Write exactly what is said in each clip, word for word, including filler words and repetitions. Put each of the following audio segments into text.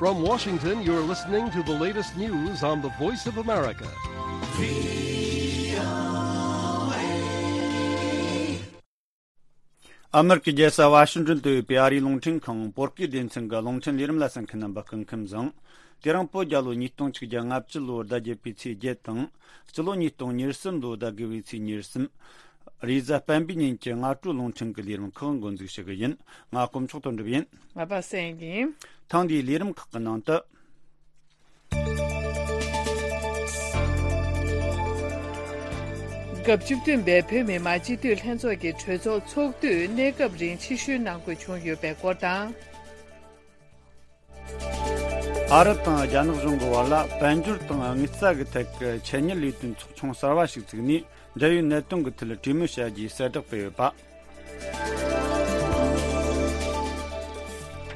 From Washington, you're listening to the latest news on the Voice of America. ཨ་མེ་རི་ཀའི་རྒྱལ་ས་ཝ་ཤིང་ཏོན་དུ་ཡོད་པའི་ཨ་རིའི་རླུང་འཕྲིན་ཁང་བོད་སྐད་སྡེ་ཚན་གྱི་རླུང་འཕྲིན་ལས་རིམ་ལ་གསན་མཁན་རྣམ་པ་སྐུ་ཁམས་བཟང་། དེ་རིང་བོད་རྒྱལ་ལོ་ཉིས་སྟོང་ཆིག་བརྒྱ་ལྔ་བཅུ་ལོར་ཟླ་བརྒྱད་པའི་ཚེས་བརྒྱད་དང་། སྤྱི་ལོ་ཉིས་སྟོང་ཉེར་གསུམ་ལོ་ཟླ་དགུ་པའི་ཚེས་ཉེར་གསུམ། རེས་གཟའ་སྤེན་པའི་ཉིན་གྱི་སྔ་དྲོའི་རླུང་འཕྲིན་གྱི་ལས་རིམ་ཁག་འགོ་འཛུགས་ཞུ་གི་ཡིན། ང་དཀོན་མཆོག་དོན་གྲུབ་ཡིན། ང་པ་སངས་ཡིན། ཐེངས་འདིའི་ལས་རིམ་ཁག་གི་ནང་དུ། སྐབས་བཅུ་བདུན་པའི་བོད་མི་མང་སྤྱི་འཐུས་ལྷན་ཚོགས་ཀྱི་གྲོས་ཚོགས་ཚོགས་དུས་གནས་སྐབས་རིང་ཕྱིར་བཤོལ་གནང་དགོས་བྱུང་ཡོད་པའི་སྐོར་དང་། ཨ་རི་དང་རྒྱ་ནག་གཞུང་གི་བར་ལ་དཔལ་འབྱོར་དང་དངུལ་རྩ་གི་ཐད་ཀྱི་ཆེད་གཉེར་ལས་དོན་ཚོགས་ཆུང་གསར་བ་ཞིག་བཙུགས་ནས། འབྲེལ་ཡོད་གནད་དོན་གྱི་ཐད་གྲོས་མོལ་བྱ་རྒྱུའི་གསལ་བསྒྲགས་སྤེལ་ཡོད་པ།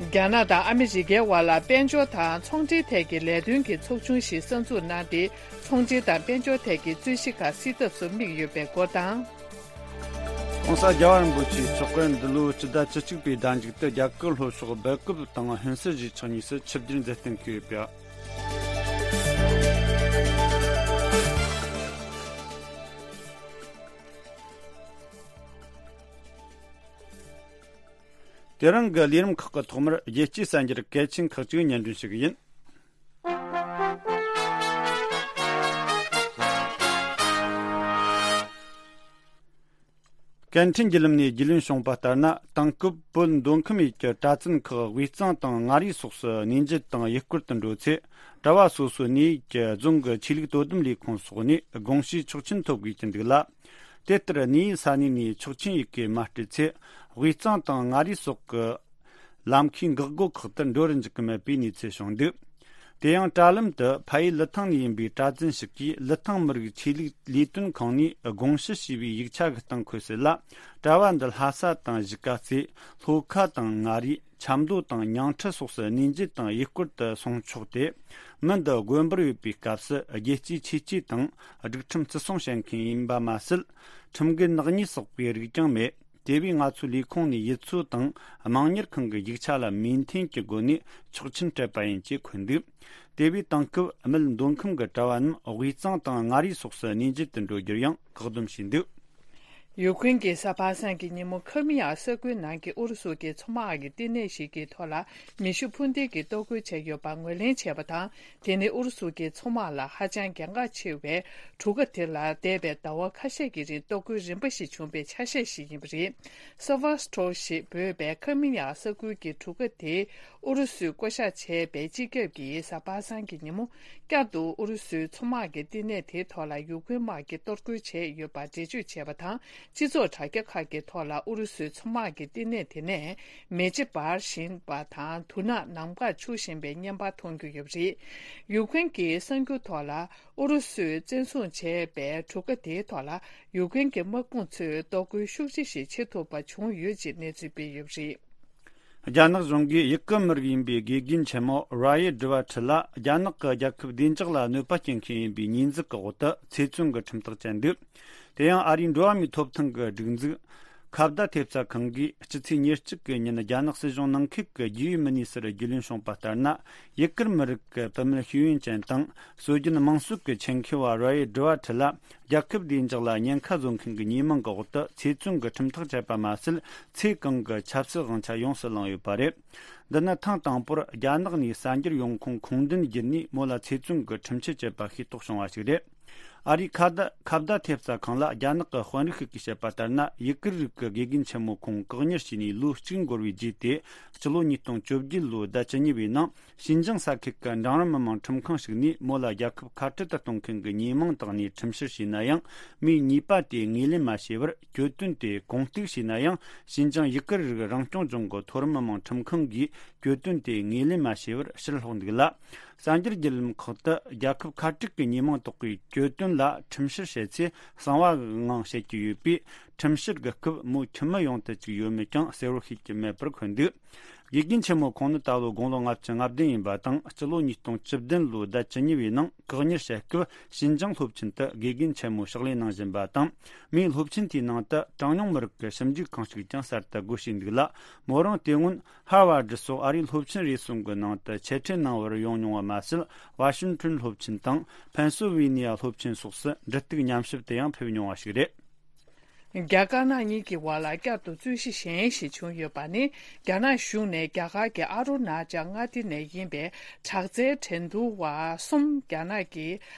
རྒྱ་ནག་དང་ཨ་མི་རི་ཀའི་བར་ལ་དཔལ་འབྱོར་དང་ཚོང་འབྲེལ་ཐད་ཀྱི་ལས་དོན་གྱི་ཚོགས་ཆུང་ཞིག་གསར་འཛུགས་གནང་སྟེ། ཚོང་འབྲེལ་དང་དཔལ་འབྱོར་ཐད་ཀྱི་རྩོད་གཞི་ཁག་སེལ་ཐབས་སུ་དམིགས་ཡོད་པའི་སྐོར་དང་། ྋགོང་ས་རྒྱལ་བ་རིན་པོ་ཆེའི་མཆོག་དཔོན་འདི་ལོའི་སྤྱི་ཟླ་བཅུ་གཅིག་པའི་ཟླ་མཇུག་ཏུ་རྒྱ་གར་ལྷོ་ཕྱོགས་སྦེལ་ཀོབ་དང་ཧུན་སུར་གཞིས་ཆགས་གཉིས་སུ་ཆིབས་བསྒྱུར་མཛད་གཏན་འཁེལ་ཡོད་པ། དེ་རིང་གི་ལས་རིམ་ཁག་གི་ཐོག་མར་རྒྱལ་སྤྱིའི་གསར་འགྱུར་གལ་ཆེན་ཁག་ཅིག་སྙན་སྒྲོན་ཞུ་གི་ཡིན། སྐད་འཕྲིན་བརྒྱུད་ལམ་ནས་རྒྱུས་ལོན་བྱུང་བ་ལྟར་ན། དེང་སྐབས་བོད་མདོ་ཁམས་ཡུལ་གྱི་གྲྭ་བཙུན་ཁག་དབུས་གཙང་དང་མངའ་རིས་སོགས་སུ་གནས་མཇལ་དང་ཡུལ་སྐོར་དུ་འགྲོ་ཚེ། གྲྭ་བ་སོ་སོའི་གནས་ཡུལ་གྱི་རྫོང་གི་ཆོས་ལུགས་དོ་དམ་ལས་ཁུངས་སོགས་ནས་དགོངས་ཞུའི་ཆོག་མཆན་ཐོབ་དགོས་ཀྱི་འདུག་ལ། དེ་ལྟར་གནས་ཡུལ་ས་གནས་ནས་ཆོག་མཆན་ཡི་གེ་མ་སྤྲད་ཚེ། དབུས་གཙང་དང་མངའ་རིས་སོགས་ཀྱི་ལམ་ཁའི་འགག་སྒོ་ཁག་ཏུ་འགྲོ་རུ་འཇུག་གི་མེད་པའི་གནས་ཚུལ་བྱུང་འདུག། དེ་ཡང་། དྲ་ལམ་དུ་ཕ་ཡུལ་ལི་ཐང་ནས་ཡིན་པའི་གྲྭ་བཙུན་ཞིག་གིས་ལི་ཐང་མི་རིགས་ཆོས་ལུགས་ལས་དོན་ཁང་ནས་དགོངས་ཞུ་ཞུས་པའི་ཡིག་ཆ་གི་སྟེང་འཁོད་གསལ་ལ། གྲྭ་བ་འདི་ལྷ་ས་དང་གཞིས་ཀ་རྩེ། ལྷོ་ཁ་དང་མངའ་རིས། ཆབ་མདོ་དང་ཉིང་ཁྲི་སོགས་སུ་གནས་མཇལ་དང་ཡུལ་སྐོར་དུ་སོང་ཆོག་སྟེ། མི་འདི་དགོན་པར་ཡོད་པའི་སྐབས་སུ་རྒྱལ་གཅེས་ཆོས་གཅེས་དང་སྒྲིག་ཁྲིམས་བརྩི་སྲུང་བྱེད་མཁན་ཡིན་པ་མ་ཟད། ཁྲིམས་འགལ་ནག་ཉེས་བསགས་པའི་རིགས་ཀྱང་མེད། དེ་བས་ང་ཚོའི་ལས་ཁུངས་ནས་ཡུལ་ཚོ་དང་དམངས་གཉེར་ཁང་གི་ཡིག་ཆ་ལ་མོས་མཐུན་གྱི་སྒོ་ནས་ཆོག་མཆན་སྤྲད་པ་ཡིན་ཅེས་འཁོད་འདུག། དེ་བས་དེང་སྐབས་སྨད་མདོ་ཁམས་ཀྱི་གྲྭ་བ་རྣམས་དབུས་གཙང་དང་མངའ་རིས་སོགས་སུ་གནས་མཇལ་དུ་འགྲོ་རྒྱུར་ཡང་བཀག་སྡོམ་བྱས་འདུག། ཡུ་ཀེ་རེན་གྱི་གཟའ་པ་སངས་ཀྱི་ཉིན་མོ་ཁི་རི་མི་ཡ་ས་ཁུལ་ནང་གི་ཨུ་རུ་སུ་གྱི་མཚོ་དམག་གི་བསྟི་གནས་ཤིག་གི་ཐོག་ལ་མེ་ཤུགས་འཕུར་མདེལ་གྱིས་གཏོར་རྒོལ་བྱས་ཡོད་པ་ངོས་ལེན་བྱས་པ་དང་། དེ་ནི་ཨུ་རུ་སུ་གྱི་མཚོ་དམག་ལ་ཧ་ཅང་གལ་འགངས་ཆེ་བའི་གྲུ་ཁ་དེ་ལ་འདས་པའི་ཟླ་བ་ཁ་ཤས་ཀྱི་རིང་གཏོར་རྒོལ་རིམ་པ་ཞིག་བྱུང་བའི་ཆ་ཤས་ཤིག་ཡིན་པ་རེད། སེ་ཝ་སི་ཊོ་ཞེས་འབོད་པའི་ཁི་རི་མི་ཡ་ས་ཁུལ་གྱི་གྲུ་ཁ་དེ་ཨུ་རུ་སུས་བསྐོ་བཞག་བྱས་པའི་སྤྱི་ཁྱབ་ཀྱི་གཟའ་པ་སངས་ཀྱི་ཉིན་མོ། བསྐྱར་དུ་ཨུ་རུ་སུའི་མཚོ་དམག་གི་བསྟི་གནས་དེའི་ཐོག་ལ་ཡུ་ཀེ་རེན་དམག་གིས་གཏོར་རྒོལ་བྱས་ཡོད་པ་འགྲེལ་བརྗོད་བྱས་པ་དང་། སྤྱི་ཚོགས་དྲ་རྒྱ་ཁག་གི་ཐོག་ལ་ཨུ་རུ་སུའི་མཚོ་དམག་གི་བསྟི་གནས་དེ་ནས་མེ་ལྕེ་འབར་བཞིན་པ་དང་། དུག་ནག་ནམ་མཁར་འཁྱུག་བཞིན་པའི་བརྙན་པར་མཐོང་རྒྱུ་ཡོད་པ་རེད། ཡུ་ཀེ་རེན་གྱི་གསར་འགྱུར་ཐོག་ལ། ཨུ་རུ་སུས་བཙན་བཟུང་བྱས་པའི་གྲུ་ཁ་དེའི་ཐོག་ལ་ཡུ་ཀེ་རེན་གྱི་དམག་དཔུང་ཚོས་གཏོར་རྒོལ་ཤུགས་ཆེ་ཞིག་བྱེད་ཐུབ་པ་བྱུང་ཡོད་ཅེས་གནས་ཚུལ་སྤེལ་ཡོད་པ་རེད། རྒྱ་ནག་གཞུང་གིས་ཡུ་གུར་མི་རིགས་ཡིན་པའི་དགེ་རྒན་ཆེན་མོ་ར་ཡེ་ཌི་བ་ཁྲི་ལ་རྒྱ་ནག་གི་རྒྱལ་ཁབ་བདེ་འཇགས་ལ་གནོད་པ་སྐྱེལ་མཁན་ཡིན་པའི་ཉེས་འཛུགས་ཀྱི་འོག་ཏུ་ཚེ་བཙོན་གྱི་ཁྲིམས་ཐག་བཅད་འདུག། དེ་ཡང་ཨ་རིའི་འགྲོ་བ་མིའི་ཐོབ་ཐང་གི་སྒྲིག་འཛུགས་ཁ་བརྡ་ཐེབས་རྩ་ཁང་གིས་སྤྱི་ཚེས་ཉེར་གཅིག་གི་ཉིན་རྒྱ་ནག་སྲིད་གཞུང་ནང་ཁུལ་གྱི་རྒྱུས་ཡོད་མི་སྣའི་ཟུར་རྒྱུས་ལོན་བྱུང་བ་ལྟར་ན། ཡུ་གུར་མི་རིགས་ཀྱི་བུད་མེད་ཤེས་ཡོན་ཅན་དང་སྲོལ་རྒྱུན་དམངས་སྲོལ་གྱི་ཆེད་མཁས་པ་ར་ཡེ་ཌི་བ་ཁྲི་ལ་རྒྱལ་ཁབ་བདེ་འཇགས་ལ་ཉེན་ཁ་བཟོ་མཁན་གྱི་ཉེས་མིང་གི་འོག་ཏུ་ཚེ་བཙོན་གྱི་ཁྲིམས་ཐག་བཅད་པ་མ་ཟད། ཚེ་གང་གི་ཆབ་སྲིད་དབང་ཆ་ཡོངས་སུ་བླངས་ཡོད་པ་རེད། འདི་ནི་ཐེངས་དང་པོར་རྒྱ་ནག་ནས་གསར་འགྱུར་ཡོང་ཁུངས་ཁུངས་འདུན་བརྒྱུད་ནས་མོ་ལ་ཚེ་བཙོན་གྱི་ཁྲིམས་ཆད་བཅད་པ་ཤེས་རྟོགས་བྱུང་བ་ཞིག་རེད། ཨ་རིའི་ཁ་བརྡ་ཁ་བརྡ་ཐེབས་རྩ་ཁང་ལ་རྒྱ་ནག་གི་དཔོན་རིགས་ཤིག་གིས་བཤད་པ་ལྟར་ན། ཡུ་གུར་རིགས་ཀྱི་དགེ་རྒན་ཆེན་མོ་ཁོང་བཀག་ཉར་བྱས་ནས་ལོ་གཅིག་འགོར་བའི་རྗེས་ཏེ། སྤྱི་ལོ་ཉིས་སྟོང་བཅོ་བརྒྱད་ལོའི་ཟླ་བཅུ་གཉིས་པའི་ནང་། ཞིན་ཅང་ས་ཁུལ་གྱི་འབྲིང་རིམ་མི་དམངས་ཁྲིམས་ཁང་ཞིག་ནས་མོ་ལ་རྒྱལ་ཁབ་ཁ་བྲལ་དུ་གཏོང་མཁན་གྱི་ཉེས་མིང་བཏགས་ནས་ཁྲིམས་བཤེར་བྱས་ན་ཡང་། མི་གཉིས་པ་དེ་ངོས་ལེན་མ་བྱས་པར། གྱོད་དོན་དེ་གོང་གཏུག་བྱས་ན་ཡང་། ཞིན་ཅང་ཡུ་གུར་རིགས་རང་སྐྱོང་ལྗོངས་ཀྱི་མཐོ་རིམ་མི་དམངས་ཁྲིམས་ཁང་གིས་གྱོད་དོན་དེ་ངོས་ལེན་མ་བྱས་པར་ཕྱིར་སློག་འདུག་ལ། གསར་འགྱུར་བརྒྱུད་ལམ་ཁག་ཏུ་རྒྱལ་ཁབ་ཁ་བྲལ་གྱི་ཉེས་མིང་བཏགས་པའི་གྱོད་དོན་ལ་ཁྲིམས་བཤེར་བྱེད་ཚེ་གསང་བ་གི་ངང་བཤད་ཀྱི་ཡོད་པས། ཁྲིམས་བཤེར་གྱི་སྐབས་མོ་ཁྱིམ་མི་ཡོང་དུ་བཅུག་ཡོད་མེད་ཀྱང་གསལ་བོར་ཤེས་ཀྱི་མེད་པར་འཁོད་འདུག། དགེ་རྒན་ཆེན་མོ་ཁོང་ནི་ད་ལོ་དགུང་ལོ་ལྔ་བཅུ་ང་བདུན་ཡིན་པ་དང་། སྤྱི་ལོ་ཉིས་སྟོང་བཅུ་བདུན་ལོའི་ཟླ་བཅུ་གཉིས་པའི་ནང་བཀག་ཉར་བྱས་སྐབས་ཞིན་ཅང་སློབ་ཆེན་དུ་དགེ་རྒན་ཆེན་མོ་ཕྱག་ལས་གནང་བཞིན་པ་དང་། མིའི་སློབ་ཆེན་དེའི་ནང་དུ་གྲངས་ཉུང་མི་རིགས་ཀྱི་ཞིབ་འཇུག་ཁང་ཞིག་ཀྱང་གསར་དུ་སྒོ་ཕྱེས་འདུག་ལ། མོ་རང་དེ་སྔོན་ཧར་ཝར་ཌི་སོགས་ཨ་རིའི་སློབ་ཆེན་རེ་ཟུང་གི་ནང་དུ་ཆེད་ཁྲིད་གནང་བར་ཡོང་མྱོང་བ་མ་ཟད། ཝ་ཤིང་ཊོན་སློབ་ཆེན་དང་ཕེན་སིལ་ཝེ་ནི་ཡ་སློབ་ཆེན་སོགས་སུ་འབྲེལ་གཏུག་ཉམས་ཞིབ་ཏུ་ཡང་ཕེབས་མྱོང་བ་ཞིག་རེད། རྒྱ་དཀར་ནག་གཉིས་ཀྱི་བར་ལ་བསྐྱར་དུ་རྩོད་གཞི་གཞན་ཞིག་བྱུང་ཡོད་པ་ནི། རྒྱ་ནག་གཞུང་ནས་རྒྱ་གར་གྱི་ཨ་རུ་ན་ཅལ་མངའ་སྡེ་ནས་ཡིན་པའི་དྲག་རྩལ་འགྲན་བསྡུར་བ་གསུམ་རྒྱ་ནག་གི་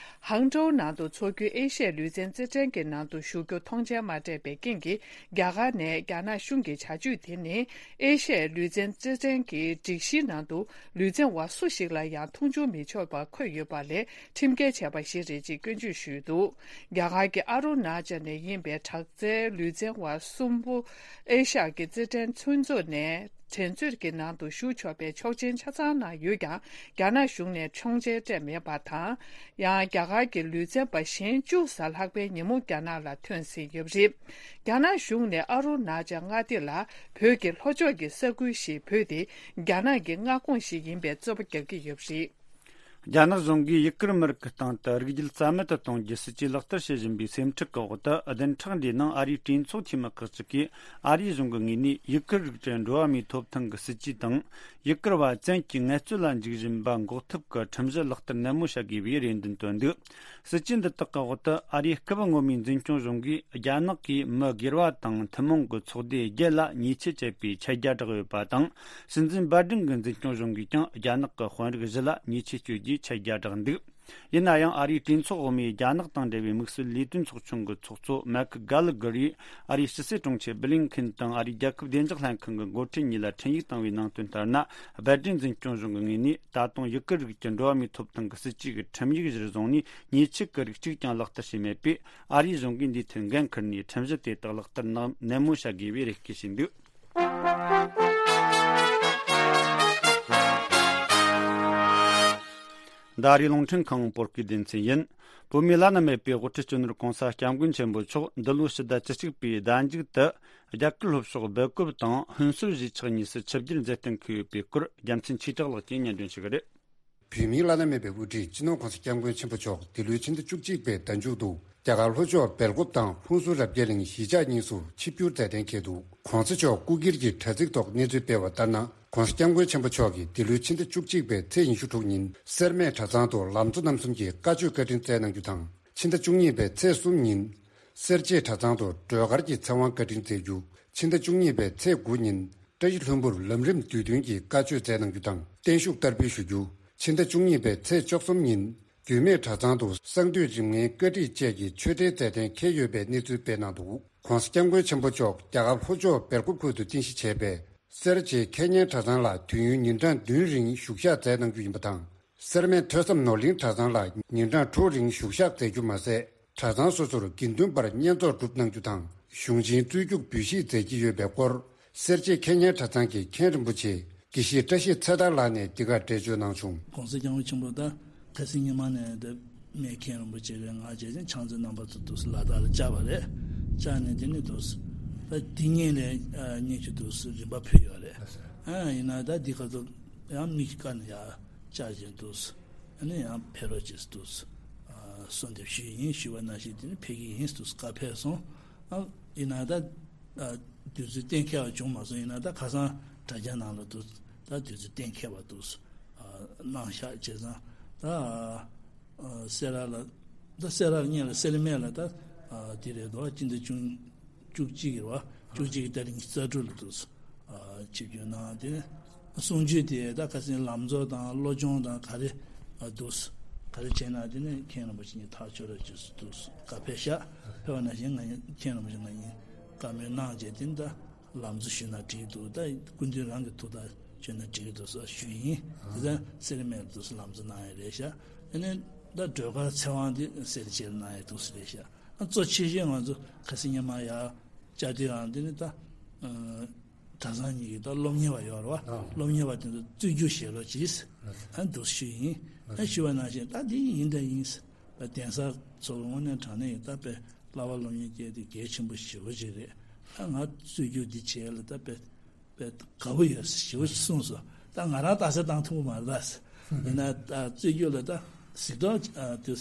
ཧང་ཀྲོའུ་ནང་དུ་འཚོགས་རྒྱུའི་ཨེ་ཤ་ཡའི་ལུས་རྩལ་རྩེད་འགྲན་གྱི་ནང་དུ་ཞུགས་རྒྱུ་མཐོང་མཆན་མ་སྤྲད་པའི་རྐྱེན་གྱིས། རྒྱ་གར་ནས་རྒྱ་ནག་གཞུང་གི་བྱ་སྤྱོད་དེ་ནི་ཨེ་ཤ་ཡའི་ལུས་རྩལ་རྩེད་འགྲན་གྱི་སྒྲིག་གཞིའི་ནང་དུ་ལུས་རྩལ་བ་སུ་ཞིག་ལ་ཡང་མཐོང་ཆུང་མི་ཆོག་པ་འཁོད་ཡོད་པ་ལས་ཁྲིམས་འགལ་བྱས་པ་ཞིག་རེད་ཅེས་སྐྱོན་བརྗོད་ཞུས་འདུག་རྒྱ་གར་གྱི་ཨ་རུ་ན་ཅལ་ནས་ཡིན་པའི་དྲག་རྩལ་ལུས་རྩལ་བ་གསུམ་པོ་ཨེ་ཤ་ཡ་གི་རྩེད་འགྲན་མཐུན་ཚོགས་ནས་འགྲན་རྩོད་ཀྱི་ནང་དུ་ཞུགས་ཆོག་པའི་ཆོག་མཆན་ཆ་ཚང་གནང་ཡོད་ཀྱང་། རྒྱ་ནག་གཞུང་ནས་ཆོག་མཆན་སྤྲད་མེད་པ་དང་། ཡང་རྒྱ་གར་གྱི་ལུས་རྩལ་བ་གཞན་བཅུ་ལྷག་པའི་ཉིན་མོ་རྒྱ་ནག་ལ་ཐོན་ཟིན་ཡོད་པ་རེད། རྒྱ་ནག་གཞུང་ནས་ཨ་རུ་ན་ཅལ་མངའ་སྡེ་ལ་བོད་ཀྱི་ལྷོ་ཕྱོགས་ཀྱི་ས་ཁུལ་ཞིག་བོད་དེ་རྒྱ་ནག་གི་མངའ་ཁོངས་ཤིག་ཡིན་པའི་རྩོད་པ་རྒྱག་གི་ཡོད་པ་རེད། རྒྱ་ནག་གཞུང་གིས་ཡུ་གུར་མི་རིགས་ཀྱི་སྟེང་དུ་རིགས་རྒྱུད་རྩ་མེད་དུ་གཏོང་རྒྱུའི་སྲིད་ཇུས་ལག་བསྟར་བྱེད་བཞིན་པའི་སེམས་ཁྲལ་གྱི་འོག་ཏུ། བདུན་ཕྲག་འདིའི་ནང་ཨ་རིའི་གྲོས་ཚོགས་འཐུས་མི་ཁག་ཅིག་གིས་ཨ་རིའི་གཞུང་གི་ངོས་ནས་ཡུ་གུར་རིགས་ཀྱི་འགྲོ་བ་མིའི་ཐོབ་ཐང་གི་སྲིད་ཇུས་དང་། ཡུ་གུར་བ་བཙན་གྱིས་ངལ་རྩོལ་ལ་འཇུག་བཞིན་པ་འགོག་ཐབས་ཀྱི་ཁྲིམས་གཞི་ལག་བསྟར་ནན་མོ་བྱ་དགོས་པའི་རེ་འདུན་བཏོན་འདུག་སྲིད་ཇུས་འདི་དག་གི་འོག་ཏུ། ཨ་རིའི་སྐབས་སྔོན་མའི་འཛིན་སྐྱོང་གཞུང་གིས་རྒྱ་ནག་གི་མི་སྒེར་བ་དང་ཐུན་མོང་གི་ཚོགས་སྡེ་བརྒྱད་ལ་ཉེས་ཆད་བཅད་པའི་ཆད་རྒྱ་བསྒྲགས་ཡོད་པ་དང་། སྲིད་འཛིན་བྷའི་ཌེན་གྱི་འཛིན་སྐྱོང་གཞུང་གིས་ཀྱང་རྒྱ་ནག་གི་དཔོན་རིགས་བཞི་ལ་ཉེས་ཆད་གཅོད་རྒྱུའི་ཆད་རྒྱ་བསྒྲགས་འདུག་ཡིན་ན་ཡང་། ཨ་རིའི་གྲོས་ཚོགས་འོག་མའི་རྒྱ་ནག་དང་འབྲེལ་བའི་དམིགས་བསལ་ལས་དོན་ཚོགས་ཆུང་གི་ཚོགས་གཙོ་མེག་གྷ་ལ་གྷར་ཡིས། ཨ་རིའི་ཕྱི་སྲིད་དྲུང་ཆེ་བྷི་ལིན་ཁིན་དང་ཨ་རིའི་རྒྱལ་ཁབ་བདེ་འཇགས་ལྷན་ཁང་གི་འགོ་ཁྲིད་གཉིས་ལ་འཕྲིན་ཡིག་བཏང་བའི་ནང་དོན་ལྟར་ན། བྷའི་ཌེན་འཛིན་སྐྱོང་གཞུང་གི་ངོས་ནས་ད་དུང་ཡུ་གུར་རིགས་ཀྱི་འགྲོ་བ་མིའི་ཐོབ་ཐང་གི་སྲིད་ཇུས་ཀྱི་ཁྲིམས་ཡིག་གཞིར་བཟུང་ནས་ཉེས་ཆད་ཀྱི་རིགས་གཅིག་ཀྱང་ལག་བསྟར་བྱས་མེད་པས། ཨ་རིའི་གཞུང་གིས་འདིའི་ཐད་འགན་འཁུར་ནས་ཁྲིམས་གཞི་དེ་དག་ལག་བསྟར་ནན་མོ་བྱ་དགོས་པའི་རེ་སྐུལ་བྱས་འདུག་ད་རེས་རླུང་འཕྲིན་ཁང་བོད་སྐད་སྡེ་ཚན་ཡིན། བོད་མིའི་བླ་ན་མེད་པའི་དབུ་ཁྲིད་སྤྱི་ནོར་༸གོང་ས་༸སྐྱབས་མགོན་ཆེན་པོ་མཆོག་འདི་ལོའི་ཕྱི་ཟླ་བཅུ་གཅིག་པའི་ཟླ་མཇུག་ཏུ་རྒྱ་གར་ལྷོ་ཕྱོགས་སྦེལ་ཀོབ་དང་ཧུན་སུར་གཞིས་ཆགས་གཉིས་སུ་ཆིབས་བསྒྱུར་མཛད་གཏན་འཁེལ་ཡོད་པའི་སྐོར། རྒྱལ་མཚན་ཆོས་གྲགས་ལགས་ཀྱིས་སྙན་སྒྲོན་ཞུ་གི་རེད། བོད་མིའི་བླ་ན་མེད་པའི་དབུ་ཁྲིད་སྤྱི་ནོར་༸གོང་ས་༸སྐྱབས་མགོན་ཆེན་པོ་མཆོག་འདི་ལོའི་ཕྱི་ཟླ་བཅུ་གཅིག་པའི་ཟླ་མཇུག་ཏུ་རྒྱ་གར་ལྷོ་ཕྱོགས་སྦེལ་ཀོབ་དང་ཧུན་སུར་རབ་རྒྱས་གླིང་གཞིས་ཆགས་གཉིས་སུ་ཆིབས་བསྒྱུར་མཛད་གཏན་འཁེལ་འདུག ༸གོང་ས་མཆོག་སྐུ་སྒེར་གྱི་དྲ་ཚིགས་ཐོག་གནས་ཚུལ་སྤེལ་བ་ལྟར་ན། ༸གོང་ས་༸སྐྱབས་མགོན་ཆེན་པོ་མཆོག་གིས་འདི་ལོའི་ཕྱི་ཟླ་བཅུ་གཅིག་པའི་ཚེས་ཉི་ཤུ་དྲུག་ཉིན་སེར་སྨད་གྲྭ་ཚང་དུ་ལམ་གཙོ་རྣམ་གསུམ་གྱི་བཀའ་ཆོས་བཀའ་དྲིན་སྩལ་གནང་རྒྱུ་དང་། ཕྱི་ཟླ་བཅུ་གཉིས་པའི་ཚེས་གསུམ་ཉིན་སེར་བྱེས་གྲྭ་ཚང་དུ་སྒྲོལ་དཀར་གྱི་ཚེ་དབང་བཀའ་དྲིན་སྩལ་རྒྱུ། ཕྱི་ཟླ་བཅུ་གཉིས་པའི་ཚེས་དགུ་ཉིན་བཀྲ་ཤིས་ལྷུན་པོར་ལམ་རིམ་བསྡུས་དོན་གྱི་བཀའ་ཆོས་སྩལ་གནང་རྒྱུ་དང་བརྟན་བཞུགས་བསྟར་འབུལ་ཞུ་རྒྱུ། ཕྱི་ཟླ་བཅུ་གཉིས་པའི་ཚེས་བཅུ་གསུམ་ཉིན་རྒྱུད་སྨད་གྲྭ་ཚང་དུ་གསང་འདུས་རིམ་ལྔའི་བཀའ་ཁྲིད་བཅས་ཀྱི་ཆོས་འབྲེལ་མཛད་གཏན་འཁེལ་ཡོད་པའི་གནས་ཚུལ་སྤེལ་གནང་འདུག ༸གོང་ས་༸སྐྱབས་མགོན་ཆེན་པོ་མཆོག་རྒྱ་གར་ལྷོ་ཕྱོགས་སྦེལ་ཀོབ་ཁུལ་དུ་རྟེན་གཞི་བྱས་པའི་སེར་བྱེས་ཁེ་ཉན་གྲྭ་ཚང་ལ་དུས་ཡུན་ཉིན་གྲངས་བདུན་རིང་བཞུགས་ཞག་མཛད་གནང་རྒྱུ་ཡིན་པ་དང་། སེར་སྨད་ཐོས་བསམ་ནོར་གླིང་གྲྭ་ཚང་ལ་ཉིན་གྲངས་དྲུག་རིང་བཞུགས་ཞག་མཛད་རྒྱུ་མ་ཟད། གྲྭ་ཚང་སོ་སོར་དགེ་འདུན་པར་བསྙེན་རྫོགས་སྒྲུབ་གནང་རྒྱུ་དང་། གཞུང་ཆེན་རྩོད་རྒྱུགས་འབུལ་བཞེས་མཛད་ཀྱི་ཡོད་པའི་སྐོར། སེར་བྱེས་ཁེ་ཉན་གྲྭ་ཚང་གི་མཁན་རིན་པོ་ཆེ་དགེ་བཤེས་བཀྲ་ཤིས་ཚེ་ཐར་ལགས་ནས་འདི་གར་འགྲེལ་བརྗོད་གནང་བྱུང་། ༸གོང་ས་༸སྐྱབས་མགོན་ཆེན་པོ་དང་ཁ་སང་ཉི་མ་ནས་འདི་སྨད་མཁན་རིན་པོ་ཆེ་གིས་ང་བྱས་ཙང་ཕྱག་མཛོད་རྣམ་པ་ཚོ་འདུག་སེ་ལ་དྭགས་ལ་བཅར་བ་རེད། བཅར་ནས་དེ་ནས་འདུག་སེ་ད་དེ་ཉིན་ལས་སྙིང་རྗེ་འདུག་སེ་རིམ་པ་ཕུལ་ཡོད་རེད། ཨ་ཡིན་ན་ད་འདི་ག་ཚོད་ཡང་མིག་དཀར་ནས་ཡར་བཅར་བྱས་འདུག་སེ་ཨ་ནི་ཡང་ཕེབས་རོགས་བྱེད་འདུག་སེ་གསོལ་འདེབས་ཞུས་ཡིན། ཞུས་པ་ནང་བཞིན་དེ་ནས་ཕེབས་ཀྱི་ཡིན་འདུག་སེ་བཀའ་ཕེབས་སོང་། ཨ་ཡིན་ན་ད་དུས་ཚོད་གཏན་འཁེལ་བ་བྱུང་མ་སོང་། ཡིན་ན་ད་ཁ་སང་དྲ་རྒྱ་ནང་ལ་འདུག་ད་དུས་ཚོད་གཏན་འཁེལ་བ་འདུག་སེ་གནང་ཤག་བྱས་ཙང་ད་སེ་ར་ལ་ད་སེ་ར་ལ་སྔོན་ལ་སེར་སྨད་ལ་ད་དེ་རེད་དོ། སྤྱི་ཟླ་བཅུ་བཅུ་གཅིག་རེད་བ། བཅུ་གཅིག་གི་ཏ་རིག་ཉི་ཤུ་རྩ་དྲུག་ལ་འདུག་སེ་ཆིབས་བསྒྱུར་གནང་། དེ་ནས་གསུང་ཆོས་དེ་ད་ཁ་སང་ལམ་གཙོ་དང་བློ་སྦྱོང་དང་ག་རེ་འདུག་སེ་ག་རེ་བྱས་ན་དེ་ནས་མཁན་རིན་པོ་ཆེ་གཉིས་ཐག་ཆོད་རོགས་བྱེད་འདུག་སེ་བཀའ་ཕེབས་ཤག་ཕེབས་པ་ནང་བཞིན་ང་གཉིས་མཁན་རིན་པོ་ཆེ་ང་གཉིས་བཀའ་མོལ་གནང་བྱས་དེ་ནས་ད་ལམ་གཙོ་ཞུས་ན་འགྲིག་འདུག་ད་སྐུ་མདུན་རང་གི་ཐུགས་ཐག་ཆོད་ན་འགྲིག་འདུག་སེ་ཞུས་ཡིན། དེ་ད་སེར་སྨད་ལ་འདུག་སེ་ལམ་གཙོ་གནང་ཡ་རེད་ཤག་དེ་ནས་ད་སྒྲོལ་དཀར་ཚེ་དབང་དེ་སེར་བྱེས་ལ་གནང་ཡ་འདུག་སེ་རེད་ཤག་ཨ་གཙོ་ཆེ་ཤོས་ང་ཚོ་ཁ་སང་ཉི་མ་ཡར་བཅར་དུས་ཨང་དེ་ནི་ད་གྲྭ་ཚང་གཉིས་ཀྱི་ད་སློབ་གཉེར་བ་ཡོད་རེད་བ། སློབ་གཉེར་བ་དེ་ཚོ་རྩོད་རྒྱུགས་བྱེད་རོགས་གྱིས་ཨ་འདུག་ཞུས་ཡིན། ཨ་ཞུས་པ་ནང་བཞིན་ད་དེ་ཡིན་ད་ཡིན། ད་གདན་ས་ཚོ་དངོས་གནས་དྲང་གནས་ཡིན་ད་དཔེ་བསླབ་པ་སློབ་གཉེར་སྐྱེལ་དེ་གལ་ཆེན་པོ་ཞེ་པོ་ཅིག་རེད། ད་ང་རྩོད་རྒྱུགས་འདི་བྱས་ལ་ད་དཔེ་ དཔེ་དགའ་པོ་ཡོད་ཟེར་ཞེ་པོ་ཅིག་གསུངས་སོང་། ད་ང་རང་རྟགས་གསལ་བཏང་ཐུབ་ཀྱི་མ་རེད་ད་ཟེར། ཡིན་ན་ད་རྩོད་རྒྱུགས་ལ་ད་གཟིགས་རྟོག་ཨ་དེ་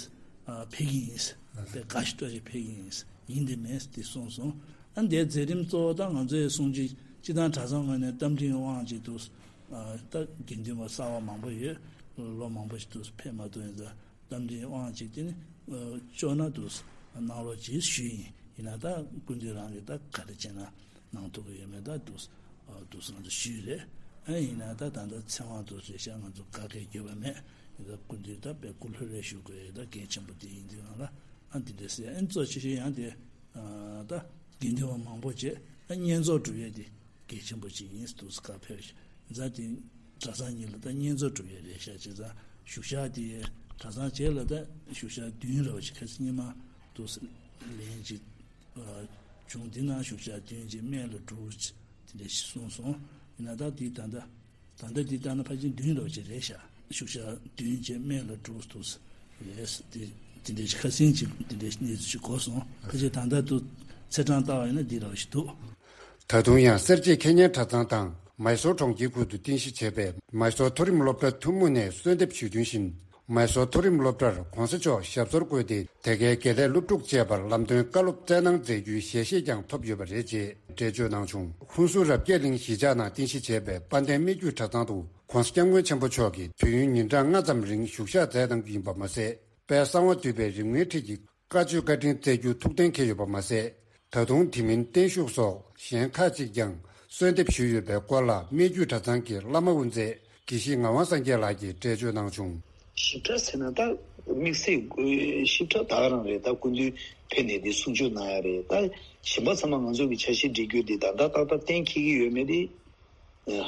ཨ་འཕེལ་གྱི་ཡིན་ཟེར། དཔེ་དགའ་ཞིག་སྤྲོ་ཞིག་འཕེལ་གྱི་ཡིན་ཟེར། ཡིན་དེ་མེད་ཟེར་དེ་གསུངས་སོང་། ཨ་འདིའི་མཛད་རིམ་གཙོ་བོ་ད་ང་ཚོའི་གསུང་ཆོས་སྤྱི་བཏང་གྲྭ་ཚང་ངོས་ནས་རྟ་མགྲིན་དབང་ཅིག་འདུག་ཨ་ད་དགེ་འདུན་པ་གསར་པ་མང་པོ་ཡོད། ལོ་མང་པོ་ཞིག་འདུག་ཕེབས་མ་ཐུབ། ཡིན་ཙང་རྟ་མགྲིན་དབང་ཅིག་དེ་ནི་ཨ་ལྕོགས་ན་འདུག་གནང་རོགས་གྱིས་ཞུས་ཡིན། ཡིན་ན་ད་སྐུ་མདུན་རང་གིས་ད་ག་རེ་བྱས་ན་གནང་ཐུབ་ཀྱི་ཡོད་མེད་ད་འདུག་ཨ་འདུག་ང་ཚོ་ཞུས་རེད། ཨ་ཡིན་ན་ད་ད་ལྟ་ཚེ་དབང་འདུག་རེད་ཤག་ང་ཚོ་ག་གེ་འགྱོད་པ་མེད། ཡིན་ད་སྐུ་མདུན་ད་དཔེ་སྐུ་ལྷོད་རེ་ཞུ་དགོས་ཡོད། ད་གལ་ཆེན་པོ་དེ་ཡིན་དུས་ང་ལ་ཨ་འདི་འདྲ་ཟེར། ཨ་གཙོ་ཆེ་ཤོས་ཡང་དེ་ཨ་ད་དགེ་འདུན་པ་མང་པོ་བྱས་ཨ་བསྙེན་རྫོགས་སྒྲུབ་ཡས་དེ་གལ་ཆེན་པོ་ཅིག་ཡིན་འདུག་ག་ཕེབས་ཤག་ཡིན་ཙང་དེ་གྲྭ་ཚང་གཉིས་ལ་ད་བསྙེན་རྫོགས་སྒྲུབ་ཡས་རེད་ཤག་བྱས་ཙང་བཞུགས་ཤག་དེ་གྲྭ་ཚང་བྱས་ལ་ད་བཞུགས་ཤག་བདུན་རེད་བ། ཅིག་ཁ་སང་ཉི་མ་འདུག་ལན་ཅིག་ཨ་བྱུང་། དེ་ནང་བཞུགས་ཤག་བདུན་ཅིག་སྨད་ལ་དྲུག་ཅིག་དེ་འདྲ་ཞིག་གསུངས་སོང་། ཡིན་ན་ད་དེ་ད་ལྟ་ད་ལྟ་འདི་ལྟ་ན་ཕལ་ཆེར་བདུན་ལོ་ཅིག་རེད་ཤག་བཞུགས་ཤག་བདུན་ཅིག་སྨད་ལ་དྲུག་འདུག་རེད། དེ་དེ་འདྲ་ཅིག་ཁ་སང་ཅིག་དེ་འདྲ་གནས་ཚུལ་ཅིག་གོ་སོང་། ཕལ་ཆེར་ད་ལྟ་དུ་ཚེས་གྲངས་ལྟ་བ་ཡིན་ན་འདི་རེད་བ་ཞིག་འདུག་ད་དུང་ཡང་སེར་བྱེས་ཁེ་ཉན་གྲྭ་ཚང་དང་མའི་སོར་གྲོང་ཁྱེར་ཁུལ་དུ་རྟེན་གཞི་བྱས་པའི་མའི་སོར་མཐོ་རིམ་སློབ་གྲྭ་ཐུན་མོང་ནས་གསོལ་འདེབས་ཞུས་དོན་བཞིན། མའི་སོར་མཐོ་རིམ་སློབ་གྲྭར་གོང་ས་མཆོག་ཞབས་སོར་བཀོད་དེ། དེ་གའི་དགེ་ལས་སློབ་ཕྲུག་བཅས་པར་ལམ་སྟོན་བཀའ་སློབ་སྩལ་གནང་མཛད་རྒྱུའི་ཞལ་བཞེས་ཀྱང་ཐོབ་ཡོད་པ་རེད་ཅེས་འགྲེལ་བརྗོད་གནང་བྱུང་། ཧུན་སུར་རབ་རྒྱས་གླིང་གཞིས་ཆགས་ནང་རྟེན་གཞི་བྱས་པའི་དཔལ་ལྡན་སྨད་རྒྱུད་གྲྭ་ཚང་དུ་གོང་ས་སྐྱབས་མགོན་ཆེན་པོ་མཆོག་གིས་དུས་ཡུན་ཉིན་གྲངས་ལྔ་ཙམ་རིང་བཞུགས་ཞག་མཛད་གནང་རྒྱུ་ཡིན་པ་མ་ཟད། དཔལ་གསང་བ་འདུས་པའི་རིམ་ལྔའི་ཁྲིད་ཀྱི་བཀའ་ཆོས་བཀའ་དྲིན་སྩལ་རྒྱུ་ཐུགས་གཏན་འཁེལ་ཡོད་པ་མ་ཟད། ད་དུང་དེ་མིན་བརྟན་བཞུགས་སོགས་གཞན་ཁག་ཅིག་ཀྱང་གསོལ་འདེབས་ཞུས་ཡོད་པའི་སྐོར་ལ་སྨད་རྒྱུད་གྲྭ་ཚང་གི་བླ་མ་དབུ་མཛད་དགེ་བཤེས་ངག་དབང་སངས་རྒྱས་ལགས་ཀྱིས་འགྲེལ་བརྗོད་གནང་བྱུང་། ཞིབ་ཕྲ་ཟེར་ན་ད་དམིགས་བསལ་ཞིབ་ཕྲ་ད་ག་རང་རེད། ད་སྐུ་མདུན་ཕེབས་ནས་འདི་གསུང་ཆོས་གནང་ཡ་རེད། ད་གཞན་པ་ཚང་མ་ང་ཚོ་གི་འཆར་གཞི་སྒྲིག་རྒྱུ་འདི་ད་ད་ཏག་ཏག་གཏན་འཁེལ་གྱི་ཡོད་མེད་དེ།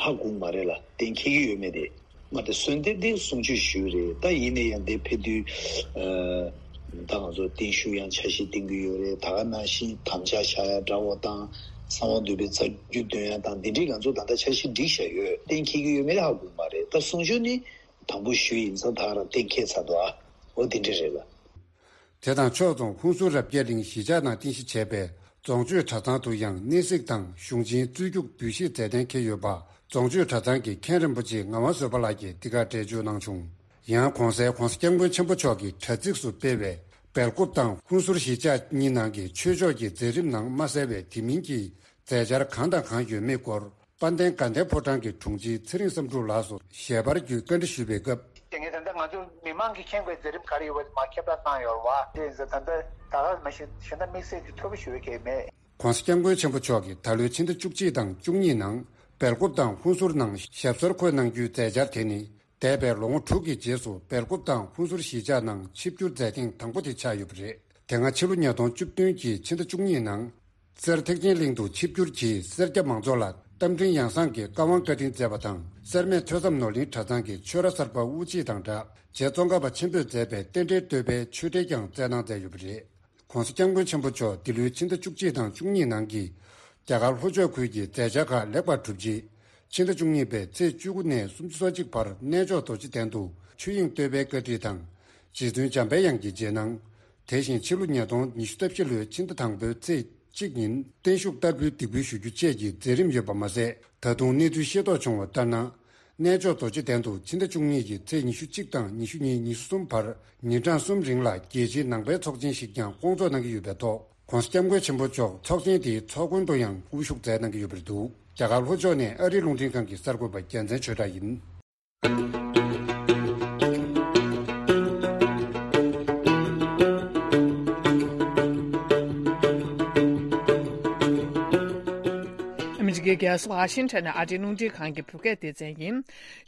ཧ་གོ་མ་རེད་ལ། གཏན་འཁེལ་གྱི་ཡོད་མེད་དེ། མ་དེ་གསོལ་འདེབས་དེ་གསུང་ཆོས་ཞུས་རེད། ད་ཡིན་ན་ཡང་དེ་ཕེབས་དུས་ཨ་ད་ང་ཚོ་བརྟན་བཞུགས་ཡང་འཆར་གཞི་བཏིང་གི་ཡོད་རེད། ད་ག་ནང་བཞིན་དམ་བཅའ་བཞག་ཡ་འདྲ་བོ་དང་གསང་བ་འདུས་པའི་རྩ་རྒྱུད་འདོན་ཡ་དང་འདི་འདྲའི་ང་ཚོ་ད་ལྟ་འཆར་གཞི་སྒྲིག་བཞག་ཡོད། གཏན་འཁེལ་གྱི་ཡོད་མེད་ཧ་གོ་མ་རེད། ད་གསུང་ཆོས་ནི་དང་པོ་ཞུས་ཡིན་ཙང་ད་ག་རང་གཏན་འཁེལ་ཚར་འདུག་ཨ། འོ་དེ་འདྲ་རེད་ལ། དེ་དང་ཕྱོགས་མཚུངས་ཧུན་སུར་རབ་རྒྱས་གླིང་གཞིས་ཆགས་ནང་རྟེན་གཞི་བྱས་པའི་རྫོང་ཆོས་གྲྭ་ཚང་དུ་ཡང་གནས་གཟིགས་དང་གཞུང་ཆེན་རྩོད་རྒྱུགས་འབུལ་བཞེས་མཛད་གཏན་འཁེལ་ཡོད་པ་རྫོང་ཆོས་གྲྭ་ཚང་གི་མཁན་རིན་པོ་ཆེ་ངག་དབང་བཟོད་པ་ལགས་ཀྱིས་འདི་གར་འགྲེལ་བརྗོད་གནང་བྱུང་། ཡང་གོང་གསལ་གོང་ས་སྐྱབས་མགོན་ཆེན་པོ་མཆོག་གིས་དྲ་ཚིགས་སུ་སྤེལ་བའི་སྦེལ་ཀོབ་དང་ཧུན་སུར་གཞིས་ཆགས་གཉིས་ནང་གི་ཆོས་ཕྱོགས་ཀྱི་མཛད་རིམ་ནང་མ་གསལ་བའི་དེ་མིན་གྱི་མཛད་འཆར་གང་དང་གང་ཡོད་མེད་སྐོར། དཔལ་ལྡན་དགའ་ལྡན་ཕོ་བྲང་གི་དྲུང་ཆེ་ཚེ་རིང་བསམ་འགྲུབ་ལགས་སུ་ཞལ་པར་བརྒྱུད་བཀའ་འདྲི་ཞུས་པའི་སྐབས། དེ་ངས་ད་ལྟ་ང་ཚོ་མི་མང་གིས་མཁྱེན་དགོས་མཛད་རིམ་ག་རེ་ཡོད་པ་མར་ཁྱབ་བསྒྲགས་བཏང་ཡོད་རེད་བ། དེ་ཡིན་ཙང་ད་ལྟ་ད་ག་མ་གཞི་གཞན་དག་དམིགས་བསལ་གྱི་ཐོ་གི་ཞུ་བའི་གལ་མེད། གོང་ས་སྐྱབས་མགོན་ཆེན་པོ་མཆོག་གིས་ད་ལོའི་ཕྱི་ཟླ་བཅུ་གཅིག་དང་བཅུ་གཉིས་ནང་སྦེལ་ཀོབ་དང་ཧུན་སུར་ནང་ཞབས་སོར་འཁོད་གནང་རྒྱུའི་མཛད་འཆར་དེ་ནི། འདས་པའི་ལོ་ངོ་དྲུག་གི་རྗེས་སུ་སྦེལ་ཀོབ་དང་ཧུན་སུར་གཞིས་ཆགས་ནང་ཆིབས་བསྒྱུར་མཛད་ཐེངས་དང་པོ་དེ་ཆགས་ཡོད་པ་རེད། དེ་སྔ་ཕྱི་ལོ་ཉིས་སྟོང་བཅུ་བདུན་གྱི་ཕྱི་ཟླ་བཅུ་གཉིས་ནང་། གསེར་ཐེག་ཆེན་གླིང་དུ་ཆིབས་བསྒྱུར་གྱིས་སེར་སྐྱ་མང་ཚོགས་ལ་རྟ་མགྲིན་ཡང་གསང་གི་བཀའ་དབང་བཀའ་དྲིན་སྩལ་བ་དང་། སེར་སྨད་ཐོས་བསམ་ནོར་གླིང་གྲྭ་ཚང་གི་ཆོས་ར་གསར་པ་དབུ་འབྱེད་དང་སྦྲགས། རྗེ་ཙོང་ཁ་པ་ཆེན་པོས་མཛད་པའི་རྟེན་འབྲེལ་བསྟོད་པའི་ཆོས་འབྲེལ་ཀྱང་སྩལ་གནང་མཛད་ཡོད་པ་རེད། གོང་ས་སྐྱབས་མགོན་ཆེན་པོ་མཆོག་འདི་ལོའི་ཕྱི་ཟླ་བཅུ་གཅིག་དང་བཅུ་གཉིས་ནང་གི་རྒྱ་གར་ལྷོ་ཕྱོགས་ཁུལ་གྱི་མཛད་འཆར་ཁག་ལེགས་པར་གྲུབ་རྗེས། ཕྱི་ཟླ་བཅུ་གཉིས་པའི་ཚེས་བཅུ་དགུ་ནས་སུམ་ཅུ་སོ་གཅིག་བར་གནས་མཆོག་རྡོ་རྗེ་གདན་དུ་ཆོས་དབྱིངས་བསྟོད་པའི་བཀའ་ཁྲིད་དང་། རྗེ་བཙུན་འཇམ་པའི་དབྱངས་ཀྱི་རྗེས་གནང་། དེ་བཞིན་ཕྱི་ལོ་ཉིས་སྟོང་ཉི་ཤུ་རྩ་བཞི་ལོའི་ཕྱི་ཟླ་དང་པོའི་ཚེས་གཅིག་ཉིན་བརྟན་བཞུགས་བསྟར་འབུལ་འདེགས་འབུལ་ཞུ་རྒྱུ་བཅས་ཀྱི་མཛད་རིམ་ཡོད་པ་མ་ཟད། ད་དུང་གནས་ཚུལ་ཤེས་རྟོགས་བྱུང་བ་ལྟར་ན། གནས་མཆོག་རྡོ་རྗེ་གདན་དུ་ཕྱི་ཟླ་བཅུ་གཉིས་ཀྱི་ཚེས་ཉི་ཤུ་གཅིག་དང་ཉི་ཤུ་གཉིས་ཉི་ཤུ་གསུམ་བར་ཉིན་གྲངས་གསུམ་རིང་ལ་རྒྱལ་སྤྱིའི་ནང་པའི་ཚོགས་ཆེན་ཞིག་ཀྱང་སྐོང་ཚོགས་གནང་གི་ཡོད་པའི་ཐོག་གོང་ས་སྐྱབས་མགོན་ཆེན་པོ་མཆོག་ཚོགས་ཆེན་དེའི་ཚོགས་མགོན་དུ་ཡང་དབུ་བཞུགས་མཛད་གནང་གི་ཡོད་པ་རེད་འདུག་རྒྱ་གར་ལྷོ་ཕྱོགས་ནས་ཨ་རིའི་རླུང་འཕྲིན་ཁང་གི་གསར་འགོད་པ་རྒྱལ་མཚན་ཆོས་གྲགས་ཡིན། ཨ་མི་རི་ཀའི་རྒྱལ་ས་ཝ་ཤིང་ཊོན་ནས་ཨ་རིའི་རླུང་འཕྲིན་ཁང་གི་བོད་སྐད་སྡེ་ཚན་ཡིན།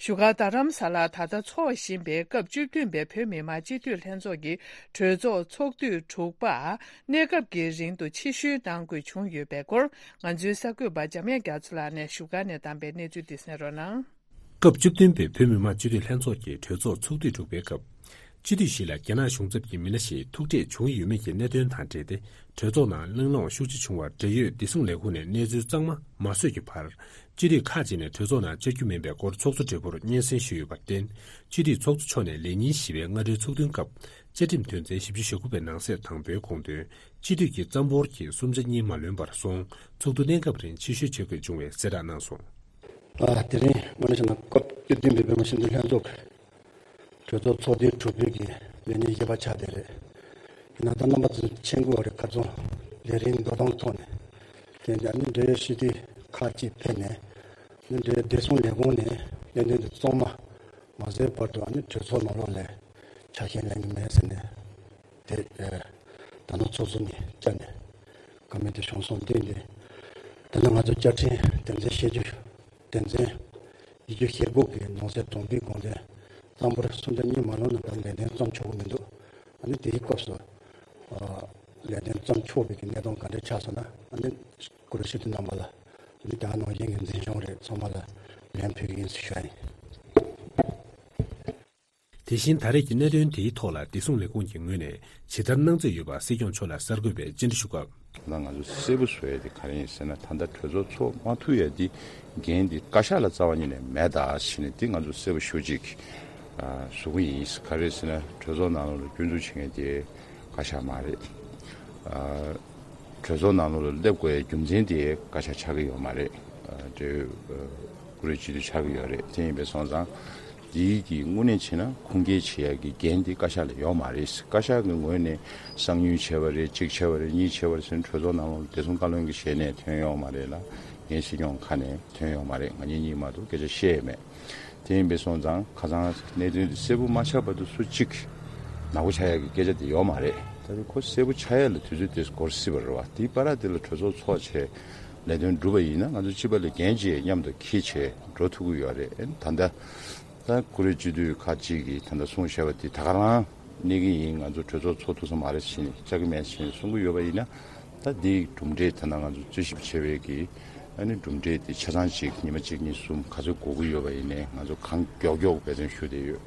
བཞུགས་སྒར་རྡ་རམ་ས་ལར་ད་ལྟ་འཚོགས་བཞིན་པའི་སྐབས་བཅུ་བདུན་པའི་བོད་མི་མང་སྤྱི་འཐུས་ལྷན་ཚོགས་ཀྱི་གྲོས་ཚོགས་ཚོགས་དུས་དྲུག་པ་གནས་སྐབས་ཀྱི་རིང་དུ་ཕྱིར་བཤོལ་གནང་དགོས་བྱུང་ཡོད་པའི་སྐོར། ང་ཚོའི་གསར་འགོད་པ་འཇམ་དབྱངས་རྒྱ་མཚོ་ལགས་ནས་བཞུགས་སྒར་ནས་བདམས་པའི་གནས་ཚུལ་འདི་གསན་རོགས་གནང་། སྐབས་བཅུ་བདུན་པའི་བོད་མི་མང་སྤྱི་འཐུས་ལྷན་ཚོགས་ཀྱི་གྲོས་ཚོགས་ཚོགས་དུས་དྲུག་པའི་སྐབས། སྤྱི་འཐུས་ཤིག་ལ་རྒྱ་ནག་གཞུང་ཚབ་ཀྱི་མི་སྣ་ཞིག་ཐུག་འཕྲད་བྱུང་ཡོད་མེད་ཀྱི་གནད་དོན་དང་འབྲེལ་ཏེ། གྲོས་ཚོགས་ནང་གླེང་སློང་ཤུགས་ཆེ་བྱུང་བར། འབྲེལ་ཡོད་བདེ་སྲུང་ལས་ཁུངས་ནས་གནས་ཚུལ་གཙང་མ་མ་བཟོས་ཀྱི་བར། སྤྱི་འཐུས་ཁག་ཅིག་ནས་གྲོས་ཚོགས་ནང་བཅར་རྒྱུ་མིན་པའི་སྐོར་ཚོགས་གཙོ་སྦྲེལ་པོར་སྙན་སེང་ཞུས་ཡོད་པར་བརྟེན། སྤྱི་འཐུས་ཚོགས་གཙོ་མཆོག་ནས་ལས་ཉིན་བཞི་པའི་སྔ་དྲོའི་ཚོགས་ཐུན་སྐབས། བཅའ་ཁྲིམས་དོན་ཚན་བཞི་བཅུ་ཞེ་དགུ་པའི་ནང་གསེས་དང་པོའི་དགོངས་དོན། སྤྱི་འཐུས་ཀྱིས་རྩ་འབོར་གྱི་གསུམ་ཆ་གཉིས་མ་ལོན་པར་སོང་། ཚོགས་འདུ་གནས་སྐབས་རིང་ཕྱིར་བཤོལ་བྱེད་དགོས་བྱུང་བའི་གསལ་བསྒྲགས་གནང་སོང་། ཨ། དེ་རིང་དངོས་གནས་བྱས་ན་སྐབས་བཅུ་བདུན་པའི་བོད་མི་སྤྱི་འཐུས་ལྷན་ཚོགས་ཀྱི་གྲོས་ཚོགས་ཚོགས་དུས་དྲུག་པའི་གི་ལས་ཉིན་བཞི་པ་ཆགས་བསྡད་རེད། ཡིན་ན་ད་རྣམ་པ་ཚོ་མཁྱེན་གྱི་ཡོད་རེད། ཁ་རྩང་ལས་རིམ་འགྲོ་སྟངས་ཐོག་ནས་དེ་འདྲ་ནི་འབྲེལ་ཡོད་སྤྱི་འཐུས་ཁག་ཅིག་ཕེབས་ནས་ནི་འབྲེལ་ཡོད་བདེ་སྲུང་ལས་ཁུངས་ནས་གནད་དོན་དེ་གཙང་མ་མ་བཟོས་བར་དུ་ཨ་ནི་གྲོས་ཚོགས་ནང་ལོགས་ལ་ཆ་ཤས་ལེན་གྱི་མེད་ཟེར་ནས། དེ་ད་ནང་ཚོགས་གཙོ་ནས་བཅར་ནས་བཀའ་མོལ་དེ་བྱུང་སོང་། དེ་འདི་ད་ནང་ང་ཚོ་བཅའ་ཁྲིམས་དོན་ཚན་ཞེ་བཅུ་དོན་ཚན་ཉི་ཤུ་ཞེ་དགུ་གི་ནང་གསེས་དང་པོའི་དགོངས་དོན་གཙང་པོར་སུམ་ཆ་གཉིས་མ་ལོན་ན་ད་ལས་དོན་བརྩམ་ཆོག་གི་མི་འདུག་ཨ་ནི་དེའི་སྐབས་སུ་ལས་དོན་བརྩམ་ཆོག་པའི་གི་གནས་སྟངས་ག་འདྲ་ཆགས་སོང་ན་ཨ་ནི་གུ་རུ་ཞུ་དུས་རྣམ་པ་ལ་ཨ་ནི་ད་ནང་བཞིན་གྱི་འཛིན་སྐྱོང་རེད་ཚང་མ་ལ་ལན་ཕུལ་གི་ཡིན་ཟེར་ཞུ་ཡ་ཡིན། དེ་བཞིན་ད་རེས་ཀྱི་གནད་དོན་དེའི་ཐོག་ལ་བདེ་སྲུང་ལས་ཁུངས་ཀྱི་ངོས་ནས་ཇི་ལྟར་གནང་རྩིས་ཡོད་པ་སྲིད་སྐྱོང་མཆོག་ལ་གསར་འགོད་པས་བཅར་འདྲི་ཞུ་སྐབས། ད་ང་ཚོ་གསལ་པོ་བཟོ་ཡ་དེ་ག་རེ་ཡིན་ཟེར་ན། ད་ལྟ་གྲོས་ཚོགས་ཚོགས་མ་ཐུབ་ཡ་དེ་འགན་དེ་བཀའ་ཤག་ལ་རྩ་བ་ཉིད་ནས་མེད་ད་ཟེར་ནས་དེ་ང་ཚོ་གསལ་པོ་ཞུ་ཅིག་བཟོ་གི་ཡིན། ག་རེ་ཟེར་ན་གྲོས་ཚོགས་ནང་ལ་སྐྱོན་འཛུགས་བྱེད་མཁན་དེ་བཀའ་ཤག་མ་རེད། གྲོས་ཚོགས་ནང་ལོགས་ལ་སླེབས་དགོས་ཡའི་རྒྱུ་མཚན་དེ་བཀའ་ཤག་ཆགས་ཀྱི་ཡོད་མ་རེད། འབྲེལ་ཡོད་བཀུར་འོས་སྤྱི་འཐུས་ཆགས་ཀྱི་ཡོད་རེད། དེ་ཡིན་པས་སོང་ཙང་འདིའི་གི་དངོས་གནས་བྱས་ན་ཁུངས་སྐྱེལ་བྱེད་ཡ་གི་འགན་དེ་བཀའ་ཤག་ལ་ཡོད་མ་རེད། བཀའ་ཤག་གི་ངོས་ནས་གསང་མྱུལ་བྱས་པ་རེད། གཅིག་བྱས་པ་རེད། གཉིས་བྱས་པ་རེད་ཟེར་ནས་གྲོས་ཚོགས་ནང་ལོགས་ལ་བདེ་སྲུང་བཀའ་བློན་གྱི་ཞལ་ནས་ཐོན་ཡོད་མ་རེད་ལ། འགན་སྲིད་སྐྱོང་ཁ་ནས་ཐོན་ཡོད་མ་རེད། ང་གཉིས་གཉིས་མ་གཏོགས་སྐད་ཆ་བཤད་ཡས་མེད། དེ་ཡིན་པས་སོང་ཙང་ཁ་སང་གནད་དོན་དེ་གསལ་པོ་མ་ཆགས་བར་དུ་སུ་གཅིག་ནག་པོ་ཆགས་ཡག་གི་སྐད་ཆ་དེ་ཡོད་མ་རེད། ད་དེ་ཁོ་གསལ་པོ་ཆགས་ཡག་ལ་དུས་ཚོད་དེ་འགོར་སྲིད་པ་རེད་བ། དེའི་བར་དེ་ལ་གྲོས་ཚོགས་ཚོགས་བྱས་ལས་དོན་སྒྲུབ་པ་ཡིན་ན་ང་ཚོ་སྤྱི་པ་ལ་འགན་ཅིག་མཉམ་དུ་འཁྱེར་བྱས་འགྲོ་ཐུབ་ཀྱི་ཡོད་རེད། ད་ལྟ་ད་བཀུར་འོས་སྤྱི་འཐུས་ཁག་ཅིག་གིས་ད་ལྟ་གསུངས་བཞག་པ་དེ་ད་ག་རང་གནས་ཀྱི་ཡིན། ང་ཚོ་གྲོས་ཚོགས་ཚོགས་ཐུབ་ས་མ་རེད་ཟེར་ནས་བཅར་གྱི་མེད་ཟེར་ནས་གསུང་གི་ཡོད་པ་ཡིན་ན། ད་འདིའི་གྲུབ་འབྲས་ད་ལྟ་ང་ཚོ་རྩོད་ཞིབ་བྱས་པའི་གི་ཨ་ནི་གྲུབ་འབྲས་དེ་ཆ་ཚང་ཅིག་ཉི་མ་གཅིག་གཉིས་གསུམ་ག་ཚོད་འགོར་གི་ཡོད་པ་ཡིན་ནའི་ང་ཚོ་གང་མགྱོགས་མགྱོགས་འབད་བརྩོན་ཞུ་བསྡད་ཡོད།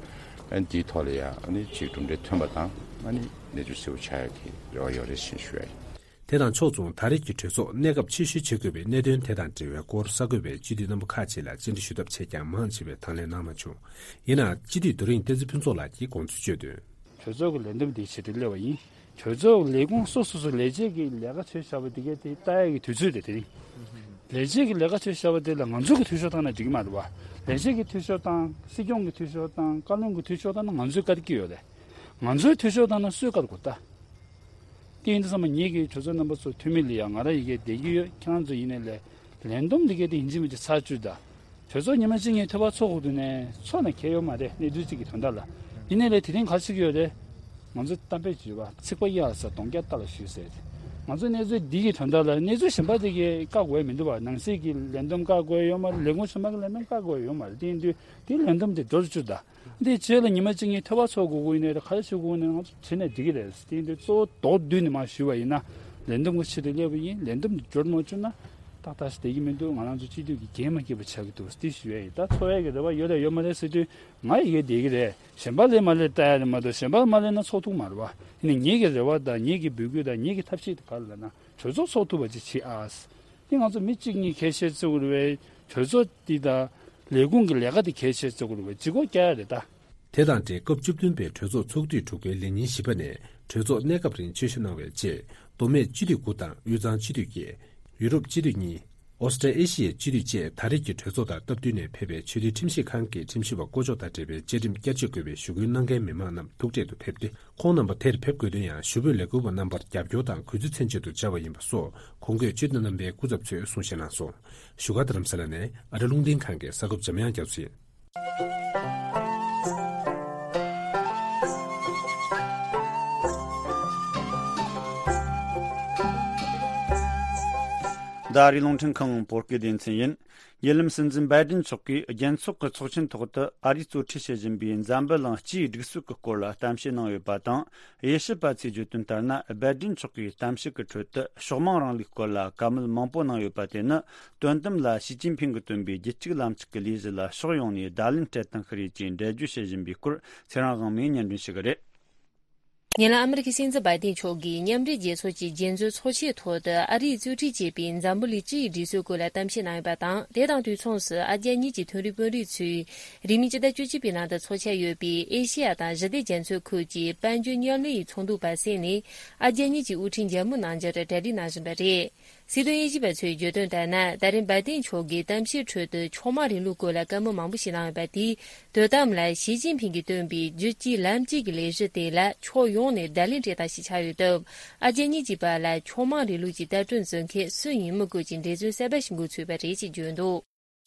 ཨ་ནི་འདིའི་ཐོག་ལ་ཡང་ཨ་ནི་ཅིག་གྲུབ་འབྲས་ཐོན་པ་དང་ཨ་ནི་གནས་ཚུལ་གསལ་པོ་ཆགས་ཡག་གི་རེ་བ་ཡོད་རེད་ཟེར་ཞུ་ཡ་ཡིན། དེ་དང་ཕྱོགས་མཚུངས་ད་རེས་ཀྱི་གྲོས་ཚོགས་གནས་སྐབས་ཕྱིར་བཤོལ་བྱེད་དགོས་པའི་གནད་དོན་དེ་དང་འབྲེལ་བའི་སྐོར་གསར་འགོད་པས་སྤྱི་འཐུས་རྣམ་པ་ཁག་ཅིག་ལ་བཅར་འདྲི་ཞུ་ཐབས་བྱས་ཀྱང་མང་ཆེ་བས་དང་ལེན་གནང་མ་བྱུང་། ཡིན་ནའང་སྤྱི་འཐུས་རྡོ་རིང་བསྟན་འཛིན་ཕུན་ཚོགས་ལགས་ཀྱིས་དགོངས་ཚུལ་བརྗོད་དོན། གྲོས་ཚོགས་ཀྱི་ལས་འདེམས་དེའི་ཆེད་དུ་སླེབས་པ་ཡིན། གྲོས་ཚོགས་ཀྱི་ལས་ཁུངས་སོ་སོ་སོ་ལས་བྱེད་ཀྱི་ལས་ཀ་བྱས་བཞག་པ་དེ་གའི་དེ་ལྟ་ཡག་གི་དུས་ཚོད་དེ་དེ་རིང་། ལས་བྱེད་ཀྱི་ལས་ཀ་བྱས་བཞག་པ་དེ་ལ་ང་ཚོ་གི་འཐུས་ཤོར་བཏང་ན་འགྲིག་གི་མ་རེད་བ། ལས་བྱེད་ཀྱི་འཐུས་ཤོར་བཏང་། སྲིད་སྐྱོང་གི་འཐུས་ཤོར་བཏང་། བཀའ་བློན་གྱི་འཐུས་ཤོར་བཏང་ན་ང་ཚོའི་བཀའ་དེ་སྐྱིད་ཡོད་རེད། ང་ཚོའི་འཐུས་ཤོར་བཏང་ན་སུའི་བཀའ་དགོས་ད། དེ་ཡིན་དུས་ཙམ་པ་ངེད་ཀྱིས་གྲོས་ཚོགས་རྣམ་པ་ཚོ་འཐུས་མི་ལ་ཡང་ང་རང་ཡི་གེ་བསྡད་ཀྱི་ཡོད། ཁྱེད་རང་ཚོ་ཡིན་ནའི་ལས་ལས་བསྡོམས་འདི་གའི་དེ་ཡིན་གཅིག་མིན་གཅིག་ཚར་བཅུག་ད། གྲོས་ཚོགས་ཉི་མ་གཅིག་གཉིས་ཐོལ་པ་ཚོགས་དགོས་དུས་ནས་ཚོགས་ནས་ཁེལ་ཡོད་མ་རེད། གནས་ཚུལ་གཅིག་གི་དོན་དག་ལ། ཡིན་ནའི་ལས་དེ་རིང་ག་རེ་བྱེད་ཀྱི་ཡོད་རེད། ང་ཚོ་གཏམ་དཔེ་བརྗོད་པ་ཚིག་པ་གཡར་ས་གདོང་བརྒྱ་རྟ་ལ་གཞུས་ཟེར། ང་ཚོ་གནས་ཚུལ་འདི་གི་དོན་དག་ལ་གནས་ཚུལ་གཞན་པ་དེ་གའི་བཀག་དགོས་མི་འདུག་བ། ནང་སྲིད་ཀྱི་ལས་བསྡོམས་བཀག་དགོས་ཡོད་མ་རེད། ལས་ཁུངས་གཞན་པ་གི་ལས་བསྡོམས་བཀག་དགོས་ཡོད་མ་རེད། དེ་ཡིན་དུས་དེ་ལས་བསྡོམས་དེ་འགྲོ་རུ་བཅུག་ད། འདིའི་རྗེས་ལ་ཉི་མ་གཅིག་གཉིས་ཐོལ་པ་ཚོགས་དགོས་ཀྱི་ཡིན་ནའི་རེད། ག་རེ་བྱེད་དགོས་ཀྱི་ཡིན་ནའི་ང་ཚོ་བྱེད་ནས་འགྲིག་གི་རེད། དེ་ཡིན་དུས་གཙོ་བོ་མདོར་བསྡུས་ནས་མར་ཞུས་པ་ཡིན་ན། ལས་བསྡོམས་ཀྱི་ཆེད་དུ་སླེབས་པ་ཡིན། ལས་བསྡོམས་འདི་འབྱོར་མ་བཅུག་ན་ཏག་ཏག་ཞིག་བསྡད་ཀྱི་མི་འདུག་ང་རང་ཚོ་སྤྱི་འཐུས་ཀྱི་འགན་མ་འཁྱེར་བ་ཆགས་ཀྱི་འདུག་འདི་ཞུ་ཡ་ཡིན། ད་འཚོ་བའི་གི་རེ་བ་ཡོད་རེད་ཡོད་མ་རེད་ཟེར་དུས་ང་ཡི་གེ་བསྡད་ཀྱི་རེད། གཞན་པ་ལས་མ་ལས་ལྟ་ཡ་རེད་མ་གཏོགས་གཞན་པ་མ་ལས་ན་ཚོགས་ཐུབ་མ་རེད་བ། ཡིན་ནའི་ངེད་ཀྱི་རེ་བ་དང་ངེད་ཀྱི་འབོད་སྐུལ་དང་ངེད་ཀྱི་ཐབས་ཤེས་དེ་ག་རེ་ལབ་ན་གྲོས་ཚོགས་ཚོགས་ཐུབ་པ་ཅིག་བྱེད་ཨ། དེ་ང་ཚོ་མི་གཅིག་གཉིས་ཁ་ཤས་བརྩི་དགོས་རེད་བས། གྲོས་ཚོགས་འདི་དང་ལས་ཁུངས་ཀྱི་ལས་ཀ་དེ་གལ་ཆེ་བརྩི་དགོས་རེད་བས། ལྗིད་ཁོག་རྒྱག་ཡ་རེད་ད། དེ་དང་འབྲེལ་སྐབས་བཅུ་བདུན་པའི་གྲོས་ཚོགས་ཚོགས་དུས་དྲུག་པའི་ལས་ཉིན་བཞི་པ་ནས་གྲོས་ཚོགས་གནས་སྐབས་རིང་ཆོས་ཞུ་གནང་བའི་རྗེས་མདོ་སྨད་སྤྱི་འཐུས་དགུ་དང་དབུས་གཙང་སྤྱི་འཐུས་བརྒྱད། ཡུ་རོབ་སྤྱི་འཐུས་གཉིས། ཨོ་སི་ཀྲི་ཨེ་ཤི་ཡའི་སྤྱི་འཐུས་བཅས་ད་རེས་ཀྱི་གྲོས་ཚོགས་དང་སྟབས་བསྟུན་ནས་ཕེབས་པའི་ཆོས་དད་ཁྲིམས་ཞིབ་ཁང་གི་ཁྲིམས་ཞིབ་པ་བསྐོ་གཞག་དང་འབྲེལ་བའི་བཅའ་ཁྲིམས་བསྐྱར་བཅོས་དགོས་པའི་ཞུ་སྐུལ་གནང་མཁན་མི་མང་རྣམས་ཐུག་འཕྲད་དུ་ཕེབས་ཏེ། ཁོང་རྣམ་པ་དེར་ཕེབས་དགོས་དོན་ཡང་ཞུ་འབོད་ལས་འགུལ་བ་རྣམ་པར་རྒྱབ་སྐྱོར་དང་གུས་བརྩི་མཚོན་བྱེད་དུ་བཅར་བ་ཡིན་པ་སོགས་གོང་འཁོད་སྤྱི་འཐུས་རྣམ་པའི་སྐུ་ཚབ་ཚོས་གསུང་བཤད་གནང་སོང་། བཞུགས་སྒར་རྡ་རམ་ས་ལ་ནས་ཨ་རི་རླུང་འཕྲིན་ཁང་གི་གསར་འགོད་པ་འཇམ་དབྱངས་རྒྱ་མཚོ་ཡིན། འདི་ཨ་རིའི་རླུང་འཕྲིན་ཁང་བོད་སྐད་སྡེ་ཚན་ཡིན། ཉེ་ལམ་སྲིད་འཛིན་བའི་ཌེན་མཆོག་གིས་རྒྱལ་ཚོགས་ཀྱི་ཚོགས་ཆེན་ཐོག་ཏུ་ཨ་རིས་གཙོ་ཁྲིད་བྱེད་བཞིན་པའི་འཛམ་བུ་གླིང་སྤྱིའི་སྒྲིག་སྲོལ་གྱི་སྐོར་ལ་གཏམ་བཤད་གནང་ཡོད་པ་དང་། དབྱེ་ཞིབ་པ་ཚོས་བརྗོད་དོན་ལྟར་ན། བའི་ཌེན་མཆོག་གིས་གཏམ་བཤད་ཀྱི་ཁྲོད་དུ་ཕྱོགས་མང་རིང་ལུགས་སྐོར་ལ་བཀའ་མོལ་མང་པོ་གནང་ཡོད་པ་དེ་ནི། དོན་དམ་ལ་ཞི་ཅིན་ཕིང་གིས་བཏོན་པའི་རྒྱུད་གཅིག་ལམ་གཅིག་གི་ལས་གཞི་ལ་ཕྱོགས་ཡོངས་ནས་བརྡ་ལན་སྤྲད་སྟངས་ཤིག་རེད་ཅེས་འགྲེལ་བརྗོད་བྱེད་བཞིན་པའི་སྐོར། ཚེ་རིང་དབང་མོས་སྙན་སྒྲོན་ཞུ་གི་རེད། ཉེ་ལམ་ཨ་མི་རི་ཀའི་སྲིད་འཛིན་བའི་ཌེན་མཆོག་གིས་མཉམ་འབྲེལ་རྒྱལ་ཚོགས་ཀྱི་རྒྱལ་མཛོད་ཚོགས་ཆེན་ཐོག་ཏུ་ཨ་རིས་གཙོ་ཁྲིད་བྱེད་པའི་འཛམ་བུ་གླིང་སྤྱི་ཡི་སྒྲིག་སྲོལ་སྐོར་ལ་གཏམ་བཤད་གནང་ཡོད་པ་དང་། དེ་དང་དུས་མཚུངས་སུ་ཨ་རྒྱ་གཉིས་ཀྱི་མཐོ་རིམ་དཔོན་རིགས་ཚོས་རིང་མིན་སྤྱི་ཟླ་བཅུ་གཅིག་པའི་ནང་དུ་འཚོགས་འཆར་ཡོད་པའི་ཨེ་ཤེ་ཡ་དང་ཞི་བདེ་རྒྱ་མཚོའི་ཁུལ་གྱི་དཔལ་འབྱོར་མཉམ་ལས་ཡི་ཚོགས་འདུ་སྦ་གསེང་ནས་ཨ་རྒྱ་གཉིས་ཀྱི་དབུ་ཁྲིད་མཇལ་མོལ་གནང་རྒྱུར་གྲ་སྒྲིག་གནང་བཞིན་པ་རེད། སྲིད་དོན་དབྱེ་ཞིབ་པ་ཚོས་བརྗོད་དོན་ལྟར་ན། ད་རེས་བའི་ཏིན་མཆོག་གིས་གཏམ་བཤད་ཁྲོད་དུ་ཕྱོགས་མང་རིང་ལུགས་སྐོར་ལ་བཀའ་མོལ་མང་པོ་ཞིག་གནང་ཡོད་པ་དེས། དོ་དམ་ལ་ཞི་ཅིན་ཕིང་གིས་བཏོན་པའི་རྒྱུད་གཅིག་ལམ་གཅིག་གི་ལས་གཞི་དེ་ལ་ཕྱོགས་ཡོངས་ནས་བརྡ་ལན་སྤྲད་སྟངས་ཤིག་ཆགས་ཡོད་སྟབས། ཨ་རྒྱ་གཉིས་ཀྱི་བར་ལ་ཕྱོགས་མང་རིང་ལུགས་ཀྱི་ལྟ་གྲུབ་འཛིན་མཁན་སུ་ཡིན་མི་དགོས་ཀྱི་འབྲེལ་མཚོན་གསར་པ་ཞིག་འགོ་ཚུགས་པ་རེད་ཅེས་བརྗོད་འདུག་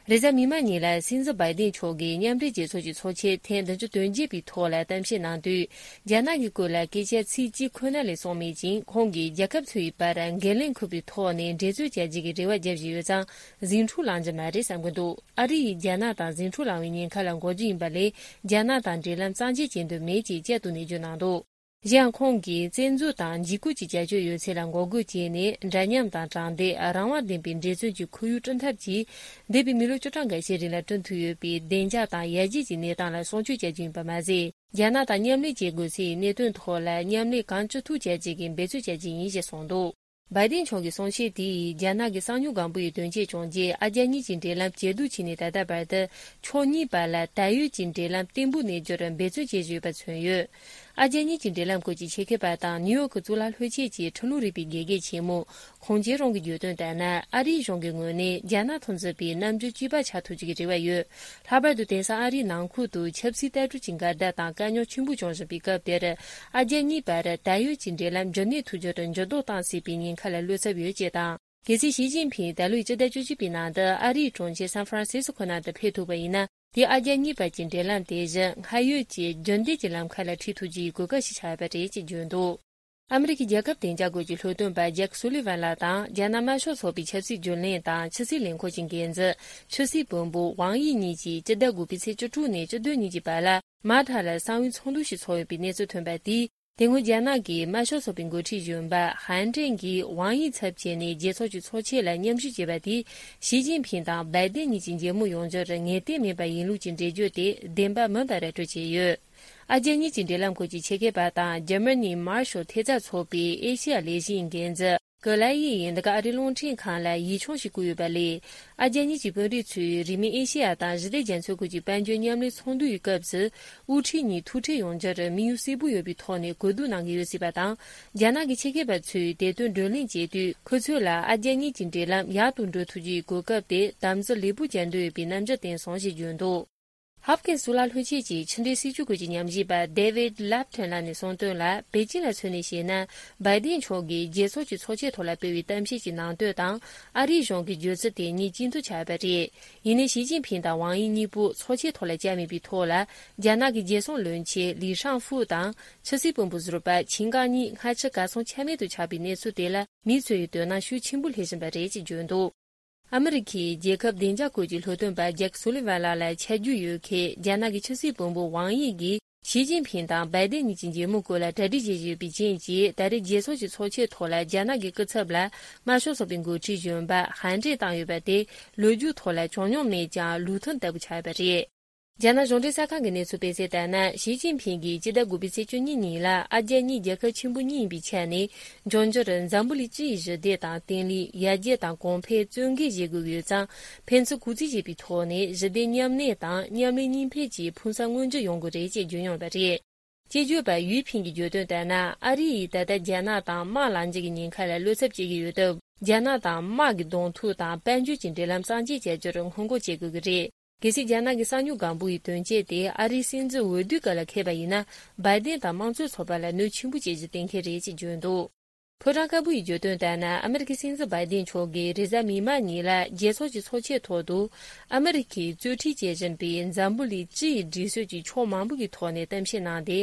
རེས་གཟའ་མིག་དམར་ཉིན་ལ་སྲིད་འཛིན་བའི་ཏིན་མཆོག་གིས་མཉམ་འབྲེལ་རྒྱལ་ཚོགས་ཀྱི་ཚོགས་ཆེན་ཐེངས་བདུན་ཅུ་དོན་བརྒྱད་པའི་ཐོག་ལ་གཏམ་བཤད་གནང་དུས། རྒྱ་ནག་གི་སྐོར་ལ་སྐད་ཆ་ཚིག་གཅིག་ཁོ་ན་ལས་གསུངས་མེད་ཅིང་། ཁོང་གིས་རྒྱལ་ཁབ་ཚོའི་བར་འགན་ལེན་ཁུར་བའི་ཐོག་ནས་འགྲན་རྩོད་བྱ་རྒྱུ་གི་རེ་བ་བརྒྱབ་བཞིན་ཡོད་ཙང་། ཟིང་འཁྲུག་ལངས་རྒྱུ་མ་རེད་བསམ་གྱི་འདུག་ཨ་རི་ཡིས་རྒྱ་ནག་དང་ཟིང་འཁྲུག་ལངས་པའི་ཉེན་ཁ་ལ་འགོག་རྒྱུ་ཡིན་པ་ལས། རྒྱ་ནག་དང་འབྲེལ་ལམ་གཙང་བཅད་བྱེད་འདོད་མེད་ཅེས་བསྐྱར་དུ་ནན་བརྗོད་གནང་འདུག་གཞན་ཡང་ཁོང་གིས་བཙན་འཛུལ་དང་འཇིགས་སྐུལ་གྱི་བྱ་སྤྱོད་ཡོད་ཚད་ལ་འགོག་རྒོལ་བྱས་ནས། འདྲ་མཉམ་དང་དྲང་བདེན། རང་དབང་ལྡན་པའི་འབྲེལ་མཚོན་གྱི་ཁོར་ཡུག་བསྐྲུན་ཐབས་ཀྱིས། འདས་པའི་མི་ལོ་བཅུ་གྲངས་འགའ་ཤས་རིང་ལ་བསྐྲུན་ཐུབ་ཡོད་པའི་བདེ་འཇགས་དང་ཡར་རྒྱས་ཀྱི་གནས་སྟངས་ལ་སྲུང་སྐྱོབ་བྱ་རྒྱུ་ཡིན་པ་མ་ཟད། རྒྱ་ནག་དང་མཉམ་ལས་བྱེད་དགོས་སའི་གནད་དོན་ཐོག་ལ་མཉམ་ལས་གང་ཅི་ཐུབ་བྱ་རྒྱུ་གི་འབད་རྩོལ་བྱ་རྒྱུ་ཡིན་ཞེས་གསུངས་འདུག་བའི་ཏིན་མཆོག་གི་གསུང་བཤད་དེ་ཡིས་རྒྱ་ནག་གི་གསང་མྱུལ་སྒང་པོ་ཡི་དོན་རྐྱེན་བྱུང་རྗེས། ཨ་རྒྱ་གཉིས་ཀྱི་འབྲེལ་ལམ་ཇེ་སྡུག་ཕྱིན་ནས་ད་ལྟ་བར་དུ། ཕྱོགས་གཉིས་བར་ལ་ད་ཡོད་ཀྱི་འབྲེལ་ལམ་བརྟན་པོ་གནས་རྒྱུར་འབད་བརྩོན་བྱེད་བཞིན་ཡོད་པ་མཚོན་ཡོད། ཨ་རྒྱ་གཉིས་ཀྱི་འབྲེལ་ལམ་སྐོར་གྱི་ཆེད་མཁས་པ་དང་ནིའུ་ཡོག་གི་གཙུག་ལག་སློབ་ཆེན་གྱི་ཁྲིམས་ལུགས་རིག་པའི་དགེ་རྒན་ཆེན་མོ་ཁོང་ཅེ་རོང་གིས་བརྗོད་དོན་ལྟར་ན། ཨ་རིའི་གཞུང་གི་ངོས་ནས་རྒྱ་ནག་མཐུན་ཚོགས་པའི་རྣམ་འགྱུར་གཅིག་པ་ཆགས་ཐུབ་རྒྱུ་གི་རེ་བ་ཡོད། ལྷག་པར་དུ་དེང་སང་ཨ་རིའི་ནང་ཁུལ་དུ་ཆབ་སྲིད་ལྟ་གྲུབ་ཀྱི་འགལ་ཟླ་དང་དཀའ་རྙོག་ཆེན་པོ་བྱུང་བཞིན་པའི་སྐབས་དེར། ཨ་རྒྱ་གཉིས་བར་ད་ཡོད་ཀྱི་འབྲེལ་ལམ་འགྱུར་མེད་ཐུབ་རྒྱུར་འགྱུར་ལྡོག་བཏང་སྲིད་པའི་ཉེན་ཁ་ལ་བློ་འཚབ་ཡོད་ཅེས་དང་། གལ་སྲིད་ཞི་ཅིན་ཕིང་ད་ལོའི་སྤྱི་ཟླ་བཅུ་གཅིག་པའི་ནང་དུ་ཨ་རིའི་གྲོང་ཁྱེར་སན་ཧྥ་རན་སི་སི་ཁོ་ནང་དུ་ཕེབས་ཐུབ་པ་ཡིན་ན། དེས་ཨ་རྒྱ་གཉིས་བར་གྱི་འབྲེལ་ལམ་དེ་བཞིན་སྔར་ཡོད་ཀྱི་རྒྱུན་ལྡན་གྱི་ལམ་ཁ་ལ་ཁྲིད་ཐུབ་རྒྱུའི་གོ་སྐབས་ཤིག་ཆགས་ཡོད་པ་རེད་ཅེས་བརྗོད་འདུག་ཨ་མི་རི་ཀའི་རྒྱལ་ཁབ་བདེ་འཇགས་སྐོར་གྱི་སློབ་སྟོན་པ་ཇེག་སུ་ལི་ཝན་ལགས་དང་། རྒྱ་ནག་དམར་ཤོག་ཚོགས་པའི་ཆབ་སྲིད་རྒྱུན་ལས་དང་ཕྱི་སྲིད་ལས་ཁུངས་ཀྱི་འགན་འཛིན་ཕྱི་སྲིད་བློན་པོ་ཝང་དབྱི་གཉིས་ཀྱིས་སྤྱི་ཟླ་དགུ་པའི་ཚེས་བཅུ་དྲུག་ནས་བཅུ་བདུན་ཉིན་གྱི་བར་ལ་མ་ཐ་ལ་གསང་བའི་ཚོགས་འདུ་ཞིག་ཚོགས་ཡོད་པའི་གནས་ཚུལ་ཐོན་པ་དེས། དེ་སྔོན་རྒྱ་ནག་གི་དམར་ཤོག་ཚོགས་པའི་འགོ་ཁྲིད་གཞོན་པ་ཧན་ཀྲེང་གིས་ཝང་དབྱི་ཚབ་བྱས་ནས་རྒྱལ་ཚོགས་ཀྱི་ཚོགས་ཆེན་ལ་མཉམ་ཞུགས་བྱས་པ་དེས། ཞི་ཅིན་ཕིང་དང་བའི་ཏེན་གཉིས་ཀྱི་མཇལ་མོལ་ཡོང་རྒྱུར་ངེས་གཏན་མེད་པ་ཡིན་ལུགས་ཀྱི་འགྲེལ་བརྗོད་དེ་བདེན་པ་མིན་པ་ར་སྤྲོད་བྱས་ཡོད། ཨ་རྒྱ་གཉིས་ཀྱི་འབྲེལ་ལམ་སྐོར་གྱི་ཆེད་མཁས་པ་དང་འཇར་མ་ནིའི་མར་ཤལ་ཐེབས་རྩ་ཚོགས་པའི་ཨེ་ཤེ་ཡ་ལས་གཞིའི་འགན་འཛིན་གྷི་ལ་ཡིས་འདི་ག་ཨ་རིའི་རླུང་འཕྲིན་ཁང་ལ་ཡིག་ཆུང་ཞིག་བསྐུར་ཡོད་པ་ལས། ཨ་རྒྱ་གཉིས་ཀྱི་དཔོན་རིགས་ཚོས་རིང་མིན་ཨེ་ཤེ་ཡ་དང་ཞི་བདེ་རྒྱ་མཚོའི་ཁུལ་གྱི་དཔལ་འབྱོར་མཉམ་ལས་ཚོགས་འདུ་ཡི་སྐབས་སུ། དབུ་ཁྲིད་གཉིས་ཐུག་འཕྲད་ཡོང་རྒྱུར་དམིགས་ཡུལ་གསལ་པོ་ཡོད་པའི་ཐོག་ནས་གོ་བསྡུར་གནང་གི་ཡོད་སྲིད་པ་དང་། རྒྱ་ནག་གི་ཆེད་མཁས་པ་ཚོས་དེ་དོན་བགྲོ་གླེང་བྱེད་དུས། ཁོ་ཚོ་ལ་ཨ་རྒྱ་གཉིས་ཀྱི་འབྲེལ་ལམ་ཡག་ཏུ་འགྲོ་ཐུབ་རྒྱུའི་གོ་སྐབས་དེ་དམ་འཛིན་ལེགས་པོ་བྱ་འདོད་ཡོད་པའི་རྣམ་འགྱུར་བསྟན་སོང་ཞེས་བརྗོད་འདུག་ཧབ་ཀིན་གཙུག་ལག་སློབ་ཆེན་གྱི་ཕྱི་འབྲེལ་སྲིད་ཇུས་སྐོར་གྱི་ཉམས་ཞིབ་པ་David Lapton ལགས་ནས་གསུངས་དོན་ལ། པེ་ཅིན་ལ་མཚོན་ནས་བཤད་ན། བའི་ཏིན་མཆོག་གིས་རྒྱལ་ཚོགས་ཀྱི་ཚོགས་ཆེན་ཐོག་ལ་སྤེལ་བའི་གཏམ་བཤད་ཀྱི་ནང་དོན་དང་། ཨ་རིའི་གཞུང་གི་བརྗོད་ཚུལ་དེ་གཉིས་གཅིག་མཐུན་ཆགས་པ་རེད། ཡིན་ནའི་ཞི་ཅིན་ཕིང་དང་ཝང་དབྱི་གཉིས་པོ་ཚོགས་ཆེན་ཐོག་ལ་བཅར་མེད་པའི་ཐོག་ལ། རྒྱ་ནག་གི་རྒྱལ་སྲུང་བློན་ཆེན་ལི་ཧྲང་ཧྥུ་དང་ཕྱི་སྲིད་བློན་པོ་ཟུར་པ་ཆིན་ཀང་གཉིས་སྔ་ཕྱི་གར་སོང་ཆ་མེད་དུ་ཆགས་པའི་གནས་ཚུལ་དེ་ལ། མི་ཚོས་དོ་སྣང་ཤུགས་ཆེན་པོ་སླེབས་བཞིན་པ་རེད་ཅེས་བརྗོད་འདུག་ཨ་མི་རི་ཁའི་རྒྱལ་ཁབ་བདེ་འཇགས་སྐོར་གྱི་སློབ་སྟོན་པ་ཇེག་སུ་ལི་ཝན་ལགས་ལ་ཆ་རྒྱུས་ཡོད་མཁན་རྒྱ་ནག་གི་ཕྱི་སྲིད་བློན་པོ་ཝང་དབྱི་གིས། ཞི་ཅིན་ཕིང་དང་བའི་ཏེན་གཉིས་ཀྱི་མཇལ་མོལ་སྐོར་ལ་གྲ་སྒྲིག་བྱེད་བཞིན་ཡོད་པའི་རྐྱེན་གྱིས། ད་རེས་རྒྱལ་ཚོགས་ཀྱི་ཚོགས་ཆེན་ཐོག་ལ་རྒྱ་ནག་གི་སྐུ་ཚབ་ལ་དམར་ཤོག་ཚོགས་པའི་འགོ་ཁྲིད་གཞོན་པ་ཧན་ཀྲེང་བཏང་ཡོད་པ་དེ། ལོ་རྒྱུས་ཐོག་ལ་བྱུང་མྱོང་མེད་ཀྱང་། ལུགས་མཐུན་ལྟ་བུ་ཆགས་ཡོད་པ་རེད། རྒྱ་ནག་གཞུང་འབྲེལ་གསར་ཁང་གི་གནས་ཚུལ་སྤེལ་གསལ་ལྟར་ན། ཞི་ཅིན་ཕིང་གིས་སྤྱི་ཟླ་དགུ་པའི་ཚེས་བཅུ་གཉིས་ཉིན་ལ། ཨ་རྒྱ་གཉིས་རྒྱལ་ཁབ་ཆེན་པོ་གཉིས་ཡིན་པའི་ཆ་ནས། འབྱུང་འགྱུར་འཛམ་བུ་གླིང་སྤྱི་ཡི་ཞི་བདེ་དང་བརྟན་ལྷིང་། ཡར་རྒྱས་དང་གོང་འཕེལ་གཙོ་འགན་བཞེས་དགོས་ཀྱི་ཡོད་ཙང་། ཕན་ཚུན་གུས་བརྩི་བྱེད་པའི་ཐོག་ནས་ཞི་བདེ་མཉམ་གནས་དང་མཉམ་ལས་གཉིས་ཕན་གྱི་ཕུགས་བསམ་མངོན་འགྱུར་ཡོང་དགོས་རེད་ཅེས་བརྗོད་མྱོང་ཡོད་པ་རེད། སྐྱེས་སྦྱོར་པ་ཡུས་ཕིང་གིས་བརྗོད་དོན་ལྟར་ན། ཨ་རི་ཡིས་ད་ལྟ་རྒྱ་ནག་དང་དམག་ལངས་རྒྱུ་གི་ཉེན་ཁ་ལ་བློ་འཚབ་བྱེད་ཀྱི་ཡོད་སྟབས། རྒྱ་ནག་དང་དམག་གི་གདོང་ཐུག་དང་དཔལ་འབྱོར་གྱི་འབྲེལ་ལམ་གཙང་བཅད་བྱ་རྒྱུར་སྔོན་འགོག་བྱེད་དགོས་ཀྱི་རེད། གལ་སྲིད་རྒྱ་ནག་གི་གསང་མྱུལ་སྒང་པོ་ཡི་དོན་རྐྱེན་དེ་ཨ་རིའི་སྲིད་འཛིན་འོས་བསྡུའི་སྐབས་ལ་འཁེལ་བ་ཡིན་ན། བའི་ཏེན་དང་དམངས་གཙོའི་ཚོགས་པ་ལ་གནོད་ཆེན་པོ་བྱེད་རྒྱུ་གཏན་འཁེལ་རེད་ཅེས་བརྗོད་འདུག་ཕོ་བྲང་དཀར་པོ་ཡིས་བརྗོད་དོན་ལྟར་ན། ཨ་མི་རི་ཀའི་སྲིད་འཛིན་བའི་ཏེན་མཆོག་གིས་རེས་གཟའ་མིག་དམར་ཉིན་ལ་རྒྱལ་ཚོགས་ཀྱི་ཚོགས་ཆེན་ཐོག་ཏུ། ཨ་མི་རི་ཀས་གཙོ་ཁྲིད་བྱེད་བཞིན་པའི་འཛམ་བུ་གླིང་སྤྱི་ཡི་སྒྲིག་སྲོལ་གྱི་ཕྱོགས་མང་པོ་གི་ཐོག་ནས་གཏམ་བཤད་གནང་སྟེ།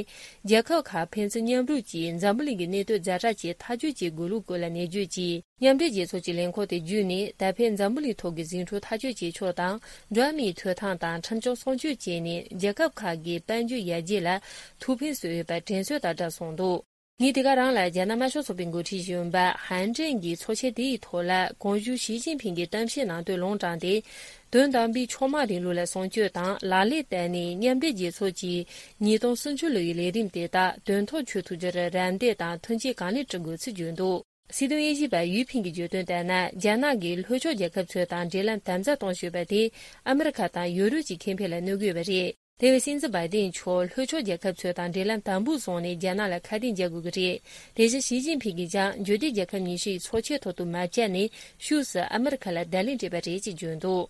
རྒྱལ་ཁབ་ཁག་ཕན་ཚུན་མཉམ་རུབ་ཀྱིས་འཛམ་བུ་གླིང་གི་གནད་དོན་ཛ་དྲག་ཅིག་ཐག་གཅོད་བྱེད་དགོས་ལུགས་སྐོར་ལ་ནན་བརྗོད་ཀྱིས། མཉམ་འབྲེལ་རྒྱལ་ཚོགས་ཀྱི་ལས་ཁུངས་དེ་བརྒྱུད་ནས། ད་ཕན་འཛམ་བུ་གླིང་ཐོག་གི་ཟིང་འཁྲུག་ཐག་གཅོད་བྱེད་ཕྱོགས་དང་། འགྲོ་བ་མིའི་ཐོབ་ཐང་དང་ཁྲིམས་སྐྱོང་སྲུང་སྐྱོབ་བྱས་ནས། རྒྱལ་ཁབ་ཁག་གི་དཔལ་འབྱོར་ཡར་རྒྱས་ལ་ཐུགས་ཕན་གསོས་ཡོད་པ་དྲན་གསོ་དང་སྦྲགས་གསུངས་འདུག་ཉིན་དེ་ག་རང་ལ་རྒྱ་ནག་དམར་ཤོག་ཚོགས་པའི་འགོ་ཁྲིད་གཞོན་པ་ཧན་ཀྲེང་གིས་ཚོགས་ཆེན་དེའི་ཐོག་ལ། གོང་ཞུས་ཞི་ཅིན་ཕིང་གིས་གཏམ་བཤད་གནང་དོན་ལུང་དྲངས་ཏེ། དོན་དམ་པའི་ཕྱོགས་མང་རིང་ལུགས་ལ་སྲུང་སྐྱོབ་དང་། ལག་ལེན་བསྟར་ནས་མཉམ་འབྲེལ་རྒྱལ་ཚོགས་ཀྱི་ཉིས་སྟོང་སུམ་ཅུ་ལོའི་ལས་རིམ་དེ་དག་དོན་ཐོག་འཁྱོལ་ཐུབ་རྒྱུར་རམ་འདེགས་དང་མཐུན་རྐྱེན་གང་ལེགས་སྒྲུབ་དགོས་ཚུལ་བརྗོད་འདུག་སྲིད་དོན་དབྱེ་ཞིབ་པ་ཡུས་ཕིང་གིས་བརྗོད་དོན་ལྟར་ན། རྒྱ་ནག་གིས་ལྷོ་ཕྱོགས་རྒྱལ་ཁབ་ཚོ་དང་འབྲེལ་ལམ་དམ་ཟབ་གཏོང་ཞེས་པ་དེ་ཨ་མི་རི་ཁ་དང་ཡོ་རོབ་ཀྱི་ཁེ་ཕན་ལ་གནོད་ཀྱི་ཡོད་པ་རེད། དེ་བས་སྲིད་འཛིན་བྷའི་ཏིན་མཆོག་ལྷོ་ཕྱོགས་རྒྱལ་ཁབ་ཚོ་དང་འབྲེལ་ལམ་དམ་པོ་བཟུང་ནས་རྒྱ་ནག་ལ་ཁ་གཏད་འཇལ་དགོས་ཀྱི་རེད། དེ་བཞིན་ཞི་ཅིན་ཕིང་གིས་ཀྱང་འབྱོར་ལྡན་རྒྱལ་ཁབ་ཉི་ཤུ་ཡི་ཚོགས་ཆེན་ཐོག་ཏུ་མ་བཅར་ནས་ཕྱོགས་སུ་ཨ་མི་རི་ཁ་ལ་བརྡ་ལན་སྤྲད་པ་རེད་ཅེས་བརྗོད་འདུག་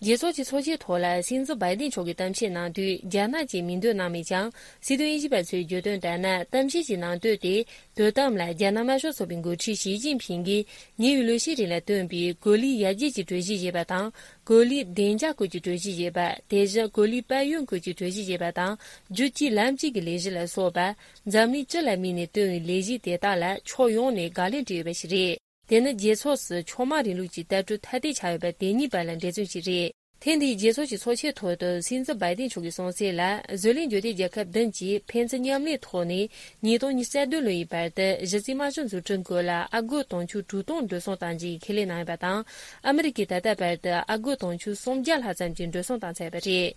རྒྱལ་ཚོགས་ཀྱི་ཚོགས་ཆེན་ཐོག་ལ་སྲིད་འཛིན་བྷའི་ཏིན་མཆོག་གིས་གཏམ་བཤད་གནང་དུས། རྒྱ་ནག་ཅེས་མིང་འདོན་གནང་མེད་ཀྱང་། སྲིད་དོན་དབྱེ་ཞིབ་པ་ཚོས་བརྗོད་དོན་ལྟར་ན། གཏམ་བཤད་ཀྱི་ནང་དོན་དེ། དོ་དམ་ལ་རྒྱ་ནག་དམར་ཤོག་ཚོགས་པའི་འགོ་ཁྲིད་ཞི་ཅིན་ཕིང་གིས་ཉེ་བའི་ལོ་ཤས་རིང་ལ་བཏོན་པའི་གོ་ལའི་ཡར་རྒྱས་ཀྱི་གྲོས་གཞི་ཞེས་པ་དང་། གོ་ལའི་བདེ་འཇགས་སྐོར་གྱི་གྲོས་གཞི་ཞེས་པ། དེ་བཞིན་གོ་ལའི་དཔལ་ཡོན་སྐོར་གྱི་གྲོས་གཞི་ཞེས་པ་དང་། རྒྱུད་གཅིག་ལམ་གཅིག་གི་ལས་གཞི་ལ་སོགས་པ། འཛམ་གླིང་སྤྱི་ལ་དམིགས་ནས་བཏོན་པའི་ལས་གཞི་དེ་དག་ལ་ཕྱོགས་ཡོངས་ནས་དགག་ལན་སྤྲད་ཡོད་པ་ཞིག་རེད། དེ་ནི་རྒྱལ་ཚོགས་སུ་ཕྱོགས་མང་རིང་ལུགས་ཀྱི་ལྟ་གྲུབ་ཐ་དད་ཆགས་ཡོད་པ་དེ་གཉིས་བར་ལ་འགྲན་རྩོད་ཅིག་རེད། ཐེངས་འདིའི་རྒྱལ་ཚོགས་ཀྱི་ཚོགས་ཆེན་ཐོག་ཏུ་སྲིད་འཛིན་བྷའི་ཏིན་མཆོག་གིས་གསུངས་གསལ་ལ། བཟོ་ལས་འབྱོར་ལྡན་རྒྱལ་ཁབ་བདུན་གྱིས་ཕན་ཚུན་མཉམ་ལས་ཐོག་ནས་ཉིས་སྟོང་ཉི་ཤུ་རྩ་བདུན་ལོ་ཡི་བར་དུ་གཞི་རྩའི་དམག་སྤྱི་མཛུབ་ཁྲིད་སྐོར་ལ་ཨ་སྒོར་དུང་ཕྱུར་དྲུག་སྟོང་འགྲོ་སོང་གཏང་རྒྱུའི་ཁས་ལེན་གནང་ཡོད་པ་དང་། ཨ་མི་རི་ཀས་ད་ལྟ་བར་དུ་ཨ་སྒོར་དུང་ཕྱུར་སུམ་བརྒྱ་ལྷག་ཙམ་གྱི་འགྲོ་སོང་བཏང་ཚར་བ་རེད།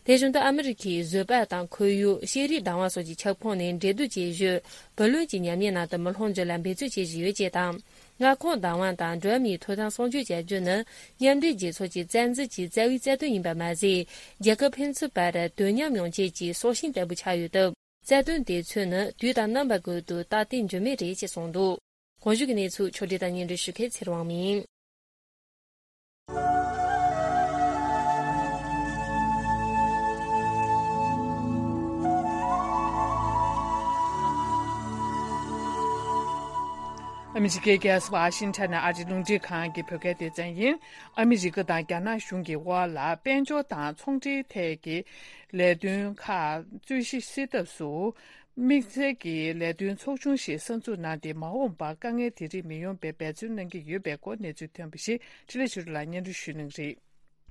དེ་བཞིན་དུ་ཨ་མི་རི་ཀས་བཟོད་པ་དང་ཁོར་ཡུག་ཤེས་རིག་བདག་དབང་སོགས་ཀྱི་ཁྱབ་ཁོངས་ནས་འབྲེལ་གཏོད་བྱེད་ཞོར་བུ་ལོན་གྱི་ཉམས་ཉེས་ནང་དུ་མི་ལྷུང་རྒྱུ་ལ་འབད་བརྩོན་བྱེད་བཞིན་ཡོད་ཅེས་དང་། མངའ་ཁོངས་བདག་དབང་དང་འགྲོ་བ་མིའི་ཐོབ་ཐང་སྲུང་སྐྱོབ་བྱ་རྒྱུ་ནི་མཉམ་འབྲེལ་རྒྱལ་ཚོགས་ཀྱི་རྩ་འཛིན་གྱི་རྩ་བའི་རྩ་དོན་ཡིན་པ་མ་ཟད། རྒྱལ་ཁབ་ཕན་ཚུན་བར་དོན་མཉམ་ཡོང་ཆེད་ཀྱི་སྲོག་ཤིང་ལྟ་བུ་ཆགས་ཡོད་སྟབས། རྩ་དོན་དེ་མཚོན་ནི་དུས་དང་རྣམ་པ་ཀུན་ཏུ་རྟག་བརྟན་འགྱུར་མེད་རེད་ཅེས་གསུངས་འདུག་གོང་ཞུས་ཀྱི་གནས་ཚུལ་ཕྱོགས་སྒྲིག་དང་སྙན་སྒྲོན་ཞུ་མཁན་ཚེ་རིང་དབང་མོ་ཡིན། ཨ་མི་རི་ཀའི་རྒྱལ་ས་ཝ་ཤིང་ཊོན་ནས་ཨ་རིའི་རླུང་འཕྲིན་ཁང་གི་བོད་སྐད་སྡེ་ཚན་ཡིན། ཨ་མི་རི་ཀ་དང་རྒྱ་ནག་གཞུང་གི་དབར་ལ་དཔལ་འབྱོར་དང་ཚོང་འབྲེལ་ཐད་ཀྱི་ལས་དོན་ཁག་རྩོད་གཞི་སེལ་ཐབས་སུ། དམིགས་བསལ་གྱི་ལས་དོན་ཚོགས་ཆུང་ཞིག་གསར་འཛུགས་གནང་སྟེ། མ་འོངས་པར་དཀའ་ངལ་དེ་རིགས་མི་ཡོང་བའི་འབད་བརྩོན་གནང་གི་ཡོད་པའི་སྐོར་གནས་ཚུལ་ཐོན་པ་ཞིག་འཕྲིན་ལས་ཆོས་སྒྲོན་ལགས་སྙན་སྒྲོན་ཞུ་གནང་གི་རེད།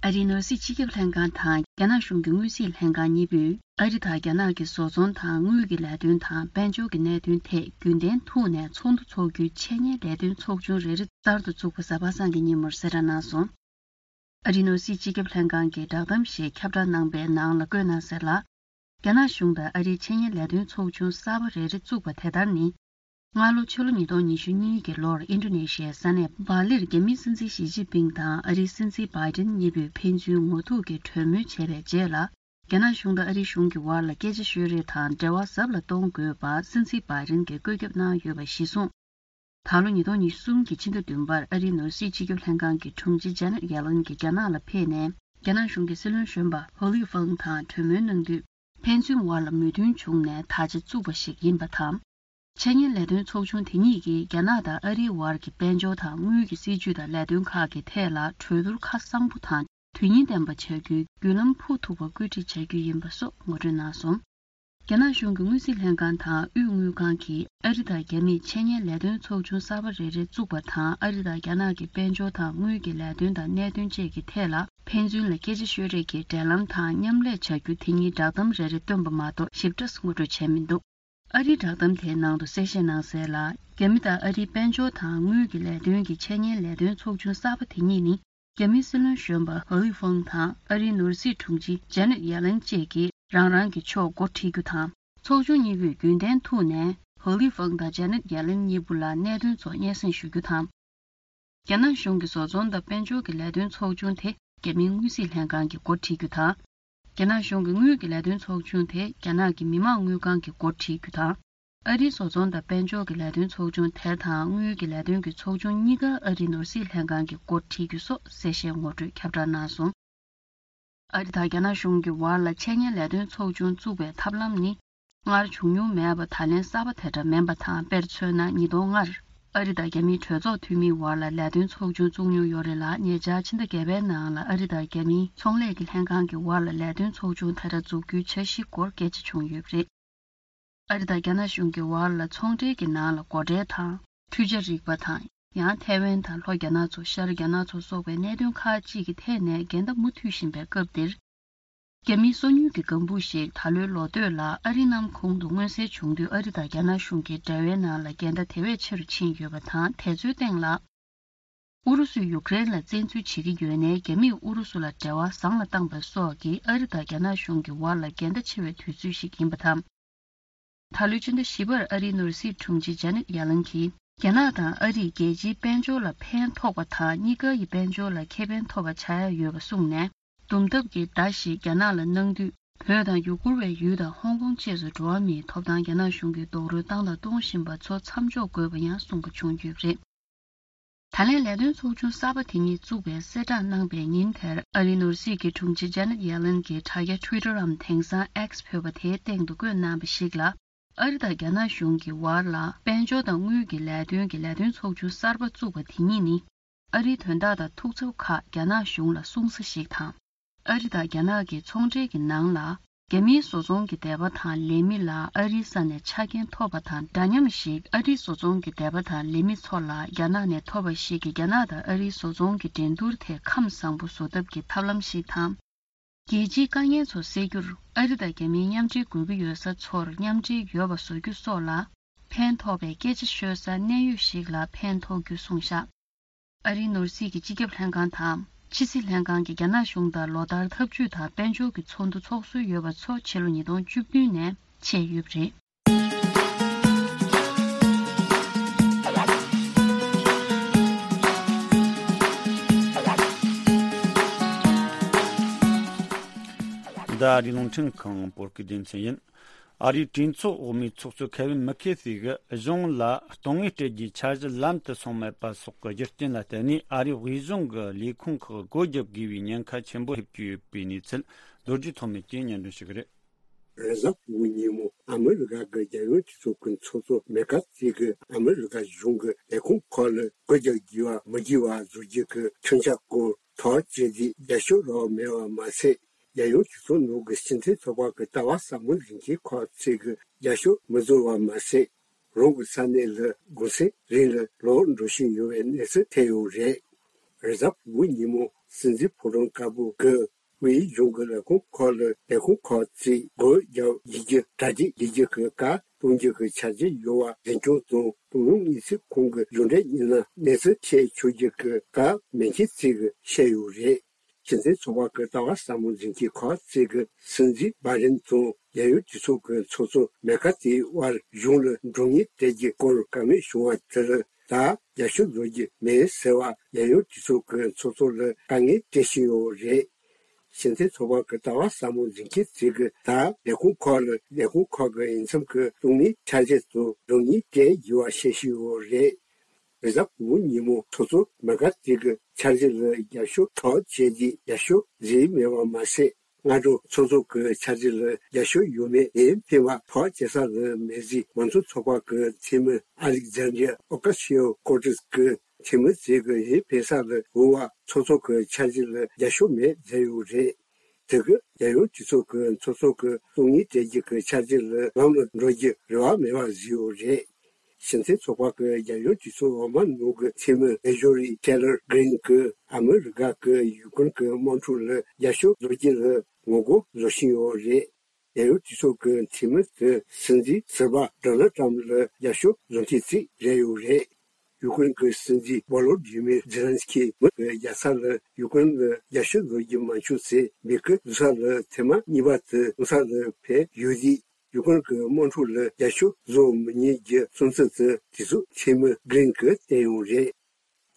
ཨ་རིའི་ནོར་སྲིད་སྤྱི་ཁྱབ་ལྷན་ཁང་དང་རྒྱ་ནག་གཞུང་གི་དངུལ་སྲིད་ལྷན་ཁང་གཉིས་པོས། ཨ་རི་དང་རྒྱ་ནག་གི་བཟོ་ཚོང་དང་དངུལ་གྱི་ལས་དོན་དང་དཔལ་འབྱོར་གྱི་གནད་དོན་ཐད་རྒྱུན་གཏན་ཐོག་ནས་ཚོགས་འདུ་འཚོགས་རྒྱུའི་འཆད་ཉན་ལས་དོན་ཚོགས་ཆུང་རེ་རེ་གསར་དུ་བཙུགས་པ་གཟའ་པ་སངས་ཀྱི་ཉིན་མོར་གསལ་བསྒྲགས་གནང་སོང་། ཨ་རིའི་ནོར་སྲིད་སྤྱི་ཁྱབ་ལྷན་ཁང་གིས་བསྒྲགས་གཏམ་ཞིག་ཁྱབ་བསྒྲགས་གནང་པའི་ནང་ལ་བཀོད་གནང་གསལ་ལ། རྒྱ་ནག་གཞུང་དང་ཨ་རིའི་འཆད་ཉན་ལས་དོན་ཚོགས་ཆུང་གསར་པ་རེ་རེ་བཙུགས་པ་དེ་ལྟར་ནི། སྔ་ལོ་ཕྱི་ལོ་ཉིས་སྟོང་ཉི་ཤུ་གཉིས་ཀྱི་ལོར་ཨིན་ཌོ་ནེ་ཤི་ཡའི་ས་གནས་སྦ་ལིར་རྒྱ་མིའི་སྲིད་འཛིན་ཞི་ཅིན་ཕིང་དང་ཨ་རིའི་སྲིད་འཛིན་བྷའི་ཏིན་གཉིས་པོས་ཕན་ཚུན་ངོ་ཐུག་གིས་གྲོས་མོལ་བྱས་པའི་རྗེས་ལ། རྒྱ་ནག་གཞུང་དང་ཨ་རིའི་གཞུང་གི་དབར་ལ་སྐད་ཆ་ཤོད་རེས་དང་འབྲེལ་བ་ཟབ་ལ་གཏོང་དགོས་པ་སྲིད་འཛིན་བྷའི་ཏིན་གྱིས་བཀོད་ཁྱབ་གནང་ཡོད་པ་གཞིར་བཟུང་། ད་ལོ་ཉིས་སྟོང་ཉི་ཤུ་གསུམ་གྱི་ཕྱི་ཟླ་བདུན་པར་ཨ་རིའི་ནོར་སྲིད་སྤྱི་ཁྱབ་ལྷན་ཁང་གི་དྲུང་ཆེ་ཇེ་ནེཊ་ཡེ་ལན་གྱིས་རྒྱ་ནག་ལ་ཕེབས་ནས། རྒྱ་ནག་གཞུང་གི་སྲིད་བློན་གཞོན་པ་ཧོ་ལི་ཧྥང་དང་གྲོས་མོལ་གནང་དུས། ཕན་ཚུན་དབར་ལ་མོས་མཐུན་བྱུང་ནས་ད་ཆ་བཙུགས་པ་ཞིག་ཡིན་པ་དང་། འཆད་ཉན་ལས་དོན་ཚོགས་ཆུང་དེ་གཉིས་ཀྱིས་རྒྱ་ནག་དང་ཨ་རིའི་དབར་གྱི་དཔལ་འབྱོར་དང་དངུལ་གྱི་སྲིད་ཇུས་དང་ལས་དོན་ཁག་གི་ཐད་ལ་གྲོས་བསྡུར་ཁ་གསང་པོ་དང་དོན་སྙིང་ལྡན་པ་བྱ་རྒྱུའི་བརྒྱུད་ལམ་ཕུགས་ཐུབ་པ་བཀོད་སྒྲིག་བྱ་རྒྱུ་ཡིན་པ་སོགས་ངོ་སྤྲོད་གནང་སོང་། རྒྱ་ནག་གཞུང་གི་དངུལ་རྩིས་ལྷན་ཁང་དང་དབུས་དངུལ་ཁང་གིས་ཨ་རི་དང་རྒྱ་མིས་འཆད་ཉན་ལས་དོན་ཚོགས་ཆུང་གསར་པ་རེ་རེ་བཙུགས་པ་དང་། ཨ་རི་དང་རྒྱ་ནག་གི་དཔལ་འབྱོར་དང་དངུལ་གྱི་ལས་དོན་དང་གནད་དོན་བཅས་ཀྱི་ཐད་ལ་ཕན་ཚུན་ལ་སྐད་ཆ་ཤོད་རེས་ཀྱི་འབྲེལ་ལམ་དང་མཉམ་ལས་བྱ་རྒྱུ་དེ་གཉིས་བསྒྲགས་གཏམ་རེ་རེ་བཏོན་པ་མ་གཏོགས་ཞིབ་ཕྲ་ངོ་སྤྲོད་བྱས་མི་འདུག་ཨ་རིའི་བསྒྲགས་གཏམ་དེའི་ནང་དུ་གསལ་བཤད་གནང་གསལ་ལ། རྒྱ་མི་དང་ཨ་རིའི་དཔལ་འབྱོར་དང་དངུལ་གྱི་ལས་དོན་གྱི་འཆད་ཉན་ལས་དོན་ཚོགས་ཆུང་གསར་པ་དེ་གཉིས་ནི། རྒྱ་མིའི་སྲིད་བློན་གཞོན་པ་ཧོ་ལི་ཧྥང་དང་ཨ་རིའི་ནོར་སྲིད་དྲུང་ཆེ་ཇེ་ནེཊ་ཡེ་ལན་བཅས་ཀྱིས་རང་རང་གི་ཕྱོགས་འགོ་ཁྲིད་རྒྱུ་དང་། ཚོགས་ཆུང་གཉིས་པོས་རྒྱུན་གཏན་ཐོག་ནས་ཧོ་ལི་ཧྥང་དང་ཇེ་ནེཊ་ཡེ་ལན་གཉིས་པོ་ལ་གནད་དོན་ཚོ་སྙན་སེང་ཞུ་རྒྱུ་དང་། རྒྱ་ནག་གཞུང་གི་བཟོ་ཚོང་དང་དཔལ་འབྱོར་གྱི་ལས་དོན་ཚོགས་ཆུང་དེ་རྒྱ་མིའི་དངུལ་རྩིས་ལྷན་ཁང་གིས་འགོ་ཁྲིད་རྒྱུ་དང་། རྒྱ་ནག་གཞུང་གི་དངུལ་གྱི་ལས་དོན་ཚོགས་ཆུང་དེ་རྒྱ་ནག་གི་མི་དམངས་དངུལ་ཁང་གིས་འགོ་ཁྲིད་རྒྱུ་དང་། ཨ་རིའི་བཟོ་ཚོང་དང་དཔལ་འབྱོར་གྱི་ལས་དོན་ཚོགས་ཆུང་དེ་དང་དངུལ་གྱི་ལས་དོན་གྱི་ཚོགས་ཆུང་གཉིས་ཀ་ཨ་རིའི་ནོར་སྲིད་ལྷན་ཁང་གིས་འགོ་ཁྲིད་རྒྱུ་སོགས་གསལ་བཤད་ངོ་སྤྲོད་ཁྱབ་བསྒྲགས་གནང་སོང་། ཨ་རི་དང་རྒྱ་ནག་གཞུང་གི་བར་ལ་འཆད་ཉན་ལས་དོན་ཚོགས་ཆུང་བཙུགས་པའི་ཐབས་ལམ་ནི། སྔར་བྱུང་མྱོང་མེད་པ་ད་ལན་གསར་པ་དེ་འདྲ་མིན་པ་དང་། དཔེར་མཚོན་ན། ཉིས་སྟོང་ལྔར་ཨ་རི་དང་རྒྱ་མིའི་གྲོས་ཚོགས་འཐུས་མིའི་བར་ལ་ལས་དོན་ཚོགས་ཆུང་བཙུགས་མྱོང་ཡོད་རེད་ལ། ཉེ་ཆར་ཕྱི་ཟླ་བརྒྱད་པའི་ནང་ལ་ཨ་རི་དང་རྒྱ་མིའི་ཚོང་ལས་ཀྱི་ལྷན་ཁང་གི་བར་ལ་ལས་དོན་ཚོགས་ཆུང་དེ་འདྲ་འཛུགས་རྒྱུའི་འཆར་གཞིའི་སྐོར་སྐད་ཆ་བྱུང་ཡོད་པ་རེད། ཨ་རི་དང་རྒྱ་ནག་གཞུང་གི་བར་ལ་ཚོང་འབྲེལ་གྱི་ནང་ལ་སྒོ་ཁྲལ་དང་། འཕྲུལ་ཆས་རིག་པ་དང་། ཡང་ཐའེ་ཝན་དང་ལྷོ་རྒྱ་ནག་མཚོ། ཤར་རྒྱ་ནག་མཚོ་སོགས་པའི་གནད་དོན་ཁག་ཅིག་གི་ཐད་ནས་འགལ་ཟླ་མུ་མཐུད་བཞིན་པའི་སྐབས་འདིར། རྒྱ་མིའི་སོ་ཉུལ་གྱི་ལྒང་བུ་ཞིག་ད་ལོའི་ལོ་སྟོད་ལ་ཨ་རིའི་ནམ་ཁོངས་སུ་མངོན་གསལ་བྱུང་དུས། ཨ་རི་དང་རྒྱ་ནག་གཞུང་གི་འབྲེལ་བའི་ནང་ལ་འགལ་ཟླ་དེ་བས་ཆེ་རུ་ཕྱིན་ཡོད་པ་དང་། དེ་ཚོའི་སྟེང་ལ། ཨུ་རུ་སུས་ཡུཀ་རེན་ལ་བཙན་འཛུལ་བྱེད་ཀྱི་ཡོད་ནའི། རྒྱ་མིས་ཨུ་རུ་སུ་ལ་འབྲེལ་བ་བཟང་ལ་བཏང་པ་སོགས་ཀྱིས་ཨ་རི་དང་རྒྱ་ནག་གཞུང་གི་བར་ལ་འགལ་ཟླ་ཆེ་བའི་དུས་ཚོད་ཞིག་ཡིན་པ་དང་། ད་ལོའི་ཕྱི་ཟླ་བཞི་པར་ཨ་རིའི་ནོར་སྲིད་དྲུང་ཆེ་ཇེ་ནེཊ་ཡེ་ལན་གྱིས། རྒྱ་ནག་དང་ཨ་རིས་རྒྱལ་སྤྱིའི་དཔལ་འབྱོར་ལ་ཕན་ཐོགས་པ་དང་། གཉིས་ཀ་ཡི་དཔལ་འབྱོར་ལ་ཁེ་ཕན་ཐོགས་པ་ཆགས་ཡ་ཡོད་པ་གསུངས་ནས། དུམ་ཐབས་ཀྱི་བརྡ་ཞིག་རྒྱ་ནག་ལ་གནང་དུས། བོད་དང་ཡུ་གུར་བའི་ཡུལ་དང་ཧོང་ཀོང་བཅས་སུ་འགྲོ་བ་མིའི་ཐོབ་ཐང་རྒྱ་ནག་གཞུང་གིས་རྡོག་རོལ་བཏང་དང་གཏོང་བཞིན་པ་ཚོ་མཚམས་འཇོག་དགོས་པ་ཡང་གསུངས་པ་བྱུང་ཡོད་པ་རེད། ད་ལན་ལས་དོན་ཚོགས་ཆུང་གསར་པ་དེ་ཉིད་བཙུགས་པའི་གསལ་བསྒྲགས་གནང་པའི་ཉིན་དེར། ཨ་རིའི་ནོར་སྲིད་ཀྱི་དྲུང་ཆེ་ཇ་ནེད་ཡེ་ལན་གྱིས་དྲ་རྒྱ་Twitter་འམ་དེང་སང་X་ཕུད་པ་དེའི་སྟེང་དུ་བཀོད་གནང་བ་ཞིག་ལ། ཨ་རི་དང་རྒྱ་ནག་གཞུང་གི་བར་ལ་དཔལ་འབྱོར་དང་དངུལ་གྱི་ལས་དོན་གྱི་ལས་དོན་ཚོགས་ཆུང་གསར་པ་བཙུགས་པ་དེ་ཉིད་ནི། ཨ་རིའི་དོན་དག་དང་ཐུགས་འཚབ་ཁག་རྒྱ་ནག་གཞུང་ལ་གསུང་ས་ཞིག་དང་། ཨ་རི་དང་རྒྱ་ནག་གི་ཚོང་འབྲེལ་གྱི་ནང་ལ། རྒྱ་མིའི་བཟོ་ཚོང་གི་སྡེ་པ་དང་ལས་མི་ལ་ཨ་རིའི་ས་ནས་ཆ་རྐྱེན་ཐོབ་པ་དང་འདྲ་མཉམ་ཞིག་ཨ་རིའི་བཟོ་ཚོང་གི་སྡེ་པ་དང་ལས་མི་ཚོ་ལ་རྒྱ་ནག་ནས་ཐོབ་པ་ཞིག་གིས་རྒྱ་ནག་དང་ཨ་རིའི་བཟོ་ཚོང་གི་འགྲན་བསྡུར་དེ་ཁམས་བཟང་པོ་བཟོ་ཐབས་ཀྱི་ཐབས་ལམ་ཞིག་དང་། རྒྱལ་སྤྱིའི་དཀའ་ངལ་ཚོ་སེལ་རྒྱུར་ཨ་རི་དང་རྒྱ་མིའི་མཉམ་འབྲེལ་དགོས་ཀྱི་ཡོད་ས་ཚོར་མཉམ་འབྲེལ་ཡོད་པ་བཟོ་རྒྱུ་སོགས་ལ་ཕན་ཐོགས་པའི་སྐད་ཆ་ཤོད་ས་གནད་ཡོད་ཞིག་ལ་ཕན་ཐོགས་རྒྱུ་གསུངས་བཞག་ཨ་རིའི་ནོར་སྲིད་ཀྱི་སྤྱི་ཁྱབ་ལྷན་ཁང་དང་ཕྱི་སྲིད་ལྷན་ཁང་གིས་རྒྱ་ནག་གཞུང་དང་ལོ་ལྟར་འཐབ་ཇུས་དང་དཔལ་འབྱོར་གྱི་ཚོགས་འདུ་འཚོགས་སྲོལ་ཡོད་པ་ཚོ་ཕྱི་ལོ་ཉིས་སྟོང་བཅུ་བདུན་ནས་ཆད་ཡོད་པ་རེད། འདི་ཨ་རིའི་རླུང་འཕྲིན་ཁང་བོད་སྐད་སྡེ་ཚན་ཡིན། ཨ་རིའི་གྲོས་ཚོགས་འོག་མའི་ཚོགས་གཙོ་ཁེ་ཝིན་མེ་ཁེ་ཐི་གིས་གཞུང་ལ་དོན་དངོས་སྤྲད་རྒྱུའི་འཆར་གཞི་ལམ་དུ་སོང་མེད་པ་སོགས་ཀྱི་རྒྱུ་རྐྱེན་ལ་བརྟེན་ནས། ཨ་རིའི་དབུས་གཞུང་གི་ལས་ཁུངས་ཁག་སྒོ་བརྒྱབ་དགོས་པའི་ཉེན་ཁ་ཆེན་པོ་སླེབས་ཀྱི་ཡོད་པའི་གནས་ཚུལ་རྡོ་རྗེ་ཐོགས་མེད་ཀྱིས་སྙན་སྒྲོན་ཞུ་གི་རེད། རེས་གཟའ་ཕུར་བུ་ཉིན་མོ་ཨ་མི་རི་ཀ་གི་རྒྱལ་ཡོངས་སྤྱི་ཚོགས་ཀྱི་ཚོགས་གཙོ་མེ་ཁ་ཐི་གིས་ཨ་མི་རི་ཀ་གཞུང་གི་ལས་ཁུངས་ཁག་ལ་སྒོ་རྒྱག་དགོས་པ་མི་དགོས་པ་བཟོ་རྒྱུ་གི་ཁྲིམས་འཆར་སྐོར་ཐག་བཅད་རྗེས་རྒྱབ་སྐྱོར་རག་མེད་པ་མ་ཟད། རྒྱལ་ཡོངས་སྤྱི་ཚོགས་ནང་གི་སྤྱི་མཐུན་ཚོགས་པ་གི་ལྟ་བ་ཟབ་མོ་འཛིན་མཁན་ཁག་ཅིག་གིས་རྒྱབ་སྐྱོར་མི་བཟོ་བ་མ་ཟད། རང་གི་ས་གནས་ལ་གུང་སེང་རིང་ལ་ལོག་འགྲོ་བཞིན་ཡོད་པའི་གནས་ཚུལ་ཐོན་ཡོད་རེད། རེས་གཟའ་ཕུར་བུ་ཉིན་མོ་སྲིད་འཛིན་ཕོ་བྲང་དཀར་པོ་གི་དབུས་གཞུང་གི་ལས་ཁུངས་ཁག་ལ་ལས་ཁུངས་ཁག་ཅིག་སྒོ་རྒྱག་བྱེད་རྒྱུ་གྲ་སྒྲིག་བྱེད་རྒྱུ་གི་བཀའ་གཏོང་རྒྱུ་གི་འཆར་གཞི་ཡོད་པ་འཛིན་སྐྱོང་དང་གཏོང་ཡོང་གནས་ཚུལ་ཁོང་གི་གཞུང་འབྲེལ་མི་སྣ་གནས་ཚུལ་བཤད་ཆོག་རྒྱུ་གི་བཀའ་མེ་ཁེ་ཐི་གིས་བཤད་ཡོད་རེད། སྤྱི་མཐུན་ཚོགས་པ་གི་ལྟ་བ་ཟབ་མོ་འཛིན་མཁན་ཁག་ཅིག་གིས་སྲིད་འཛིན་བྷའི་ཌེན་དང་རྒྱལ་ཡོངས་སྤྱི་ཚོགས་ཀྱི་ཚོགས་གཙོ་མེ་ཁ་ཐི་དབར་གཞུང་ལ་འགྲོ་སོང་སྤྲད་རྒྱུའི་སྐོར་བཀའ་མོལ་བྱུང་བ་དེར་ད་རྒྱབ་སྐྱོར་བཟོ་རྒྱུ་མེད་ཟེར་བར་རྒྱལ་ཡོངས་སྤྱི་ཚོགས་ཀྱི་ཚོགས་གཙོ་ལ་དཀའ་ངལ་སྤྲད་བཞིན་ཡོད་རེད། སྤྱི་མཐུན་ཚོགས་པ་གི་ལྟ་བ་ཟབ་མོ་འཛིན་མཁན་ཅིག་གིས་ད་ལས་ཁུངས་ཁག་ལ་ལས་ཁུངས་ཁག་གི་འོས་འཚམ་གྱི་གཏོང་མིའི་འཆར་གཞི་དང་སྒྲོམ་གཉེར་སྤྲད་ཡོད་པ་བཤད་བཞིན་ཡོད་རེད། རེས་གཟའ་ཕུར་བུ་ཉིན་མོ་ཚོགས་གཙོ་མེ་ཁ་ཐི་གི་འཆར་གཞི་ལ་རྒྱབ་སྐྱོར་ཐག་བཅད་རྗེས་རྒྱབ་སྐྱོར་བཟོས་མེད་པ་མ་ཟད། སྔ་དྲོ་ཚོགས་གཙོ་གི་འཆར་གཞི་ལ་རྒྱབ་སྐྱོར་ཡོད་མེད་འོས་འཕེན་པ་ཐག་བཅད་ས་ལ་མེད་ཅེས་མང་གཙོ་ཚོགས་པ་གི་འཐུས་མི་ཨ་ལེག་ཛན་དྲ་ཨོ་ཀ་སི་ཡོ་ཀོར་ཏེས་གིས་འཐུས་མི་ཚོས་གི་འོས་འཕེན་ས་ལ་འོས་པ་ཚོགས་གཙོ་གི་འཆར་གཞི་ལ་རྒྱབ་སྐྱོར་མེད་ཟེར་ཡོད་རེད། དེ་གི་རྒྱལ་ཡོངས་སྤྱི་ཚོགས་ཀྱི་ཚོགས་གཙོ་གི་གཏོང་ཡིན་སྤྲད་རྒྱུ་གི་འཆར་གཞི་ལ་ལམ་ལ་འགྲོ་རྒྱུ་རེ་བ་མེད་པ་བཟོས་ཡོད་རེད། སྤྱི་མཐུན་ཚོགས་པ་གི་རྒྱལ་ཡོངས་སྤྱི་ཚོགས་འོག་མ་ནང་གི་འཐུས་མི་མེ་ཇོ་རི་ཊེ་ལར་གྷི་རིན་གྱིས་ཨ་མི་རི་ཀ་གི་ཡུ་ཀེ་རེན་གྱི་དམག་འཁྲུག་ལ་རྒྱབ་སྐྱོར་བཟོ་རྒྱུ་ལ་ངོ་རྒོལ་བཟོ་བཞིན་ཡོད་རེད། རྒྱལ་ཡོངས་སྤྱི་ཚོགས་ཀྱི་འཐུས་མི་དེ་སྲིད་འཛིན་ཟུར་པ་ཌོ་ནལ་ཊམ་ལ་རྒྱབ་སྐྱོར་བཟོ་མཁན་ཅིག་རེད་ཡོད་རེད། ཡུ་ཀེ་རེན་གྱི་སྲིད་འཛིན་བོ་ལོ་དི་མིར་ཛེ་ལན་སི་ཁི་མུ་གི་རྒྱལ་ས་ལ་ཡུ་ཀེ་རེན་ལ་རྒྱབ་སྐྱོར་བཟོ་རྒྱུ་མ་བྱུང་ཚེ་མུ་གི་འཛུལ་ས་ལ་ཐེངས་མ་གཉིས་པ་དེ་འཛུལ་ས་ལ་ཕེབས་ཡོད་དུས། ཡུ་ཀེ་རེན་གྱི་དམག་འཁྲུག་ལ་རྒྱབ་སྐྱོར་བཟོ་མི་ཉན་རྒྱུ་གསུང་ཚུལ་དེ་དུས་ཚོད་འཐུས་མི་གྷི་རིན་གྱིས་བསྟན་ཡོད་རེད།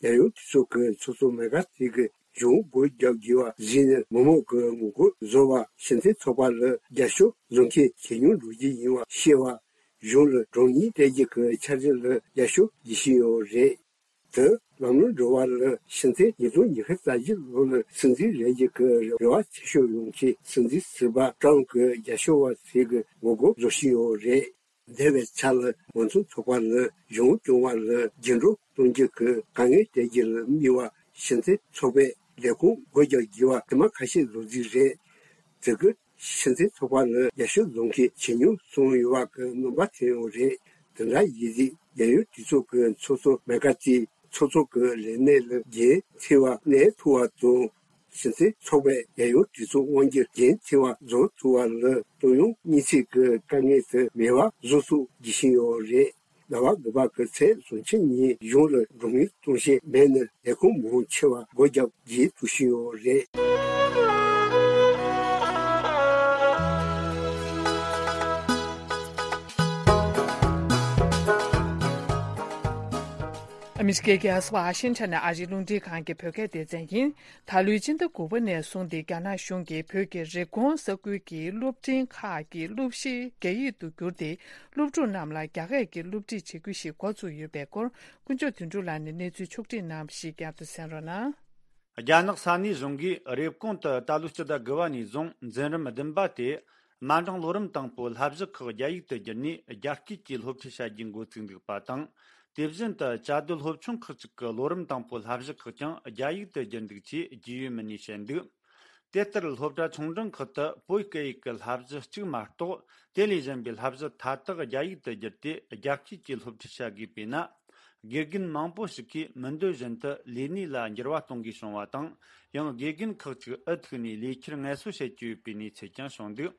རྒྱལ་ཡོངས་སྤྱི་ཚོགས་ཀྱི་ཚོགས་གཙོ་མེ་ཁ་ཐི་གིས་གཞུང་སྒོ་རྒྱག་དགོས་པ་བཟོས་ནས་མི་མང་གི་ངོ་རྒོལ་བཟོ་བ་སྤྱི་མཐུན་ཚོགས་པ་ལ་རྒྱབ་སྐྱོར་བཟོ་མཁན་ཇེ་ཉུང་འགྲོ་གི་ཡིན་པ་ཤེས་པ། གཞུང་ལ་གྲོས་མོལ་སྤྲད་རྒྱུ་གི་འཆར་གཞི་ལ་རྒྱབ་སྐྱོར་བྱེད་བཞིན་ཡོད་རེད། དེ་ལམ་ལྷོང་འགྲོ་བ་ལ་ཕྱི་ཚེས་ཉིས་སྟོང་ཉི་ཤུ་རྩ་བཞི་ལོ་ལ་སྲིད་འཛིན་རེད་རྒྱུ་གི་རེ་བ་ཆེ་ཤོས་ཡོད་མཁན་སྲིད་འཛིན་ཟུར་པ་ཊམ་གྱི་རྒྱབ་སྐྱོར་བ་ཚོས་ཀྱི་ངོ་རྒོལ་བཟོ་བཞིན་ཡོད་རེད། འདས་པའི་ཆར་ལ་མང་གཙོ་ཚོགས་པ་ལ་གཞུང་སྐྱོང་བ་ལ་འགྱུར་ལྡོག་གཏོང་རྒྱུ་གི་དཀའ་ངལ་སྤྲད་རྒྱུ་ལ་དམིགས་པ་ཕྱི་ཚེས་ཚོགས་པའི་ལས་ཁུངས་སྒོ་རྒྱག་དགོས་པ་ཐེངས་མ་ཁ་ཤས་ལོ་རྒྱུས་རེད། དེ་གི་ཕྱི་ཚེས་ཚོགས་པ་ལ་རྒྱབ་སྐྱོར་བཟོ་མཁན་ཇེ་ཉུང་སོང་ཡོད་པ་གི་སྣང་བ་ཐོན་ཡོད་རེད། དེ་འདྲ་ཡིན་དུས་རྒྱལ་ཡོངས་གྲོས་ཚོགས་ཀྱི་ཚོགས་གཙོ་མེ་ཁ་ཐི་ཚོགས་གཙོ་གི་ལས་གནས་ལ་འགན་འཁྱེར་བ་གནས་ཐུབ་པ་དང་། ཕྱི་ཚེས་ཚོགས་པའི་རྒྱལ་ཡོངས་གྲོས་ཚོགས་དབང་སྒྱུར་འགན་འཁྱེར་བ་རྫོགས་ཐུབ་པ་ལ་གཏོང་ཡོང་གནས་ཚུལ་གྱི་དཀའ་ངལ་དེ་མེད་པ་བཟོ་ཐུབ་བགྱི་བཞིན་ཡོད་རེད། ཟླ་བ་དགུ་པ་གི་ཚེས་བཅུ་གཅིག་ཉིན་གཞུང་ལ་གྲོས་མོལ་གཏོང་བཞིན་མེད་ན་ལས་ཁུངས་མང་ཆེ་བ་སྒོ་རྒྱག་རྗེས་ཐུག་བཞིན་ཡོད་རེད། ཨ་མི་རི་ཀའི་རྒྱལ་ས་ཝ་ཤིང་ཊོན་ནས་ཨ་རིའི་རླུང་འཕྲིན་ཁང་གི་བོད་སྐད་སྡེ་ཚན་ཡིན། ད་ལོའི་སྤྱི་ཟླ་དགུ་པ་ནས་བཟུང་སྟེ་རྒྱ་ནག་གཞུང་གིས་བོད་ཀྱི་རེབ་གོང་ས་ཁུལ་གྱི་སློབ་འབྲིང་ཁག་གི་སློབ་གཞི་རྒྱ་ཡིག་ཏུ་བསྒྱུར་ཏེ། སློབ་ཕྲུག་རྣམས་ལ་རྒྱ་སྐད་ཀྱི་སློབ་ཁྲིད་བྱེད་ཁུལ་ཞིག་འགོ་བཙུགས་ཡོད་པའི་སྐོར། དཀོན་མཆོག་དོན་གྲུབ་ལགས་ནས་གནས་ཚུལ་ཕྱོགས་སྒྲིག་གནང་བ་ཞིག་བསྐྱར་དུ་གསན་རོགས་གནང་། རྒྱ་ནག་ས་གནས་གཞུང་གིས་རེབ་གོང་དུ་ད་ལོའི་སྤྱི་ཟླ་དགུ་པ་ནས་བཟུང་འཛིན་རིམ་བདུན་པ་སྟེ། དམའ་འབྲིང་ལོ་རིམ་དང་པོའི་བསླབ་གཞི་ཁག་རྒྱ་ཡིག་ཏུ་བསྒྱུར་ནས་རྒྱ་སྐད་ཀྱིས་སློབ་ཁྲིད་བྱ་རྒྱུའི་འགོ་ཚུགས་འདུག་པ་དང་། དེ་བཞིན་དུ་བཅའ་སྡོད་སློབ་ཆུང་ཁག་ཅིག་གི་ལོ་རིམ་དང་པོའི་བསླབ་གཞི་ཁག་ཀྱང་རྒྱ་ཡིག་ཏུ་བསྒྱུར་འདུག་ཅེས་རྒྱུས་ཡོད་མི་སྣས་བཤད་འདུག་དེ་ལྟར་སློབ་གྲྭ་ཆུང་འབྲིང་ཁག་ཏུ་བོད་སྐད་ཡིག་གི་བསླབ་གཞི་གཅིག་མ་གཏོགས་དེ་ལས་གཞན་པའི་བསླབ་གཞི་མཐའ་དག་རྒྱ་ཡིག་ཏུ་བསྒྱུར་ཏེ་རྒྱ་སྐད་ཀྱིས་སློབ་ཁྲིད་བྱ་དགོས་པས་ན། དགེ་རྒན་མང་པོ་ཞིག་གིས་མི་འདོད་བཞིན་དུ་ལས་གནས་ལ་འགྱུར་བ་གཏོང་དགོས་བྱུང་བ་དང་། ཡང་དགེ་རྒན་ཁག་ཅིག་འུ་ཐུག་ནས་ལས་འཁྱུར་ངལ་གསོ་བྱེད་ཀྱི་ཡོད་པའི་གནས་ཚུལ་ཀྱང་བྱུང་འདུག་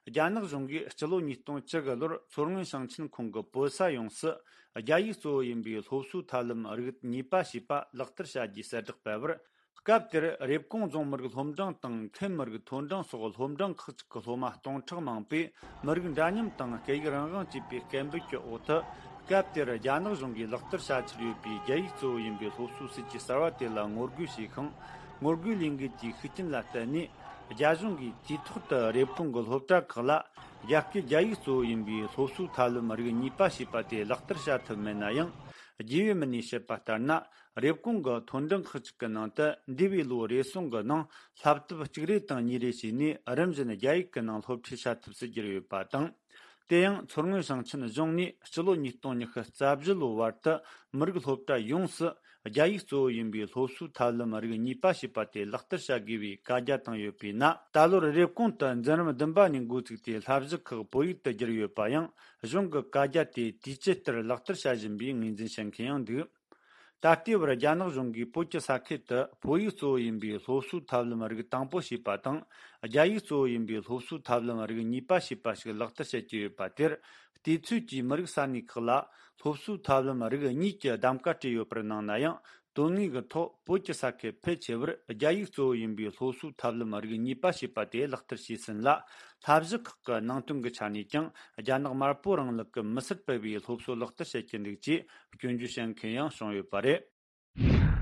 རྒྱ་ནག་གཞུང་གིས་སྤྱི་ལོ་ཉིས་སྟོང་བཅུ་དགུ་ལོར་མཚོ་སྔོན་ཞིང་ཆེན་ཁོངས་ཀྱི་བོད་ས་ཡོངས་སུ་རྒྱ་ཡིག་གཙོ་བོ་ཡིན་པའི་སློབ་གསོའི་ཐབས་ལམ་རིགས་གཉིས་པ་ཞེས་པ་ལག་བསྟར་བྱ་རྒྱུའི་གསལ་བསྒྲགས་སྤེལ་བར། སྐབས་དེར་རེབ་གོང་རྫོང་མི་རིགས་སློབ་འབྲིང་དང་ཁེམ་མི་རིགས་མཐོ་འབྲིང་སོགས་སློབ་འབྲིང་ཁག་ཅིག་གི་སློབ་མ་སྟོང་ཕྲག་མང་པོས་མི་རིགས་འདྲ་མཉམ་དང་སྐད་ཡིག་རང་དབང་ཅེས་པའི་སྐད་འབོད་ཀྱི་འོག་ཏུ། སྐབས་དེར་རྒྱ་ནག་གཞུང་གིས་ལག་བསྟར་བྱ་འཆར་ཡོད་པའི་རྒྱ་ཡིག་གཙོ་བོ་ཡིན་པའི་སློབ་གསོའི་སྲིད་ཇུས་གསར་བ་དེ་ལ་ངོ་རྒོལ་བྱས་ཤིང་། ངོ་རྒོལ་ལས་འགུལ་གྱི་ཤུགས་རྐྱེན་ལ་བརྟེན་ནས། རྒྱ་གཞུང་གིས་དུས་ཐོག་ཏུ་རེབ་གོང་གི་སློབ་གྲྭ་ཁག་ལ་རྒྱ་སྐད་རྒྱ་ཡིག་གཙོ་བོ་ཡིན་པའི་སློབ་གསོའི་ཐབས་ལམ་རིགས་གཉིས་པ་ཞེས་པ་དེ་ལག་བསྟར་བྱ་ཐུབ་མེད་ན་ཡང་། རྒྱུས་ཡོད་མི་སྣས་བཤད་པ་ལྟར་ན། རེབ་གོང་གི་མཐོ་འབྲིང་ཁག་ཅིག་གི་ནང་དུ་འདས་པའི་ལོ་རེ་ཟུང་གི་ནང་བསླབ་དེབ་གཅིག་རེ་དང་གཉིས་རེ་བྱས་ནས་རིམ་བཞིན་རྒྱ་ཡིག་གི་ནང་སློབ་ཁྲིད་བྱ་ཐུབ་སུ་གྱུར་ཡོད་པ་དང་། དེ་ཡང་མཚོ་སྔོན་ཞིང་ཆེན་གཞུང་ནས་སྤྱི་ལོ་ཉིས་སྟོང་ཉི་ཤུ་རྩ་བཞི་ལོའི་བར་དུ་མི་རིགས་སློབ་གྲྭ་ཡོངས་སུ་རྒྱ་ཡིག་གཙོ་བོ་ཡིན་པའི་སློབ་གསོའི་ཐབས་ལམ་རིགས་གཉིས་པ་ཞེས་པ་དེ་ལག་བསྟར་བྱ་དགོས་པའི་བཀའ་རྒྱ་བཏང་ཡོད་པས་ན། ད་ལོར་རེབ་གོང་དུ་འཛིན་རིམ་བདུན་པ་ནས་འགོ་ཚུགས་ཏེ་བསླབ་གཞི་ཁག་བོད་ཡིག་ཏུ་བསྒྱུར་ཡོད་པ་ཡང་གཞུང་གི་བཀའ་རྒྱ་དེ་དུས་ཇི་ལྟར་ལག་བསྟར་བྱ་བཞིན་པའི་ངོས་འཛིན་བྱེད་མཁན་ཡང་འདུག་ད་ལྟའི་བར་རྒྱ་ནག་གཞུང་གིས་བོད་ཀྱི་ས་ཁུལ་དུ་བོད་ཡིག་གཙོ་བོ་ཡིན་པའི་སློབ་གསོའི་ཐབས་ལམ་རིགས་དང་པོ་ཞེས་པ་དང་། རྒྱ་ཡིག་གཙོ་བོ་ཡིན་པའི་སློབ་གསོའི་ཐབས་ལམ་རིགས་གཉིས་པ་ཞེས་པ་ཞིག་ལག་བསྟར་བྱེད་ཀྱི་ཡོད་པ་དེར། དུས་ཚོད་ཀྱིས་མི་རིགས་ས་གནས་ཁག་ལ་སློབ་གསོའི་ཐབས་ལམ་རིགས་གཉིས་ཀྱི་གདམ་ག་སྤྲད་ཡོད་པར་སྣང་ན་ཡང་། དོན་དངོས་ཀྱི་ཐོག་བོད་ཀྱི་ས་ཁུལ་ཕལ་ཆེ་བར་རྒྱ་ཡིག་གཙོ་བོ་ཡིན་པའི་སློབ་གསོའི་ཐབས་ལམ་རིགས་གཉིས་པ་ཞེས་པ་དེ་ལག་བསྟར་བྱས་ཟིན་ལ། བསླབ་གཞི་ཁག་གི་ནང་དོན་གྱི་ཆ་ནས་ཀྱང་རྒྱ་ནག་དམར་པོ་རིང་ལུགས་ཀྱི་མི་སེར་སྤེལ་བའི་སློབ་གསོ་ལག་བསྟར་བྱེད་ཀྱི་འདུག་ཅེས་སྐྱོན་བརྗོད་བྱེད་མཁན་ཡང་བྱུང་ཡོད་པ་རེད།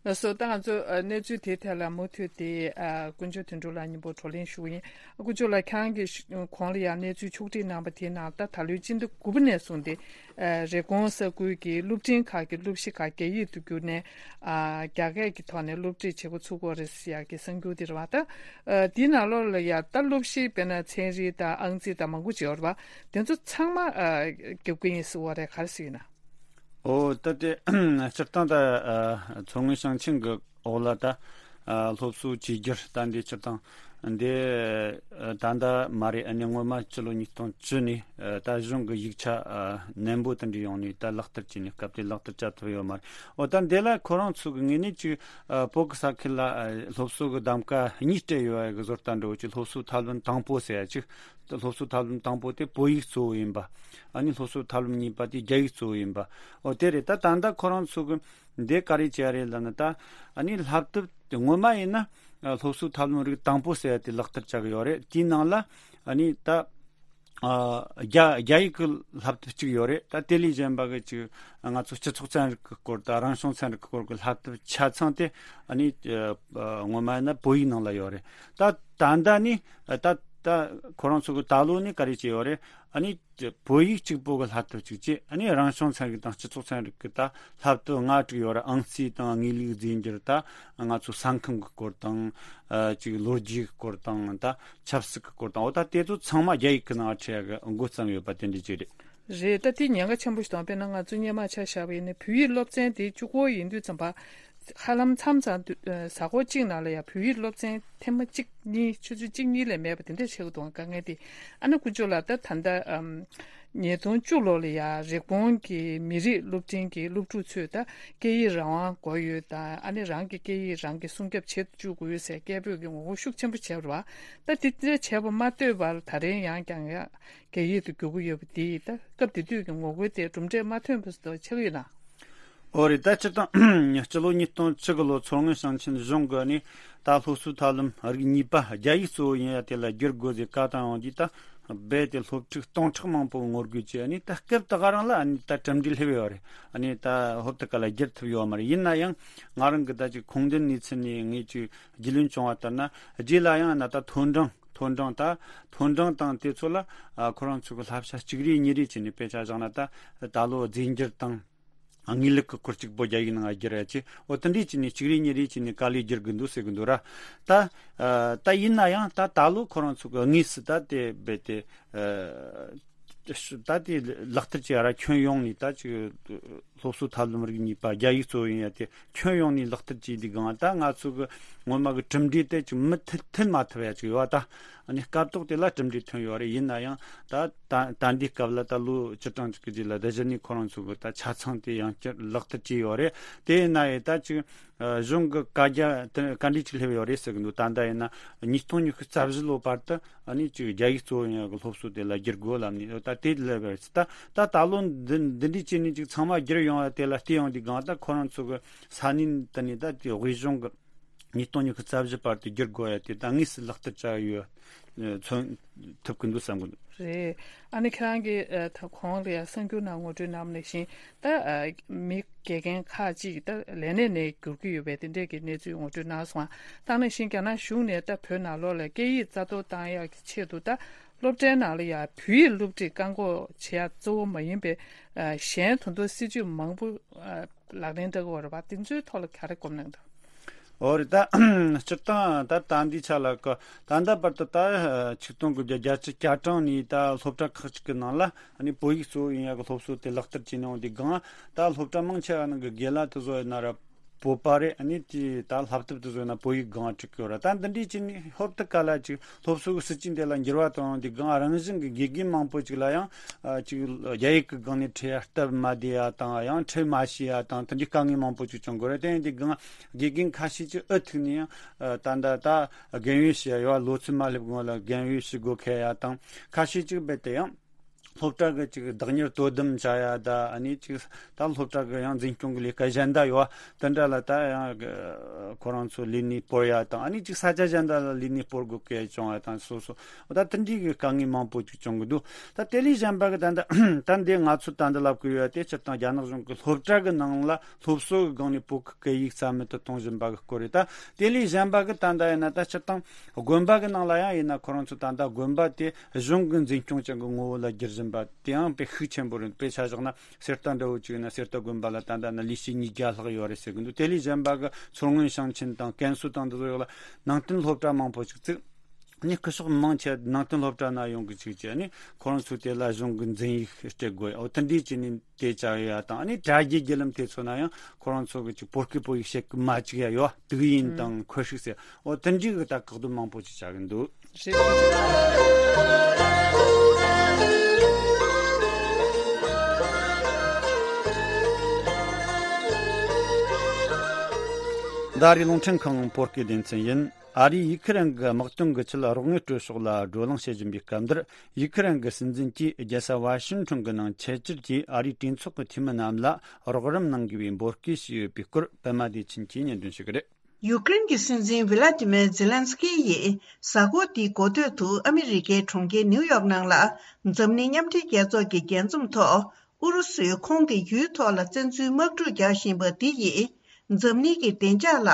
ལགས་སོ། ད་ང་ཚོ་ཨ་གནས་ཚུལ་དེའི་ཐད་ལ་མུ་མཐུད་དེ་ཨ་དཀོན་མཆོག་དོན་གྲུབ་ལགས་མཉམ་པོ་བགྲོ་གླེང་ཞུ་གི་ཡིན། དཀོན་མཆོག་ལགས་ཁྱེད་རང་གིས་གོང་ལ་ཡང་གནས་ཚུལ་ཕྱོགས་སྒྲིག་གནང་པ་དེའི་ནང་ད་ད་ལོའི་སྤྱི་ཟླ་དགུ་པ་ནས་བཟུང་སྟེ་ཨ་རེབ་གོང་ས་ཁུལ་གྱི་སློབ་འབྲིང་ཁག་གི་སློབ་གཞི་ཁག་རྒྱ་ཡིག་ཏུ་བསྒྱུར་ནས་ཨ་རྒྱ་སྐད་ཀྱི་ཐོག་ནས་སློབ་ཁྲིད་བྱེད་འགོ་ཚུགས་ཀྱི་ཡོད་རེད་ཟེར་ཡག་གི་གསར་འགྱུར་དེ་རེད་བ། ད་ཨ་དེའི་ནང་ལོགས་ལ་ཡང་ད་སློབ་གཞི་དཔེར་ན་ཚན་རིག་དང་ཨང་རྩིས་དང་མང་པོ་ཅིག་ཡོད་རེད་བ། དེ་ཚོ་ཚང་མ་ཨ་བསྒྱུར་གྱི་ཡིན་ཟེར་བ་རེད། ག་རེ་ཟེར་ཡིན་ན། ཨོ་ད་དེ་སྤྱིར་བཏང་ད་ཨ་མཚོ་སྔོན་ཞིང་ཆེན་གྱི་འོག་ལ་ད་ཨ་སློབ་གསོ་བཅོས་བསྒྱུར་ད་འདི་སྤྱིར་བཏང་འདི་ཨ་ད་ལྟ་མ་རེད། ཨ་ནི་སྔོན་མ་ཕྱི་ལོ་ཉིས་སྟོང་བཅུ་ནས་ཨ་ད་གཞུང་གི་ཡིག་ཆ་ཨ་ནན་པོ་དེ་འདྲ་ཡོང་ནས་ད་ལག་བསྟར་བྱས་ནས་སྐབས་དེ་ལག་བསྟར་བྱ་ཐུབ་ཡོད་མ་རེད། ཨོ་ད་འདི་ལ་ཁོ་རང་ཚོ་གི་ངོས་ནས་ཅིག་ཨ་བོད་ཀྱི་ས་ཁུལ་ལ་ཨ་སློབ་གསོ་གི་གདམ་ག་གཉིས་སྤྲད་ཡོད་པ་གི་བཟོ་ལྟ་འདྲ་བོ་ཅིག་སློབ་གསོ་ཐབས་ལམ་དང་པོ་ཟེར་ཡ་ཅིག་སློབ་གསོ་ཐབས་ལམ་དང་པོ་དེ་བོད་ཡིག་གཙོ་བོ་ཡིན་པ། ཨ་ནི་སློབ་གསོ་ཐབས་ལམ་གཉིས་པ་དེ་རྒྱ་ཡིག་གཙོ་བོ་ཡིན་པ། འོ་དེ་རེད། ད་ད་ལྟ་ཁོ་རང་ཚོ་གི་འདི་ག་རེ་བྱས་རེད་ལབ་ན། ད་ཨ་ནི་བསླབ་དེབ་དེ་སྔོན་མ་ཡིན་ན་སློབ་གསོ་ཐབས་ལམ་རིགས་དང་པོ་ཟེར་ཡ་དེ་ལག་བསྟར་བྱ་གི་ཡོད་རེད། དེའི་ནང་ལ་ཨ་ནི་ད་ཨ་རྒྱ་རྒྱ་ཡིག་གི་བསླབ་དེབ་གཅིག་ཡོད་རེད། ད་དེ་ལས་གཞན་པ་གི་ཅིག་ང་ཚོ་སྤྱི་ཚོགས་ཚན་རིག་གི་སྐོར་དང་རང་བྱུང་ཚན་རིག་གི་སྐོར་གི་བསླབ་དེབ་ཆ་ཚང་དེ་ཨ་ནི་ཨ་སྔོན་མ་ཡིན་ན་བོད་ཡིག་ནང་ལ་ཡོད་རེད། ད་ད་ལྟ་ནི་ད་ད་ཁོ་རང་ཚོ་གི་ད་ལོ་ནི་ག་རེ་བྱས་ཡོད་རེད། ཨ་ནི་བོད་ཡིག་གཅིག་པོ་གི་བསླབ་དེབ་གཅིག་བྱས། ཨ་ནི་རང་བྱུང་ཚན་རིག་དང་སྤྱི་ཚོགས་ཚན་རིག་གི་ད་བསླབ་དེབ་ལྔ་དྲུག་ཡོད་རེད། ཨང་རྩིས་དང་དངོས་ལུགས་རྫས་འགྱུར། ད་ང་ཚོ་ས་ཁམས་གི་སྐོར་དང་ཨ་ཅིག་ལོ་རྒྱུས་ཀྱི་སྐོར་དང་། ད་ཆབ་སྲིད་ཀྱི་སྐོར་དང་། འོ་ད་དེ་ཚོ་ཚང་མ་རྒྱ་ཡིག་གི་ནང་ཁྲིད་ཡ་གི་འགོ་བརྩམས་ཡོད་པ་དེ་འདྲ་ཅིག་རེད། རེད། ད་དེ་ཉེན་ཁ་ཆེན་པོ་ཞིག་དང་། དཔེར་ན་ང་ཚོ་སྔོན་མ་ཆ་བཞག་པ་ཡིན་ན་བོད་ཡིག་སློབ་ཚན་དེ་གཅིག་པོ་ཡིན་དུས་ཙམ་པ། ཧ་ལམ་མཚམས་མཚམས་དུ་ཨ་གཟའ་འཁོར་གཅིག་ནང་ལ་ཡང་བོད་ཡིག་སློབ་ཚན་ཐེངས་མ་གཅིག་གཉིས། ཆུ་ཚོད་གཅིག་གཉིས་ལས་མེད་པ་དེ་འདྲ་ཆགས་ཀྱི་འདུག་དཀའ་ངལ་དེ། ཨ་ནི་དཀོན་མཆོག་ལགས། ད་ད་ལྟ་ཨམ་ཉིས་སྟོང་བཅུ་ལོ་ལ་ཡང་རེབ་གོང་གི་མི་རིགས་སློབ་འབྲིང་གི་སློབ་ཕྲུག་ཚོས་ད་སྐད་ཡིག་རང་དབང་དགོས་ཡོད། ད་ཨ་ནི་རང་གི་སྐད་ཡིག་རང་གིས་སྲུང་སྐྱོབ་བྱེད་དུ་བཅུག་དགོས་ཡོད་ཟེར་སྐད་འབོད་ཀྱི་ངོ་རྒོལ་ཤུགས་ཆེན་པོ་བྱས་པ་རེད་བ། ད་དེ་འདྲ་བྱས་པ་མ་ལྟོས་པར་ད་རེས་ཡང་བསྐྱར་ཡང་རྒྱ་ཡིག་ཏུ་བསྒྱུར་གྱི་ཡོད་པ་དེས་ད་སྐབས་དེ་དུས་ཀྱི་ངོ་རྒོལ་དེ་གྲུབ་འབྲས་མ་ཐོན་པ་ཞིག་ཆགས་ཀྱི་ཡོད་ན། འོ་རེད། ད་སྤྱིར་བཏང་སྤྱི་ལོ་ཉིས་སྟོང་བཅུ་དགུ་ལོ་མཚོ་སྔོན་ཞིང་ཆེན་གཞུང་གིས་ནི་ད་སློབ་གསོའི་ཐབས་ལམ་རིགས་གཉིས་པ་རྒྱ་ཡིག་གཙོ་བོ་ཡིན་ཡ་དེ་ལ་བསྒྱུར་དགོས་ཟེར་བཀའ་བཏང་ཡོང་དུས། ད་ རྦད་དེ་སློབ་ཕྲུག་སྟོང་ཕྲག་མང་པོ་ངོ་རྒོལ་གྱིས་ཨ་ནི་ད་སྐབས་དེ་ག་རང་ལ་ཨ་ནི་ད་གྲུབ་འབྲས་སླེབས་ཡོད་རེད། ཨ་ནི་ད་ཧོབ་ཏེ་ག་ལ་བསྒྱུར་ཐུབ་ཡོད་མ་རེད། ཡིན་ན་ཡང་ང་རང་གི་ད་ཅིག་ཁུངས་ལྡན་གནས་ཚུལ་ནས་ངས་ཅིག་རྒྱུས་ལོན་བྱུང་བ་ལྟར་ན། རྗེས་ལ་ཡང་ན་ད་ཐོ་འབྲིང་ཐོ་འབྲིང་ད་ཐོ་འབྲིང་དང་དེ་ཚོ་ལ་ཨ་ཁོ་རང་ཚོ་གི་བསླབ་བྱ་གཅིག་རེ་གཉིས་རེ་བྱས་ནས། དཔེ་ཆ་བཞག་ན་ད་ད་ལོ་རྫས་འགྱུར་དང་། ཨ། དངོས་ལུགས་ཀྱི་སྐོར་གཅིག་པོ་རྒྱ་ཡིག་ནང་བསྒྱུར་ཡ་ཅིག་འོ་དེ་འདྲས་བྱས་ནས་གཅིག་རེ་གཉིས་རེ་བྱས་ནས་དཀའ་ལས་བསྒྱུར་གི་འདུག་ཟེར་གི་འདུག་ར། ད་ཨ་ད་ཡིན་ན་ཡང་ད་ད་ལོ་ཁོ་རང་ཚོ་གི་དངོས་སུ་ད་དེ་རྦད་དེ་ཨ་ད་དེ་ལག་བསྟར་བྱས་ར། ཁྱོན་ཡོངས་ནས་ད་ཅིག་སློབ་གསོ་ཐབས་ལམ་རིག་གཉིས་པ་རྒྱ་ཡིག་གཙོ་བོ་ཡིན་ཡ་དེ་ཁྱོན་ཡོངས་ནས་ལག་བསྟར་བྱས་འདི་གང་ད་ང་ཚོ་གི་ངོ་མ་གི་གྲུབ་འབྲས་དེ་ཅིག་མུ་མཐུད་མཐུད་མ་ཐུབ་ཡ་ཅིག་ཡོད་ད། ཨ་ནི་སྐབས་ཐོག་དེ་ལ་གྲུབ་འབྲས་ཐོན་ཡོད་རེད། ཡིན་ན་ཡང་ད་ད་ད་འདི་སྐབས་ལ་ད་ལོ་བཅུ་གྲངས་ཅིག་གི་རྗེས་ལ་དེ་གཞི་ནས་ཁོ་རང་ཚོ་གི་ད་ཆ་ཚང་དེ་ཡང་བསྐྱར་ལག་བསྟར་བྱས་ཡོད་རེད། དེ་ཡིན་ན་ཡང་ད་ཅིག་ཨ་གཞུང་གི་བཀའ་རྒྱ་དེ་བཀའ་འདྲི་ཅིག་སླེབས་ཡོད་རེད་ཟེར་གི་འདུག་ད་ལྟ་ཡིན་ན་ཉིས་སྟོང་ཉི་ཤུ་རྩ་བཞི་ལོ་བར་དུ་ཨ་ནི་ཅིག་རྒྱ་ཡིག་གཙོ་བོ་ཡིན་ཡ་གི་སློབ་གསོ་དེ་ལ་བསྒྱུར་དགོས་ལབ་ནས་ད་དེ་སླེབས་ཡོད་རེད། ད་ད་ད་ལོ་འདི་འདི་འདྲའི་བྱས་ནས་ཅིག་ཚང་མ་བསྒྱུར་ཡོང་བ་དེ་ལ་བལྟས་ཡོང་དུས་གང་ད་ཁོ་རང་ཚོ་གི་ས་གནས་དེ་ནས་ད་དེ་དབུས་གཞུང་གི་ཉིས་སྟོང་ཉི་ཤུ་རྩ་བཞི་བར་དུ་བསྒྱུར་དགོས་ཡ་དེ་ད་དངོས་སུ་ལག་བསྟར་བྱ་ཡོད། མཚོན་ཐུབ་ཀྱི་འདུག་བསམ་གྱི་འདུག་རེད། ཨ་ནི་ཁྱེད་རང་གིས་ཨ་ད་གོང་ལ་ཡ་གསར་འགྱུར་ནང་ངོ་སྤྲོད་གནང་བ་ནང་བཞིན་ད་ཨ་མི་དགེ་རྒན་ཁག་ཅིག་ད་ལས་གནས་ནས་འགྱུར་གྱི་ཡོད་པའི་དེ་འདྲས་ཀྱི་གནས་ཚུལ་ངོ་སྤྲོད་གནང་སོང་། ད་ནང་བཞིན་རྒྱ་ནག་གཞུང་ནས་ད་བོད་ནང་ལོགས་ལ་སྐད་ཡིག་རྩ་གཏོར་བཏང་ཡག་གི་ཆེད་དུ་ད་སློབ་གྲྭའི་ནང་ལ་ཡ་བོད་ཡིག་སློབ་ཁྲིད་བཀག་འགོག་བྱེད་ཡ་གཙོ་བོ་མ་ཡིན་པའི་ཨ་གཞན་ད་དུང་སྲིད་ཇུས་མང་པོ་ཨ་ལག་ལེན་འདྲ་གི་ཡོད་རེད་པ། དེ་ཚོའི་ཐོག་ལ་ག་རེ་སྒོམ་གནང་འདུག་འོ་རེད། ད་སྤྱིར་བཏང་ད་ད་འདི་ཆ་ལ་ཀ་ད་ལྟ་བར་དུ་ད་ཆིག་སྟོང་དགུ་བརྒྱ་བརྒྱད་ཅུ་གྱ་གྲངས་ནས་ད་སློབ་གྲྭ་ཁག་ཅིག་གི་ནང་ལ་ཨ་ནི་བོད་ཡིག་གཙོ་བོ་ཡིན་ཡག་གི་སློབ་གསོ་དེ་ལག་བསྟར་བྱས་ནས་འོང་དུས་གང་ད་སློབ་གྲྭ་མང་ཆེ་བ་ནང་གི་རྒན་ལགས་དེ་ཚོ་ཡིན་ན་ར་བོད་པ་རེད། ཨ་ནི་དེ་ད་བསླབ་ཐབས་དེ་ཚོ་ཡིན་ན་བོད་ཡིག་སྒང་ཁྲིད་ཀྱི་ཡོད་ར། ད་འདི་འདྲས་བྱས་ནས་ཧོབ་ཏེ་ག་ལ་ཅིག་སློབ་གསོ་གི་སྲིད་ཇུས་དེ་ལ་འགྱུར་བ་གཏོང་འོང་དུས་གང་རང་བཞིན་གི་དགེ་རྒན་མང་པོ་ཅིག་ལ་ཡང་ཨ་ཅིག་རྒྱ་ཡིག་གི་སྒང་ནས་ཁྲིད་ཡ་སྟབས་མ་བདེ་ཡ་དང་ཡང་ཁྲིད་མ་ཤེས་ཡ་དང་དེ་འདྲའི་དཀའ་ངལ་མང་པོ་ཅིག་བྱུང་གི་རེད། དེ་ཡིན་དུས་གང་དགེ་རྒན་ཁ་ཤས་ཅིག་ཨུ་ཐུག་ནས་ཡང་ཨ་ད་ལྟ་ད་རྒན་ཡོལ་ཞུ་ཡ་ཡོད། ལོ་ཚོད་མ་སླེབས་གོང་ལ་རྒན་ཡོལ་ཞུ་དགོས་ཁེལ་ཡ་དང་ཁ་ཤས་ཅིག་རྦད་དེ་ཡང་སློབ་གྲྭ་གི་ཅིག་བདག་གཉེར་དོ་དམ་བྱ་ཡ་ད་ཨ་ནི་ཅིག་ད་སློབ་གྲྭ་གི་ཡང་འཛིན་སྐྱོང་གི་ལས་ཀ་གཞན་དག་ཡོད། དེ་འདྲ་ལ་ད་ཡང་ཁོ་རང་ཚོ་ལས་གནས་སྤོར་ཡ་དང་ཨ་ནི་ཅིག་ས་ཆ་གཞན་དག་ལ་ལས་གནས་སྤོར་དགོས་ཁེལ་བྱུང་ཡ་དང་སོ་སོ་ད་དེ་འདྲའི་གི་དཀའ་ངལ་མང་པོ་ཅིག་བྱུང་གི་འདུག་ད་དེ་ལས་གཞན་པ་གི་ད་ད་ད་འདི་ང་ཚོ་ད་འདི་ལབ་གི་ཡོད་དེ་སྤྱིར་བཏང་རྒྱ་ནག་གཞུང་གི་སློབ་གྲྭ་གི་ནང་ལ་སློབ་གསོ་གི་སྒང་ནས་བོད་ཀྱི་སྐད་ཡིག་རྩ་མེད་དུ་གཏོང་བཞིན་པ་གི་སྐོར་རེད། ད་དེ་ལས་གཞན་པ་གི་ད་ད་ཡིན་ན་ད་སྤྱིར་བཏང་དགོན་པ་གི་ནང་ལ་ཡང་ཡིན་ན་ཁོ་རང་ཚོ་ད་ད་དགོན་པ་དེ་གཞུང་གི་འཛིན་སྐྱོང་ཅན་གི་ངོ་བོ་ལ་བསྒྱུར་བཞིན་པ་དེའང་དཔེ་ཤུགས་ཆེན་པོ་རེད། དཔེ་ཆ་བཞག་ན་གསེར་རྟ་འདྲ་བོ་ཅིག་ཡིན་ན་གསེར་རྟ་དགོན་པ་ལ་ད་ལྟ་ན་ལས་བྱེད་ཉིས་བརྒྱ་ལྷག་ཡོད་རེད་ཟེར་གི་འདུག་དེ་ལས་གཞན་པ་གི་མཚོ་སྔོན་ཞིང་ཆེན་དང་ཀན་སུའུ་དང་འདི་ཚོ་ཡོད་ལ་ནང་བསྟན་སློབ་གྲྭ་མང་པོ་ཅིག་བཙུགས། ནི་སྐུ་ཞབས་མང་ཆེ་ནང་བསྟན་སློབ་གྲྭ་ན་ཡོང་གི་ཅིག་བྱས་ནི་ཁོ་རང་ཚོ་དེ་ལ་གཞུང་གི་འཛིན་ཡིག་སྤྲད་དགོས། འོ་དེ་འདྲས་ཅིག་ནི་དེ་བྱ་ཡ་དང་ཨ་ནི་དྲ་རྒྱའི་བརྒྱུད་ལམ་དེ་ཚོ་ན་ཡང་ཁོ་རང་ཚོ་གི་ཅིག་བོད་སྐད་བོད་ཡིག་བཤད་གི་མ་བཅུག་ཡ་ཡོད། དུག་ཡིན་དང་འཁོན་ཤུགས་ཟེར། འོ་དེ་འདྲའི་གི་ད་བཀག་སྡོམ་མང་པོ་ཅིག་བྱ་གི་འདུག་ད་རེས་རླུང་འཕྲིན་ཁང་བོད་སྐད་སྡེ་ཚན་ཡིན། ཨ་རིས་ཡུ་ཁི་རན་གྱི་དམག་དོན་གྱི་ཆེད་རོགས་དངུལ་སྤྲོད་ཕྱོགས་ལ་བགྲོ་གླེང་བྱེད་བཞིན་པའི་སྐབས་འདིར། ཡུ་ཁི་རན་གྱི་སྲིད་འཛིན་གྱིས་རྒྱལ་ས་ཝ་ཤིང་ཊོན་གྱི་ནང་ཆེད་བཅར་གྱིས་ཨ་རིའི་གྲོས་ཚོགས་ཀྱི་འཐུས་མི་རྣམས་ལ་རོགས་རམ་གནང་དགོས་པའི་འབོད་སྐུལ་ཞུས་ཡོད་པའི་སྐོར་པད་མ་བདེ་ཆེན་གྱིས་སྙན་སྒྲོན་ཞུ་གི་རེད། ཡུ་ཀེ་རེན་གྱི་སྲིད་འཛིན་ཝི་ལ་ཏི་མེར་ཛེ་ལན་སི་ཀི་ཡིས་གཟའ་འཁོར་འདིའི་འགོ་སྟོད་དུ་ཨ་མི་རི་ཀའི་གྲོང་ཁྱེར་ནིའུ་ཡོག་ནང་ལ་འཛམ་གླིང་མཉམ་འབྲེལ་རྒྱལ་ཚོགས་ཀྱི་རྒྱས་འཛོམས་ཐོག་ཨུ་རུ་སུས་ཁོང་གི་ཡུལ་ཐོག་ལ་བཙན་འཛུལ་དམག་འཁྲུག་རྒྱག་བཞིན་པ་འདི་ཡིས་འཛམ་གླིང་གི་བདེ་འཇགས་ལ་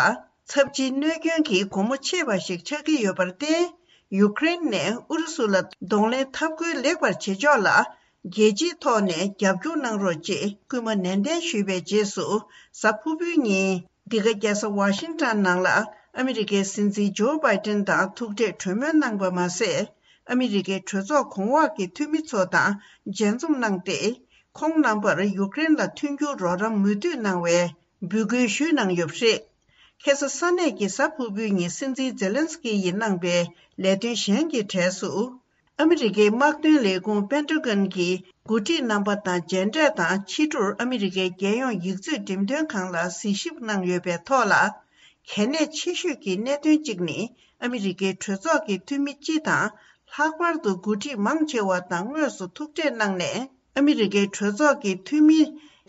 ཚབས་ཆེའི་གནོད་སྐྱོན་གྱི་སྒོ་མོ་ཕྱེ་བ་ཞིག་ཆགས་ཀྱི་ཡོད་པར་བརྟེན། ཡུ་ཀེ་རེན་ནས་ཨུ་རུ་སུ་ལ་གདོང་ལེན་འཐབ་རྒོལ་ལེགས་པར་བྱེད་ཕྱོགས་ལ་རྒྱལ་སྤྱིའི་ཐོག་ནས་རྒྱབ་སྐྱོར་གནང་རོགས་ཅེས་སྐུལ་མ་ནན་ཏན་ཞུས་པའི་རྗེས་སུ། གཟའ་ཕུར་བུའི་ཉིན་འདི་ག་རྒྱལ་ས་ཝ་ཤིང་ཊོན་ནང་ལ་ཨ་མི་རི་ཀའི་སྲིད་འཛིན་ཇོ་བྷའི་ཏིན་དང་ཐུག་འཕྲད་གྲོས་མོལ་གནང་པ་མ་ཟད། ཨ་མི་རི་ཀའི་གྲོས་ཚོགས་གོང་འོག་གི་འཐུས་མི་ཚོ་དང་མཇལ་འཛོམས་གནང་སྟེ། ཁོང་རྣམ་པར་ཡུ་ཀེ་རེན་ལ་མཐུན་འགྱུར་རོགས་རམ་མུ་མཐུད་གནང་བའི་འབོད་སྐུལ་ཞུས་གནང་ཡོད་པ་རེད། ཁ་སང་ས་གནས་ཀྱི་གཟའ་ཕུར་བུའི་ཉིན་སྲིད་འཛིན་ཛེ་ལན་སི་ཀི་ཡིས་གནང་པའི་ལས་དོན་གཞན་གྱི་གྲས་སུ། ཨ་མི་རི་ཀའི་དམག་དོན་ལས་ཁུངས་པེན་ཏ་གོན་གྱི་འགོ་ཁྲིད་རྣམ་པ་དང་མཇལ་འཕྲད་དང་ཕྱི་དྲོར་ཨ་མི་རི་ཀའི་རྒྱལ་ཡོངས་ཡིག་མཛོད་འགྲེམས་སྟོན་ཁང་ལ་གཟིགས་ཞིབ་གནང་ཡོད་པའི་ཐོག་ལ། གལ་གནད་ཆེ་ཤོས་ཀྱི་གནད་དོན་གཅིག་ནི་ཨ་མི་རི་ཀའི་གྲོས་ཚོགས་ཀྱི་འཐུས་མི་སྤྱི་དང་ལྷག་པར་དུ་འགོ་ཁྲིད་མང་ཆེ་བ་དང་དངོས་སུ་ཐུག་འཕྲད་གནང་ནས། ཨ་མི་རི་ཀའི་གྲོས་ཚོགས་ཀྱི་འཐུས་མི་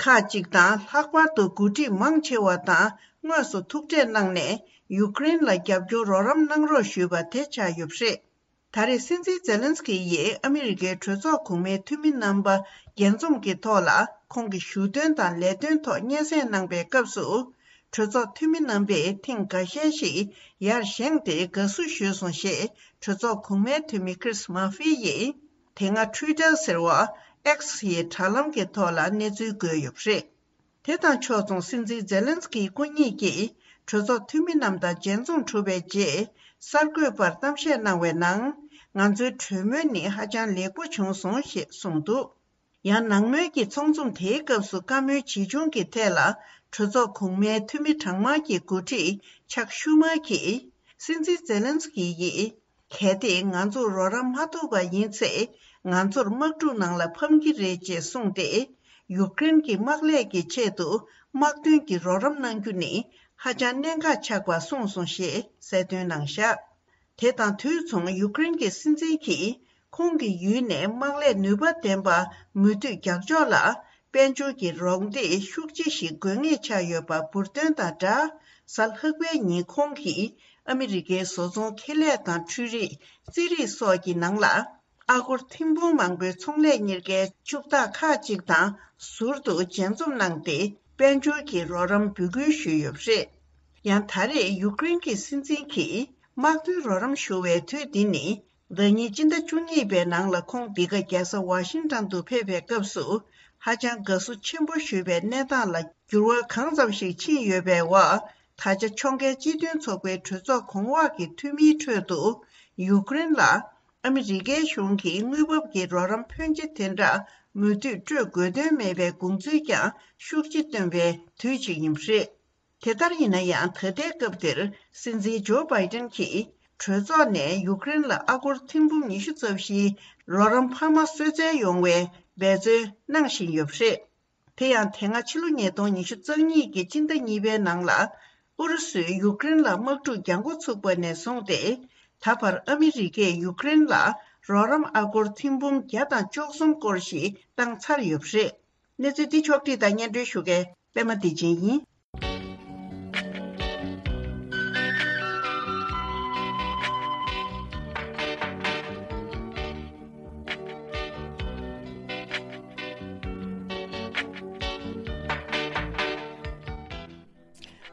ཁག་ཅིག་དང་ལྷག་པར་དུ་འགོ་ཁྲིད་མང་ཆེ་བ་དང་དངོས་སུ་ཐུག་འཕྲད་གནང་ནས་ཡུ་ཀེ་རེན་ལ་རྒྱབ་སྐྱོར་རོགས་རམ་གནང་རོགས་ཞུས་པ་དེ་ཆགས་ཡོད་པ་རེད། ད་རེས་སྲིད་འཛིན་ཛེ་ལན་སི་ཀི་ཡིས་ཨ་མི་རི་ཀའི་གྲོས་ཚོགས་གོང་མའི་འཐུས་མི་རྣམ་པ་རྒྱས་འཛོམས་ཀྱི་ཐོག་ལ་ཁོང་གི་བཞུགས་དོན་དང་ལས་དོན་ཐོག་སྙན་སེང་གནང་པའི་སྐབས་སུ། གྲོས་ཚོགས་འཐུས་མི་རྣམ་པས་ཐེངས་འགའ་ཤས་ཤིག་ཡར་བཞེངས་ཏེ་དགའ་བསུ་ཞུས་སོང་ཞེས་གྲོས་ཚོགས་གོང་མའི་འཐུས་མི་Chris Murphy་ཡིས་དེ་སྔ་Twitter་ཟེར་བ་X་ཡི་དྲ་ལམ་གྱི་ཐོག་ལ་གནས་ཚུལ་བཀོད་ཡོད་པ་རེད། དེ་དང་ཕྱོགས་མཚུངས་སྲིད་འཛིན་ཛེ་ལན་སི་ཀིའི་སྐུ་ཉིད་ཀྱིས་གྲོས་ཚོགས་འཐུས་མི་རྣམས་དང་མཇལ་འཛོམས་གྲུབ་པའི་རྗེས་གསར་འགོད་པར་གཏམ་བཤད་གནང་བའི་ནང་། ང་ཚོའི་གྲོས་མོལ་ནི་ཧ་ཅང་ལེགས་པོ་བྱུང་སོང་ཞེས་གསུངས་འདུག་ཡང་ནང་མོལ་གྱི་ཚོགས་འཛོམས་དེའི་སྐབས་སུ་བཀའ་མོལ་ཇི་བྱུང་གི་ཐད་ལ་གྲོས་ཚོགས་གོང་མའི་འཐུས་མི་གྲངས་མང་གི་འགོ་ཁྲིད་ཆག་ཤུ་མར་གྱིས། སྲིད་འཛིན་ཛེ་ལན་སི་ཀི་ཡིས། གལ་ཏེ་ང་ཚོར་རོགས་རམ་མ་ཐོབ་པ་ཡིན་ཚེ། ང་ཚོར་དམག་འཁྲུག་ནང་ལ་ཕམ་གྱི་རེད་ཅེས་གསུངས་ཏེ། ཡུཀ་རེན་གྱི་དམག་ལས་ཀྱི་ཆེད་དུ་དམག་དོན་གྱི་རོགས་རམ་གནང་རྒྱུ་ནི་ཧ་ཅང་གནད་འགག་ཆགས་པ་གསུངས་སོང་ཞེས་གསལ་སྟོན་གནང་བཞག་དེ་དང་དུས་མཚུངས་ཡུཀ་རེན་གྱི་སྲིད་འཛིན་གྱིས་ཁོང་གི་ཡུལ་ནས་དམག་ལས་ནུས་པ་ལྡན་པ་མུ་མཐུད་རྒྱག་ཕྱོགས་ལ། དཔལ་འབྱོར་གྱི་རོགས་འདེགས་ཤུགས་ཆེ་ཞིག་དགོས་ངེས་ཆགས་ཡོད་པ་འབུར་འདོན་དང་སྦྲགས། གཟའ་ལྷག་པའི་ཉིན་ཁོང་གིས་ཨ་མི་རི་ཀའི་བཟོ་ཚོང་ཁེ་ལས་དང་འཕྲུལ་རིག་རྩིས་རིག་སོགས་ཀྱི་ནང་ལ། ཨ་སྒོར་ཐེར་འབུམ་མང་པོའི་ཚོང་ལས་གཉེར་མཁན་ཕྱུག་བདག་ཁག་ཅིག་དང་ཟུར་དུ་མཇལ་འཛོམས་གནང་སྟེ། དཔལ་འབྱོར་གྱི་རོགས་རམ་འབོད་སྐུལ་ཞུས་ཡོད་པ་རེད། ཡང་ད་རེས་ཡུཀ་རེན་གྱི་སྲིད་འཛིན་གྱིས་དམག་དོན་རོགས་རམ་ཞུ་བའི་དུས་འདི་ནི། ཟླ་ཉིན་སྤྱི་ཟླ་བཅུ་གཉིས་པའི་ནང་ལ་ཁོང་འདི་ག་རྒྱལ་ས་ཝ་ཤིང་ཊོན་དུ་ཕེབས་པའི་སྐབས་སུ། ཧ་ཅང་དགའ་བསུ་ཆེན་པོ་ཞུས་པའི་གནས་སྟངས་ལ་འགྱུར་བ་གང་ཙམ་ཞིག་ཕྱིན་ཡོད་པའི་འོག་ད་ཆ་ཕྱོགས་འགལ་སྤྱི་མཐུན་ཚོགས་པའི་གྲོས་ཚོགས་གོང་འོག་གི་འཐུས་མིའི་ཁྲོད་དུ། ཡུཀ་རེན་ལ་ཨ་མི་རི་ཀའི་གཞུང་གིས་དངུལ་འབབ་ཀྱི་རོགས་རམ་ཕོན་ཆེ་དེ་འདྲ་མུ་མཐུད་སྤྲོད་དགོས་དོན་མེད་པའི་དགོངས་ཚུལ་ཀྱང་ཤུགས་ཆེ་བཏོན་པའི་དུས་ཤིག་ཡིན་པ་རེད། དེ་ལྟར་ཡིན་ན་ཡང་། ད་ལྟའི་སྐབས་འདིར་སྲིད་འཛིན་ཇོ་བྷའི་ཏན་གྱིས་གྲོས་ཚོགས་ནས་ཡུཀ་རེན་ལ་ཨ་སྒོར་ཐེར་འབུམ་ཉི་ཤུ་རྩ་བཞིའི་རོགས་རམ་འཕར་མ་གསོལ་སྩལ་ཡོང་བའི་འབད་བརྩོན་གནང་བཞིན་ཡོད་པ་རེད། དེ་ཡང་། དེ་སྔ་ཕྱི་ལོ་ཉིས་སྟོང་ཉི་ཤུ་རྩ་གཉིས་ཀྱི་སྤྱི་ཟླ་གཉིས་པའི་ནང་ལ། ཨུ་རུ་སུས་ཡུཀ་རེན་ལ་དམག་འཁྲུག་རྒྱག་འགོ་ཚུགས་པ་ནས་བཟུང་སྟེ། ད་བར་ཨ་མི་རི་ཀས་ཡུཀ་རེན་ལ་རོགས་རམ་ཨ་སྒོར་ཐེར་འབུམ་བརྒྱ་དང་བཅུ་གསུམ་སྐོར་ཞིག་བཏང་ཚར་ཡོད་པ་རེད། གནས་ཚུལ་འདི་ཕྱོགས་བསྒྲིགས་དང་སྙན་སྒྲོན་ཞུ་མཁན་པད་མ་བདེ་ཆེན་ཡིན།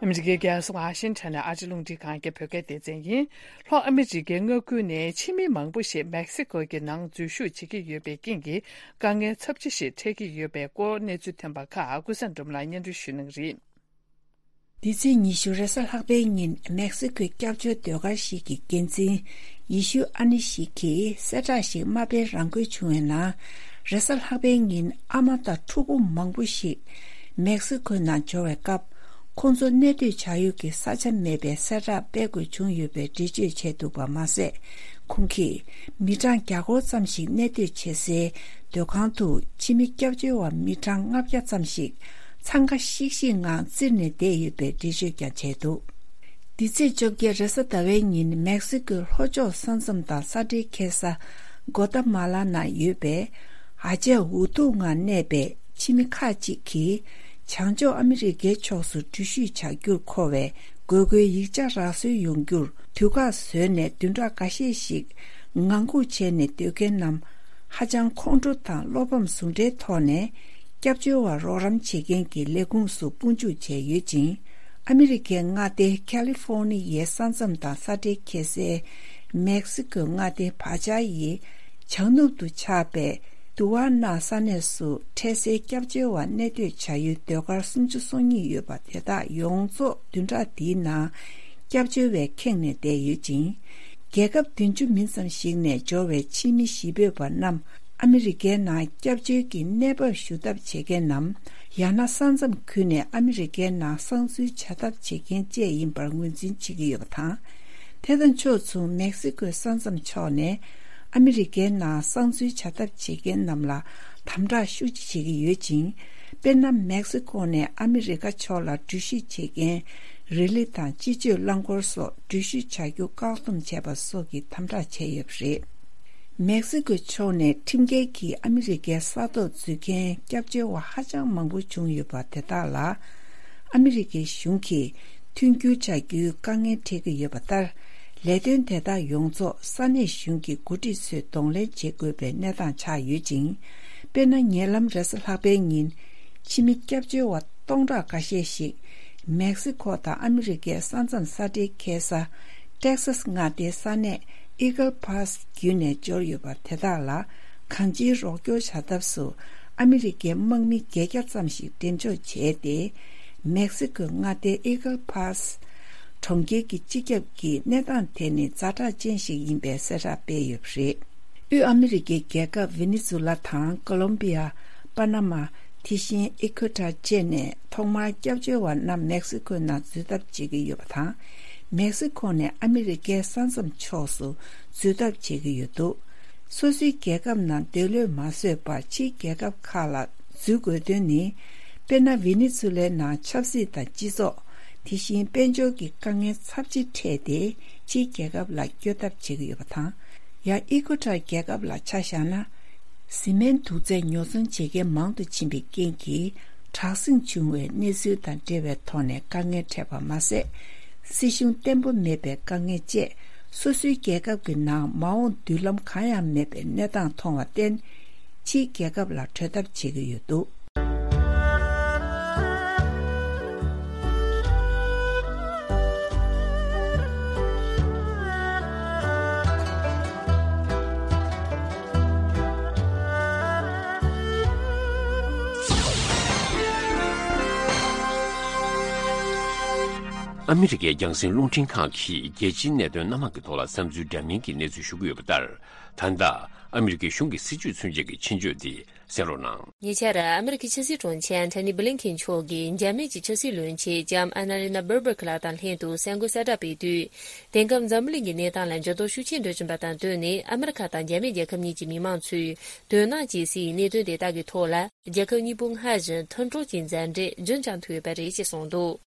ཨ་མི་རི་ཀའི་རྒྱལ་ས་ཝ་ཤིང་ཊོན་ནས་ཨ་ཅེ་རླུང་འཕྲིན་ཁང་གི་བོད་སྐད་སྡེ་ཚན་ཡིན། ལྷོ་ཨ་མི་རི་ཀའི་མངའ་ཁུལ་ནས་ཕྱི་མི་མང་པོ་ཞིག་མེག་སི་ཀོ་གི་ནང་འཛུལ་ཞུགས་བྱེད་ཀྱི་ཡོད་པའི་རྐྱེན་གྱིས། དཀའ་ངལ་ཚབས་ཆེ་ཞིག་འཕྲད་ཀྱི་ཡོད་པའི་སྐོར་གནས་ཚུལ་ཐོན་པ་ཁག་ཀུན་བཟང་སྒྲོལ་མ་ལགས་སྙན་སྒྲོན་ཞུ་གནང་གི་རེད། འདི་ཚེས་ཉི་ཤུ་རེས་གཟའ་ལྷག་པའི་ཉིན་མེག་སི་ཀོའི་སྐྱབས་བཅོལ་ཟློས་གར་ཞིག་གི་འགན་འཛིན་ཡེ་ཤུ་ཨ་ནི་ཞིག་གིས་གསལ་བསྒྲགས་ཤིག་མ་སྤེལ་རང་འཁུལ་བྱུང་བའི་ནང་། རེས་གཟའ་ལྷག་པའི་ཉིན་ཨ་མ་དང་ཕྲུ་གུ་མང་པོ་ཞིག་མེག་སི་ཀོའི་ནང་འབྱོར་བའི་སྐབས། ཁོང་ཚོ་གནས་སྡོད་བྱ་ཡུལ་གྱི་ས་ཆ་མེད་པའི་གསལ་བསྒྲགས་སྤེལ་དགོས་བྱུང་ཡོད་པའི་འགྲེལ་བརྗོད་བྱས་འདུག་པ་མ་ཟད། ཁོང་གིས་མི་གྲངས་བརྒྱ་སྐོར་ཙམ་ཞིག་གནས་སྡོད་བྱེད་སའི་སྡོད་ཁང་དུ་ཕྱི་མི་སྐྱབས་བཅོལ་བ་མི་གྲངས་ལྔ་བརྒྱ་ཙམ་ཞིག་འཚང་ཁ་ཤིག་ཤིག་ངང་བཙིར་ནས་བསྡད་ཡོད་པའི་འགྲེལ་བརྗོད་ཀྱང་བྱས་འདུག་འདི་ཚེས་བཅོ་བརྒྱད་རེས་གཟའ་ཟླ་བའི་ཉིན་མེག་སི་ཀོའི་ལྷོ་ཕྱོགས་ས་མཚམས་དང་ས་འབྲེལ་འཁེལ་ས་གོ་ཏ་མ་ལ་ནང་ཡོད་པའི་ཨ་ཅག་འུ་ཐུག་ངང་གནས་པའི་ཕྱི་མི་ཁག་ཅིག་གིས་བྱང་ཕྱོགས་ཨ་མི་རི་ཀའི་ཕྱོགས་སུ་འགྲུལ་བཞུད་བྱ་རྒྱུར་མཁོ་བའི་དགོས་མཁོའི་ཡིག་ཆ་རག་སོན་ཡོང་རྒྱུར་དུས་བཀག་བཟོས་ནས་བདུན་ཕྲག་འགའ་ཤས་ཤིག་ངང་སྒུག་བྱས་ནས་སྡོད་མཁན་རྣམས་ཧ་ཅང་ཁོང་ཁྲོ་དང་བློ་ཕམ་ཟུང་འབྲེལ་ཐོག་ནས། སྐྱབས་བཅོལ་བར་རོགས་རམ་བྱེད་མཁན་གྱི་ལས་ཁུངས་སུ་དཔུང་འཇུག་བྱས་ཡོད་ཅིང་། ཨ་མི་རི་ཀའི་མངའ་སྡེ་ཁ་ལི་ཧྥོ་ནི་ཡའི་ས་མཚམས་དང་ས་འབྲེལ་འཁེལ་སའི་མེག་སི་ཀོའི་མངའ་སྡེ་བྷ་ཅཱ་ཡི་བྱང་ནུབ་ཏུ་ཆགས་པའི་དུ་ཝ་ན་ས་གནས་སུ་འཕྲལ་སེལ་སྐྱབས་བཅོལ་བ་གནས་སྡོད་བྱ་ཡུལ་ཟློས་གར་སུམ་ཅུ་སོ་གཉིས་ཡོད་པ་དེ་དག་ཡོངས་རྫོགས་བདུན་ཕྲག་འདིའི་ནང་སྐྱབས་བཅོལ་བས་ཁེངས་ནས་བསྡད་ཡོད་ཅིང་། རྒྱལ་ཁབ་བདུན་ཅུ་མིན་ཙམ་ཞིག་ནས་འབྱོར་བའི་ཕྱི་མི་གཞིས་སྤོས་པ་རྣམས། ཨ་མི་རི་ཀའི་ནང་སྐྱབས་བཅོལ་གྱི་གནས་བབ་ཞུ་ཐབས་བྱེད་མཁན་ནམ། ཡང་ན་ས་མཚམས་ཁུལ་ནས་ཨ་མི་རི་ཀའི་ནང་གསང་འཛུལ་བྱ་ཐབས་བྱེད་མཁན་བཅས་ཡིན་པར་ངོས་འཛིན་བྱེད་ཀྱི་ཡོད་པ་དང་། དེ་དང་ཕྱོགས་མཚུངས་མེག་སི་ཀོའི་ས་མཚམས་ཕྱོགས་ནས་ཨ་མི་རི་ཀའི་ནང་གསང་འཛུལ་བྱ་ཐབས་བྱེད་མཁན་རྣམས་ལ་དམ་དྲག་ཤུགས་ཆེ་བྱེད་ཀྱི་ཡོད་ཅིང་། དཔེར་ན། མེག་སི་ཀོ་ནས་ཨ་མི་རི་ཀ་ཕྱོགས་ལ་འགྲུལ་བཞུད་བྱེད་མཁན་རི་ལི་དང་སྤྱི་སྤྱོད་རླངས་འཁོར་སོགས་འགྲུལ་བཞུད་བྱ་རྒྱུ་བཀག་སྡོམ་བྱས་པ་སོགས་ཀྱི་དམ་དྲག་བྱས་ཡོད་པ་རེད། མེག་སི་ཀོའི་ཕྱོགས་ནས་ཁྲིམས་འགལ་གྱིས་ཨ་མི་རི་ཀའི་ས་ཐོག་འཛུལ་མཁན་སྐྱབས་བཅོལ་བ་ཧ་ཅང་མང་པོ་བྱུང་ཡོད་པ་དེ་དག་ལ། ཨ་མི་རི་ཀའི་གཞུང་གིས་མཐུན་འགྱུར་བྱ་རྒྱུའི་དཀའ་ངལ་འཕྲད་ཀྱི་ཡོད་པ་ལྟར། ལས་དོན་དེ་དག་ཡོངས་རྫོགས་ས་གནས་གཞུང་གི་འགོ་ཁྲིད་ཚོས་གདོང་ལེན་བྱེད་དགོས་པའི་གནས་སྟངས་ཆགས་ཡོད་ཅིང་། དཔེར་ན། ཉེ་ལམ་རེས་གཟའ་ལྷག་པའི་ཉིན། ཕྱི་མི་སྐྱབས་བཅོལ་བ་སྟོང་ཕྲག་འགའ་ཤས་ཤིག་མེག་སི་ཁོ་དང་ཨ་མི་རི་ཀའི་ས་མཚམས་ས་འབྲེལ་འཁེལ་ས། ཏེག་སཱས་མངའ་སྡེའི་ས་གནས་ཨི་གལ་ཕཱ་སི་བརྒྱུད་ནས་འབྱོར་ཡོད་པ་དེ་དག་ལ། གང་ཅིའི་རོགས་སྐྱོར་བྱ་ཐབས་སུ། ཨ་མི་རི་ཀའི་དམག་མི་བརྒྱད་བརྒྱ་ཙམ་ཞིག་འགྲེམས་འཇོག་བྱས་ཏེ། མེག་སི་ཁོའི་མངའ་སྡེའི་ཨི་གལ་ཕཱ་སི་གྲོང་ཁྱེར་གྱི་སྤྱི་ཁྱབ་ཀྱིས་གནས་སྟངས་དེ་ནི་ཛ་དྲག་ཅན་ཞིག་ཡིན་པའི་གསལ་བསྒྲགས་སྤེལ་ཡོད་པ་རེད། དབུས་ཨ་མི་རི་ཀའི་རྒྱལ་ཁབ་ཝེ་ནེ་ཛུ་ལ་དང་ཀོ་ལོམ་བི་ཡ། པ་ན་མ། དེ་བཞིན་ཨི་ཁུ་ཊར་བཅས་ནས་ཐོག་མར་སྐྱབས་བཅོལ་བ་རྣམས་མེག་སི་ཁོའི་ནང་འཛུལ་ཐབས་བྱེད་ཀྱི་ཡོད་པ་དང་། མེག་སི་ཁོ་ནས་ཨ་མི་རི་ཀའི་ས་མཚམས་ཕྱོགས་སུ་འཛུལ་ཐབས་བྱེད་ཀྱི་ཡོད་འདུག་སོ་སོའི་རྒྱལ་ཁབ་ནང་སྡོད་ལོས་མ་བཟོད་པར་ཕྱིའི་རྒྱལ་ཁབ་ཁག་ལ་འཛུལ་དགོས་དོན་ནི། དཔེར་ན། ཝེ་ནེ་ཛུ་ལའི་ནང་ཆབ་སྲིད་དང་སྤྱི་ཚོགས། དེ་བཞིན་དཔལ་འབྱོར་གྱི་དཀའ་ངལ་ཚབས་ཆེ་འཕྲད་དེ། ཕྱིའི་རྒྱལ་ཁབ་ལ་བསྐྱོད་ཐབས་བྱེད་ཀྱི་ཡོད་པ་དང་། ཡང་ཨི་ཁུ་ཊར་རྒྱལ་ཁབ་ལ་ཆ་བཞག་ན། བཟི་སྨན་དུག་རྫས་ཉོ་ཚོང་བྱེད་མཁན་མང་དུ་ཕྱིན་པའི་རྐྱེན་གྱིས། དྲག་ཟིང་བྱུང་བའི་གནས་ཚུལ་དང་འབྲེལ་བའི་ཐོག་ནས་དཀའ་ངལ་འཕྲད་པ་མ་ཟད། སྲིད་གཞུང་བརྟན་པོ་མེད་པའི་དཀའ་ངལ་བཅས། སོ་སོའི་རྒྱལ་ཁབ་ཀྱི་ནང་མ་འོངས་མདུན་ལམ་གང་ཡང་མེད་པའི་གནས་སྟངས་མཐོང་བར་བརྟེན། ཕྱིའི་རྒྱལ་ཁབ་ལ་བྲོས་ཐབས་བྱེད་ཀྱི་ཡོད་འདུག་ཨ་མི་རི་ཀའི་རྒྱང་སྲིང་རླུང་འཕྲིན་ཁང་གིས་རྒྱལ་སྤྱིའི་གནད་དོན་སྣ་མང་གི་ཐོག་ལ་བསམ་ཚུལ་འདྲ་མིན་གྱི་གནས་ཚུལ་ཞུ་གི་ཡོད་པ་ལྟར། ད་ལྟ་ཨ་མི་རི་ཀའི་གཞུང་གི་སྲིད་བྱུས་མཚོན་ཆེད་ཀྱི་ཆེད་བརྗོད་འདི་གསན་རོགས་གནང་། ཉེ་ཆར་ཨ་མི་རི་ཀའི་ཕྱི་སྲིད་དྲུང་ཆེ་ཨན་ཐོ་ནི་བྷི་ལིན་ཁེན་མཆོག་གིས་འཇར་མན་གྱི་ཕྱི་སྲིད་བློན་ཆེན་ལྕམ་ཨན་ན་ལི་ན་སྦེར་བྷག་ལགས་དང་ལྷན་དུ་གསར་འགོད་གསལ་བསྒྲགས་སྤེལ་དུས། དེང་སྐབས་འཛམ་བུ་གླིང་གི་གནས་སྟངས་ལ་འགྱུར་ལྡོག་ཤུགས་ཆེན་འགྲོ་བཞིན་པ་དང་བསྟུན་ནས། ཨ་མི་རི་ཁ་དང་འཇར་མན་རྒྱལ་ཁབ་གཉིས་ཀྱི་མི་མང་ཚོས་དོ་སྣང་བྱེད་སའི་གནད་དོན་དེ་དག་གི་ཐོག་ལ། རྒྱལ་ཁབ་གཉིས་པོ་སྔར་བཞིན་མཐུན་གྲོགས་ཀྱི་མཛའ་འབྲེལ་རྒྱུན་བསྐྱངས་ཐུབ་ཡོད་པ་རེད་ཅེས་གསུངས་འདུག་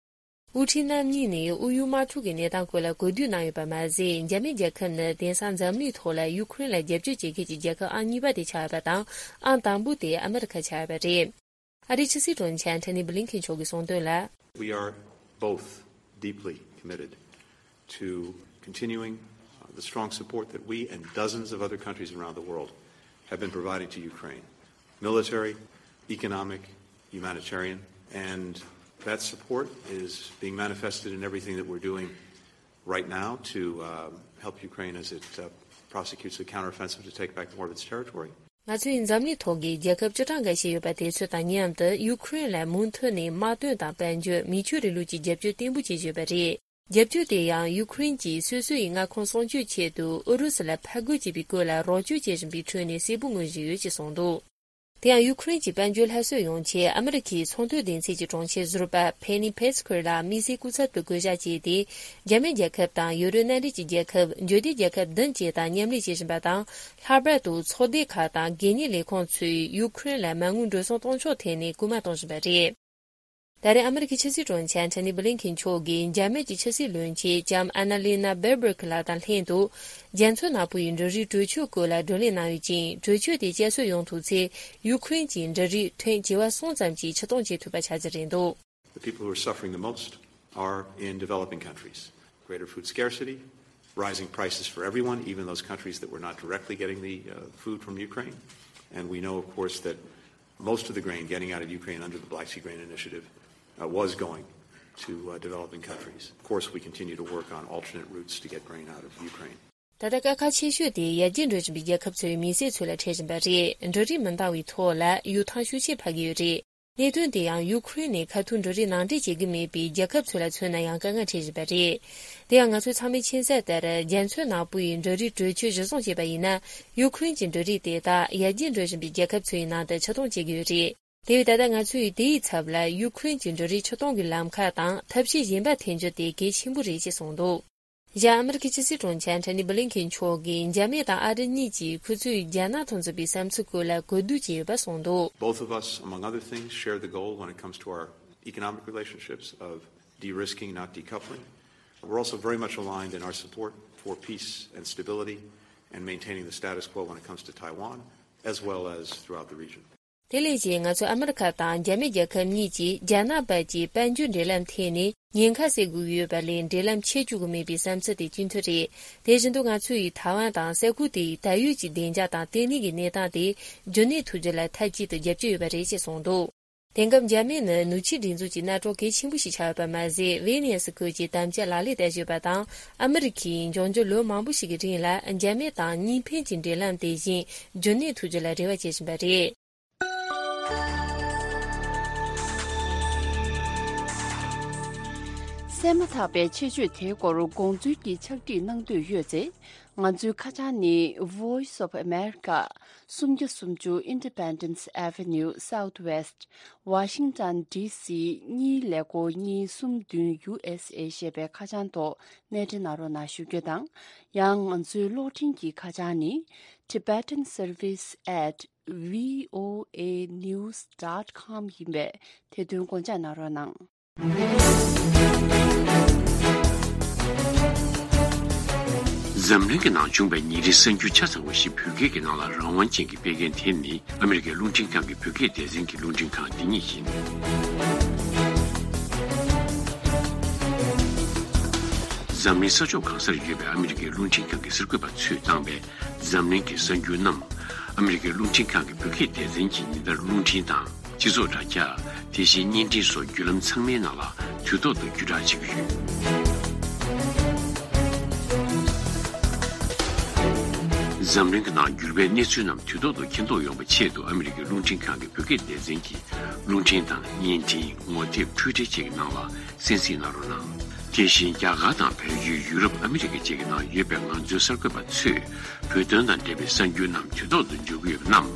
དབུ་ཁྲིད་རྣམ་གཉིས་ནས་དབུས་ཡུལ་དམག་འཁྲུག་གི་གནས་སྟངས་སྐོར་ལ་གོ་བསྡུར་གནང་ཡོད་པ་མ་ཟད། འཇར་མན་རྒྱལ་ཁབ་ནི་དེང་སང་འཛམ་གླིང་ཐོག་ལ་ཡུ་ཁུ་རེན་ལ་རྒྱབ་སྐྱོར་བྱེད་མཁན་གྱི་རྒྱལ་ཁབ་ཨང་གཉིས་པ་དེ་ཆགས་ཡོད་པ་དང་། ཨང་དང་པོ་དེ་ཨ་མི་རི་ཁ་ཆགས་ཡོད་པ་རེད། ཨ་རིའི་ཕྱི་སྲིད་དྲུང་ཆེ་ཨན་ཐོ་ནི་བྷི་ལིན་ཁེན་མཆོག་གིས་གསུངས་དོན་ལ། We are both deeply committed to continuing, uh, the strong support that we and dozens of other countries around the world have been providing to Ukraine. Military, economic, humanitarian, and that support is being manifested in everything that we're doing right now to, uh, help Ukraine as it, uh, prosecutes the counteroffensive to take back more of its territory. ང་ཚོས་འཛམ་གླིང་ཐོག་གི་རྒྱལ་ཁབ་བཅུ་གྲངས་འགའ་ཤས་ཡོད་པ་དེ་ཚོ་དང་མཉམ་དུ། ཡུ་ཁུ་རེན་ལ་མུ་མཐུད་ནས་དམག་དོན་དང་དཔལ་འབྱོར། མི་ཆོས་རིང་ལུགས་ཀྱི་རྒྱབ་སྐྱོར་བརྟན་པོ་བྱེད་ཀྱི་ཡོད་པ་རེད། རྒྱབ་སྐྱོར་དེ་ཡང་ཡུ་ཁུ་རེན་གྱིས་སོ་སོ་ཡི་མངའ་ཁོངས་སྲུང་སྐྱོབ་ཆེད་དུ་ཨུ་རུ་སུ་ལ་ཕར་རྒོལ་བྱེད་པའི་སྐོར་ལ་རོགས་སྐྱོར་བྱེད་བཞིན་པའི་ཁྲོད་ནས་གསལ་པོ་མངོན་བཞིན་ཡོད་ཅེས་གསུངས་འདུག་དེ་ཡང་ཡུ་ཁུ་རེན་གྱི་དཔལ་འབྱོར་སླར་གསོ་ཡོང་ཆེད། ཨ་མི་རི་ཁའི་ཚོང་དོན་སྡེ་ཚན་གྱི་དྲུང་ཆེ་ཟུར་པ་ཕེ་ནི་ཕེ་སི་ཁུར་ལ་དམིགས་བསལ་སྐུ་ཚབ་ཏུ་བསྐོ་གཞག་བྱས་ཏེ། འཇར་མན་རྒྱལ་ཁབ་དང་ཡུ་རོབ་མནའ་འབྲེལ་གྱི་རྒྱལ་ཁབ། འབྱོར་ལྡན་རྒྱལ་ཁབ་བདུན་བཅས་དང་མཉམ་ལས་བྱེད་བཞིན་པ་དང་། ལྷག་པར་དུ་ཚོགས་སྡེ་ཁག་དང་སྒེར་གཉེར་ལས་ཁུངས་ཚོས་ཡུ་ཁུ་རེན་ལ་མ་དངུལ་འགྲོ་སོང་གཏོང་ཕྱོགས་ཐད་ནས་སྐུལ་མ་གཏོང་བཞིན་པ་རེད། ད་རེས་ཨ་མི་རི་ཀའི་ཕྱི་སྲིད་དྲུང་ཆེ་ཨན་ཐོ་ནི་བྷི་ལིན་ཁེན་མཆོག་གིས་འཇར་མན་གྱི་ཕྱི་སྲིད་བློན་ཆེན་ལྕམ་ཨན་ན་ལི་ན་སྦེར་བྷག་ལགས་དང་ལྷན་དུ། རྒྱ་མཚོ་ནག་པོའི་འབྲུ་རིགས་གྲོས་ཆོད་སྐོར་ལ་བགྲོ་གླེང་གནང་ཡོད་ཅིང་། གྲོས་ཆོད་དེ་བསྐྱར་གསོ་ཡོང་ཐུབ་ཚེ། ཡུ་ཁུ་རེན་གྱི་འབྲུ་རིགས་ཐོན་བྱེ་བ་གསུམ་ཙམ་གྱིས་ཕྱིར་གཏོང་བྱེད་ཐུབ་པ་ཆགས་རྒྱུ་རེད་འདུག The people who are suffering the most are in developing countries. Greater food scarcity, rising prices for everyone, even those countries that were not directly getting the, uh, food from Ukraine. And we know, of course, that most of the grain getting out of Ukraine under the Black Sea Grain Initiative, uh, was going to, uh, developing countries. Of course, we continue to work on alternate routes to get grain out of Ukraine. ད་ལྟ་དཀའ་ཁག་ཆེ་ཤོས་དེ་ཡར་རྒྱས་འགྲོ་བཞིན་པའི་རྒྱལ་ཁབ་ཚོའི་མི་སེར་ཚོ་ལ་འཕྲད་བཞིན་པ་རེད། འབྲུ་རིགས་མི་འདང་བའི་ཐོག་ལ་གཡུ་ཐང་ཤུགས་ཆེ་འཕར་གྱི་ཡོད་རེད། གནད་དོན་དེ་ཡང་ཡུ་ཁུ་རེན་ནས་ཁ་ཐུག་འབྲུ་རིགས་ནང་འདྲེན་བྱེད་ཀྱི་མེད་པའི་རྒྱལ་ཁབ་ཚོ་ལ་མཚོན་ན་ཡང་དཀའ་ངལ་འཕྲད་བཞིན་པ་རེད། དེ་ཡང་ང་ཚོས་ཚང་མས་མཁྱེན་གསལ་ལྟར། རྒྱ་མཚོ་ནག་པོའི་འབྲུ་རིགས་གྲོས་ཆོད་གཞིར་བཟུང་བྱས་པ་ཡིན་ན། ཡུ་ཁུ་རེན་གྱི་འབྲུ་རིགས་དེ་དག་ཡར་རྒྱས་འགྲོ་བཞིན་པའི་རྒྱལ་ཁབ་ཚོའི་ནང་དུ་ཕྱིར་གཏོང་བྱེད་ཀྱི་ཡོད་རེད། དེ་བས་ད་ལྟ་ང་ཚོས་དེའི་ཚབ་ལ་ཡུ་ཁུ་རེན་གྱི་འབྲུ་རིགས་ཕྱིར་གཏོང་གི་ལམ་ཁ་དང་ཐབས་ཤེས་གཞན་པ་འཐེན་རྒྱུ་དེ་གལ་ཆེན་པོ་རེད་ཅེས་གསུངས་འདུག་གཞན་ཨ་མི་རི་ཀའི་ཕྱི་སྲིད་དྲུང་ཆེ་ཨན་ཐོ་ནི་བྷི་ལིན་ཁེན་མཆོག་གིས་འཇར་མན་དང་ཨ་རི་གཉིས་ཀྱིས་ཁོ་ཚོས་རྒྱ་ནག་དང་མཚུངས་པའི་བསམ་ཚུལ་སྐོར་ལ་གོ་བསྡུར་བྱས་ཡོད་པ་གསུངས་འདུག Both of us, among other things, share the goal when it comes to our economic relationships of de-risking, not decoupling. We're also very much aligned in our support for peace and stability and maintaining the status quo when it comes to Taiwan, as well as throughout the region. དེ་ལས་ཀྱང་ང་ཚོས་ཨ་མི་རི་ཁ་དང་རྒྱ་མི་རྒྱལ་ཁབ་གཉིས་ཀྱིས་རྒྱ་ནག་བར་གྱི་དཔལ་འབྱོར་འབྲེལ་ལམ་ཐད་ནས་ཉེན་ཁ་སེལ་དགོས་ཀྱི་ཡོད་པ་ལས་འབྲེལ་ལམ་ཆད་བཅུག་གི་མེད་པའི་བསམ་ཚུལ་དེ་གཅིག་མཐུན་རེད། དེ་བཞིན་དུ་ང་ཚོ་ཡིས་ཐའེ་ཝན་དང་ས་ཁུལ་དེའི་ད་ཡོད་ཀྱི་བདེ་འཇགས་དང་ལྟེ་གནས་ཀྱི་གནས་སྟངས་དེ་རྒྱུན་གནས་ཐུབ་རྒྱུ་ལ་མཐའ་གཅིག་ཏུ་རྒྱབ་སྐྱོར་ཡོད་པ་རེད་ཅེས་གསུངས་འདུག་དེང་སྐབས་འཇར་མན་ནི་ནུབ་ཕྱོགས་སྒྲིག་འཛུགས་ཀྱི་གནམ་གྲུ་གལ་ཆེན་པོ་ཞིག་ཆགས་ཡོད་པ་མ་ཟད། ཝི་ནི་ཡ་སི་ཁུལ་གྱི་དམ་བཅའ་ལག་ལེན་བསྟར་བཞིན་ཡོད་པ་དང་། ཨ་མི་རི་ཁས་འབྱུང་འགྱུར་ལོ་མང་པོ་ཞིག་གི་རིང་ལ་འཇར་མན་དང་གཉིས་ཕན་གྱི་འབྲེལ་ལམ་དེ་བཞིན་རྒྱུན་གནས་ཐུབ་རྒྱུ་ལ་རེ་བ་བྱེད་བཞིན་པ་རེད། གསན་མ་ཐག་པའི་ཆེད་བརྗོད་དེའི་སྐོར་དགོངས་ཚུལ་གྱི་ཕྱག་བྲིས་གནང་འདོད་ཡོད་ཚེ། ང་ཚོའི་ཁ་བྱང་ནི། Voice of America། སུམ་བརྒྱ་སུམ་ཅུ་Independence Avenue Southwest། Washington D C གཉིས་ཀླད་ཀོར་གཉིས་གསུམ་བདུན་U S A ཞེས་པའི་ཁ་བྱང་ཐོག་གནས་འབྲེལ་གནང་རོགས་གནང་ཞུ་རྒྱུ་དང་། ཡང་ང་ཚོའི་གློག་འཕྲིན་གྱི་ཁ་བྱང་ནི། Tibetan Service at voanews dot com ཡིན་པས། དེ་དོན་དགོངས་འཇགས་གནང་རོགས་གནང་། འཛམ་གླིང་གི་ནང་བྱུང་བའི་ཉིན་རེའི་གསར་འགྱུར་ཆ་ཚང་བ་ཞིག་བོད་སྐད་ཀྱི་ནང་ལ་རང་དབང་ཅན་གྱིས་སྤེལ་མཁན་དེ་ནི་ཨ་མི་རི་ཀའི་རླུང་འཕྲིན་ཁང་གི་བོད་སྐད་སྡེ་ཚན་གྱི་རླུང་འཕྲིན་ཁང་འདི་ཉིད་ཡིན། འཛམ་གླིང་ས་ཕྱོགས་གང་སར་ཡོད་པའི་ཨ་མི་རི་ཀའི་རླུང་འཕྲིན་ཁང་གི་གསར་འགོད་པ་ཚོས་བཏང་བའི་འཛམ་གླིང་གི་གསར་འགྱུར་རྣམས། ཨ་མི་རི་ཀའི་རླུང་འཕྲིན་ཁང་གི་བོད་སྐད་སྡེ་ཚན་གྱི་ཉིན་ལྟར་རླུང་འཕྲིན་དང་། སྤྱི་ཚོགས་དྲ་རྒྱ། དེ་བཞིན་བརྙན་འཕྲིན་སོགས་བརྒྱུད་ལམ་ཚང་མའི་ནང་ལ་དུས་ཐོག་ཏུ་བརྒྱུད་བསྒྲགས་བྱེད་ཀྱི་ཡོད། འཛམ་གླིང་གི་ནང་འགྱུར་བའི་གནས་ཚུལ་རྣམས་དུས་ཐོག་ཏུ་མཁྱེན་རྟོགས་ཡོང་བའི་ཆེད་དུ་ཨ་མི་རི་ཀའི་རླུང་འཕྲིན་ཁང་གི་བོད་སྐད་སྡེ་ཚན་གྱིས་རླུང་འཕྲིན་དང་བརྙན་འཕྲིན། ངོ་དེབ། འཕྲུལ་འཕྲིན་བཅས་ཀྱི་ནང་ལ་གསན་གཟིགས་གནང་རོགས་གནང་། དེ་བཞིན་རྒྱ་གར་དང་བལ་ཡུལ། ཡུ་རོབ། ཨ་མི་རི་ཀ་བཅས་ཀྱི་ནང་ཡོད་པའི་ང་ཚོའི་གསར་འགོད་པ་ཚོས་བོད་དོན་དང་འབྲེལ་བའི་གསར་འགྱུར་རྣམས་དུས་ཐོག་ཏུ་འབྱོར་གྱི་ཡོད་པ་རྣམས་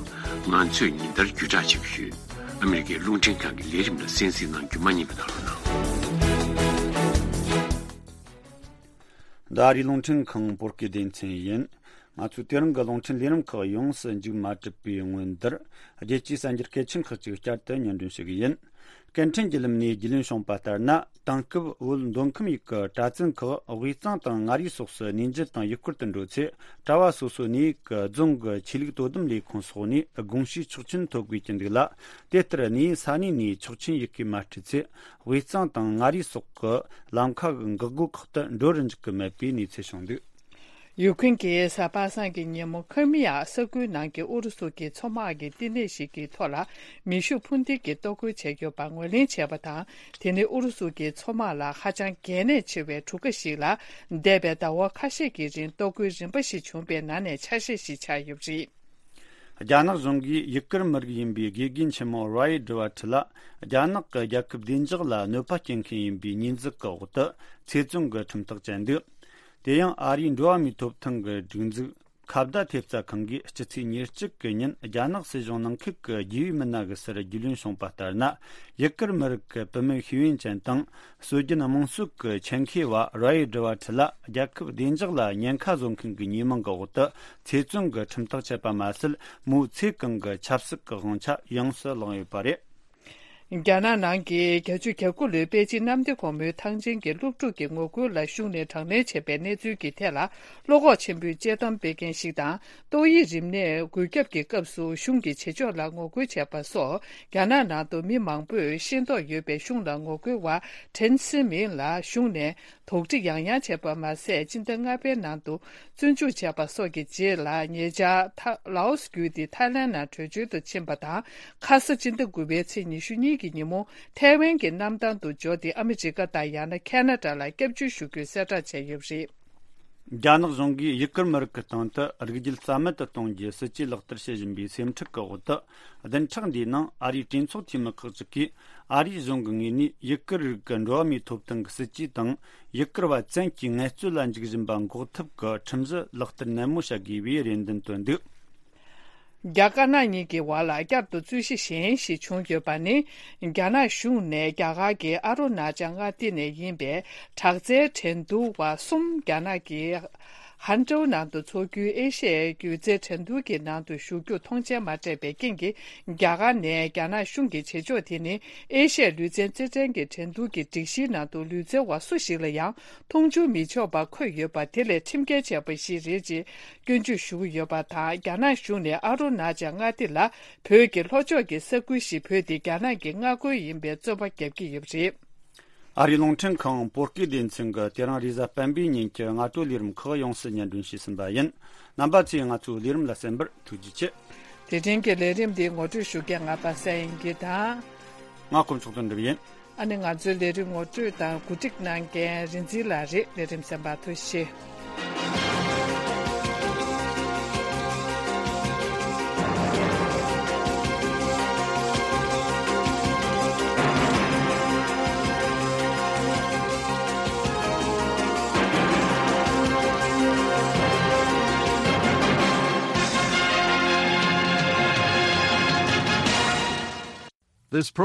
ང་ཚོས་ཉིན་ལྟར་བརྒྱུད་བསྒྲགས་བྱེད་ཀྱི་ཡོད། ཨ་མི་རི་ཀའི་རླུང་འཕྲིན་ཁང་གི་ལས་རིམ་ལ་གསན་གཟིགས་གནང་རྒྱུ་མ་བསྙེལ་བ་གནང་རོགས་གནང་། འདི་ཨ་རིའི་རླུང་འཕྲིན་ཁང་བོད་སྐད་སྡེ་ཚན་ཡིན། ང་ཚོས་དེ་རིང་གི་རླུང་འཕྲིན་ལས་རིམ་ཁག་ཡོངས་སུ་མཇུག་མ་གྲུབ་པའི་སྔོན་དུ། རྒྱལ་སྤྱིའི་གསར་འགྱུར་གལ་ཆེན་ཁག་ཅིག་བསྐྱར་དུ་སྙན་སྒྲོན་ཞུ་གི་ཡིན། སྐད་འཕྲིན་བརྒྱུད་ལམ་ནས་རྒྱུས་ལོན་བྱུང་བ་ལྟར་ན། དེང་སྐབས་བོད་མདོ་ཁམས་ཡུལ་གྱི་གྲྭ་བཙུན་ཁག་དབུས་གཙང་དང་མངའ་རིས་སོགས་སུ་གནས་མཇལ་དང་ཡུལ་སྐོར་དུ་འགྲོ་ཚེ། གྲྭ་བ་སོ་སོའི་གནས་ཡུལ་གྱི་རྫོང་གི་ཆོས་ལུགས་དོ་དམ་ལས་ཁུངས་སོགས་ནས་དགོངས་ཞུའི་ཆོག་མཆན་ཐོབ་དགོས་ཀྱི་འདུག་ལ། དེ་ལྟར་གནས་ཡུལ་ས་གནས་ནས་ཆོག་མཆན་ཡི་གེ་མ་སྤྲད་ཚེ། དབུས་གཙང་དང་མངའ་རིས་སོགས་ཀྱི་ལམ་ཁ་གི་འགག་སྒོ་ཁག་ཏུ་འགྲོ་རུ་འཇུག་གི་མེད་པའི་གནས་ཚུལ་བྱུང་འདུག། ཡུ་ཁུན་གྱིས་གཟའ་པ་སངས་ཀྱི་ཉིན་མོ་ཁི་རི་མི་ཡ་ས་ཁུལ་ནང་གི་ཨུ་རུ་སུ་གྱི་མཚོ་དམག་གི་བསྟི་གནས་ཤིག་གི་ཐོག་ལ་མེ་ཤུགས་འཕུར་མདེལ་གྱིས་གཏོར་རྒོལ་བྱས་ཡོད་པ་ངོས་ལེན་བྱས་པ་དང་། དེ་ནི་ཨུ་རུ་སུ་གྱི་མཚོ་དམག་ལ་ཧ་ཅང་གལ་གནད་ཆེ་བའི་གྲུ་ཁ་ཞིག་ལ་འདས་པའི་ཟླ་བ་ཁ་ཤས་ཀྱི་རིང་གཏོར་རྒོལ་རིམ་པ་ཞིག་བྱུང་བའི་ནང་ནས་ཆ་ཤས་ཤིག་ཆགས་ཡོད་པ་རེད། རྒྱ་ནག་གཞུང་གིས་ཡུ་གུར་མི་རིགས་ཡིན་པའི་དགེ་རྒན་ཆེན་མོ་རའི་ཌི་ཝ་ཁྲི་ལ་རྒྱ་ནག་གི་རྒྱལ་ཁབ་བདེ་འཇགས་ལ་གནོད་པ་སྐྱེལ་མཁན་ཡིན་པའི་ཉེས་འཛུགས་ཀྱི་འོག་ཏུ་ཚེ་བཙོན་གྱི་ཁྲིམས་ཐག་བཅད་འདུག། དེ་ཡང་ཨ་རིའི་འགྲོ་བ་མིའི་ཐོབ་ཐང་གི་སྒྲིག་འཛུགས་ཁ་བརྡ་ཐེབས་རྩ་ཁང་གིས་སྤྱི་ཚེས་ཉེར་གཅིག་གི་ཉིན་རྒྱ་ནག་སྲིད་གཞུང་ནང་ཁུལ་གྱི་རྒྱུས་ཡོད་མི་སྣ་གི་སར་རྒྱུས་ལོན་བྱུང་བ་ལྟར་ན། ཡུ་གུར་མི་རིགས་ཀྱི་བུད་མེད་ཤེས་ཡོན་ཅན་དང་སྲོལ་རྒྱུན་དམངས་སྲོལ་གྱི་ཆེད་མཁས་པ་རའི་ཌི་ཝ་ཁྲི་ལ་རྒྱལ་ཁབ་བདེ་འཇགས་ལ་ཉེན་ཁ་བཟོ་མཁན་གྱི་ཉེས་མིང་གི་འོག་ཏུ་ཚེ་བཙོན་གྱི་ཁྲིམས་ཐག་བཅད་པ་མ་ཟད། མོའི་ཚེ་གང་གི་ཆབ་སྲིད་ཀྱི་དབང་ཆ་ཡོངས་སུ་བླངས་ཡོད་པ་རེད། རྒྱ་ནག་ནང་གི་བརྒྱད་ཅུ་གྱ་དགུ་ལོའི་པེ་ཅིན་གནམ་བདེ་སྒོ་མོའི་ཐང་ཆེན་གྱི་སློབ་ཕྲུག་གི་ངོ་རྒོལ་ལ་གཞུང་ནས་དྲག་གནོན་བྱས་པའི་གནས་ཚུལ་གྱི་ཐད་ལ། བློ་ཁོག་ཆེན་པོས་དཔྱད་གཏམ་སྤེལ་མཁན་ཞིག་དང་། ཏོག་དབྱིབས་རིམས་ནད་འགོས་ཁྱབ་ཀྱི་སྐབས་སུ་གཞུང་གི་བྱེད་ཕྱོགས་ལ་ངོ་རྒོལ་བྱས་པ་སོགས། རྒྱ་ནག་ནང་དུ་མི་མང་པོས་ཤེས་རྟོགས་ཡོད་པའི་གཞུང་ལ་ངོ་རྒོལ་བ་ཁྲེན་སི་མིན་ལ་གཞུང་ནས། དོགས་འདྲི་ཡང་ཡང་བྱས་པ་མ་ཟད། སྤྱི་ཟླ་ལྔ་པའི་ནང་དུ་བཙོན་འཇུག་བྱས་པ་སོགས་ཀྱི་རྗེས་ལ། ཉེ་ཆར་ཐ་ལའོ་སི་བརྒྱུད་དེ་ཐའི་ལན་ནང་བྲོས་བྱོལ་དུ་ཕྱིན་པ་དང་། ཁ་ས་སྤྱི་ཟླ་དགུ་པའི་ཚེས་ཉི་ཤུ་གཉིས་ཀྱི་ཉིན་མོ་ཐའེ་ཝན་གྱི་གནམ་ཐང་དུ་འབྱོར་ཏེ། ཨ་མི་རི་ཀ་དང་ཡང་ན་ཁེ་ན་ཌ་ལ་སྐྱབས་བཅོལ་ཞུ་རྒྱུའི་གསལ་བསྒྲགས་བྱས་ཡོད་པ་རེད། རྒྱ་ནག་གཞུང་གིས་ཡུ་གུར་མི་རིགས་ཀྱི་སྟེང་དུ་རིགས་རྒྱུད་རྩ་མེད་དུ་གཏོང་རྒྱུའི་སྲིད་ཇུས་ལག་བསྟར་བྱེད་བཞིན་པའི་སེམས་ཁྲལ་གྱི་འོག་ཏུ། བདུན་ཕྲག་འདིའི་ནང་ཨ་རིའི་གྲོས་ཚོགས་འཐུས་མི་ཁག་ཅིག་གིས། ཨ་རིའི་གཞུང་གི་ངོས་ནས་ཡུ་གུར་རིགས་ཀྱི་འགྲོ་བ་མིའི་ཐོབ་ཐང་གི་སྲིད་ཇུས་དང་། ཡུ་གུར་བ་བཙན་གྱིས་ངལ་རྩོལ་ལ་འཇུག་བཞིན་པ་འགོག་ཐབས་ཀྱི་ཁྲིམས་གཞི་ལག་བསྟར་ནན་མོ་བྱ་དགོས་པའི་རེ་འདུན་བཏོན་འདུག། རྒྱ་དཀར་ནག་གཉིས་ཀྱི་བར་ལ་བསྐྱར་དུ་རྩོད་གཞི་གཞན་ཞིག་བྱུང་ཡོད་པ་ནི། རྒྱ་ནག་གཞུང་ནས་རྒྱ་གར་གྱི་ཨ་རུ་ན་ཅལ་མངའ་སྡེ་ནས་ཡིན་པའི་དྲག་རྩལ་འགྲན་བསྡུར་བ་གསུམ་རྒྱ་ནག་གི་ ཧན་ཀྲོའུ་ནང་དུ་འཚོགས་རྒྱུའི་ཨེ་ཤི་ཡའི་སྒྱུ་རྩལ་འགྲན་བསྡུར་གྱི་ནང་དུ་ཞུགས་རྒྱུར་མཐོང་མཆན་མ་སྤྲད་པའི་རྐྱེན་གྱིས། རྒྱ་གར་ནས་རྒྱ་ནག་གཞུང་གི་བྱེད་ཕྱོགས་དེ་ནི་ཨེ་ཤི་ཡའི་ལུས་རྩལ་རྩེད་འགྲན་གྱི་འགྲན་བསྡུར་གྱི་སྒྲིག་གཞིའི་ནང་དུ་ལུས་རྩལ་བ་སུ་ཞིག་ལ་ཡང་མཐོང་ཆུང་མི་ཆོག་པ་འཁོད་ཡོད་པ་དེ་ལས་ཁྲིམས་འགལ་ཆེ་བ་ཞིག་རེད་ཅེས་སྐྱོན་བརྗོད་ཞུ་གི་ཡོད་པ་དང་། རྒྱ་ནག་གཞུང་ནས་ཨ་རུ་ན་ཅལ་མངའ་སྡེ་ལ་བོད་ཀྱི་ལྷོ་ཕྱོགས་ཀྱི་ས་ཁུལ་ཞིག་བོད་དེ་རྒྱ་ནག་གི་མངའ་ཁུལ་ཡིན་པའི་རྩོད་པ་རྒྱབ་ཀྱི་ཡོད་པ་རེད། ཨ་རིའི་རླུང་འཕྲིན་ཁང་བོད་སྐད་སྡེ་ཚན་གྱིས་དེ་རིང་རེས་གཟའ་སྤེན་པའི་ཉིན་གྱི་སྔ་དྲོའི་ལས་རིམ་ཁག་ཡོངས་སུ་སྙན་སྒྲོན་ཞུས་ཟིན་པ་ཡིན། རྣམ་པ་ཚོས་ང་ཚོའི་ལས་རིམ་ལ་གསན་པར་ཐུགས་རྗེ་ཆེ། དེ་རིང་གི་ལས་རིམ་འདི་ངོ་སྤྲོད་ཞུ་མཁན་ང་པ་སངས་དབྱངས་སྐྱིད་དང་། ང་དཀོན་མཆོག་དོན་གྲུབ་ཡིན། ཨ་ནི་ང་ཚོའི་ལས་རིམ་ངོ་སྤྲོད་དང་གོ་སྒྲིག་གནང་མཁན་རིན་འཛིན་ལགས་རེད། ལས་རིམ་གསན་པར་ཐུགས་རྗེ་ཆེ།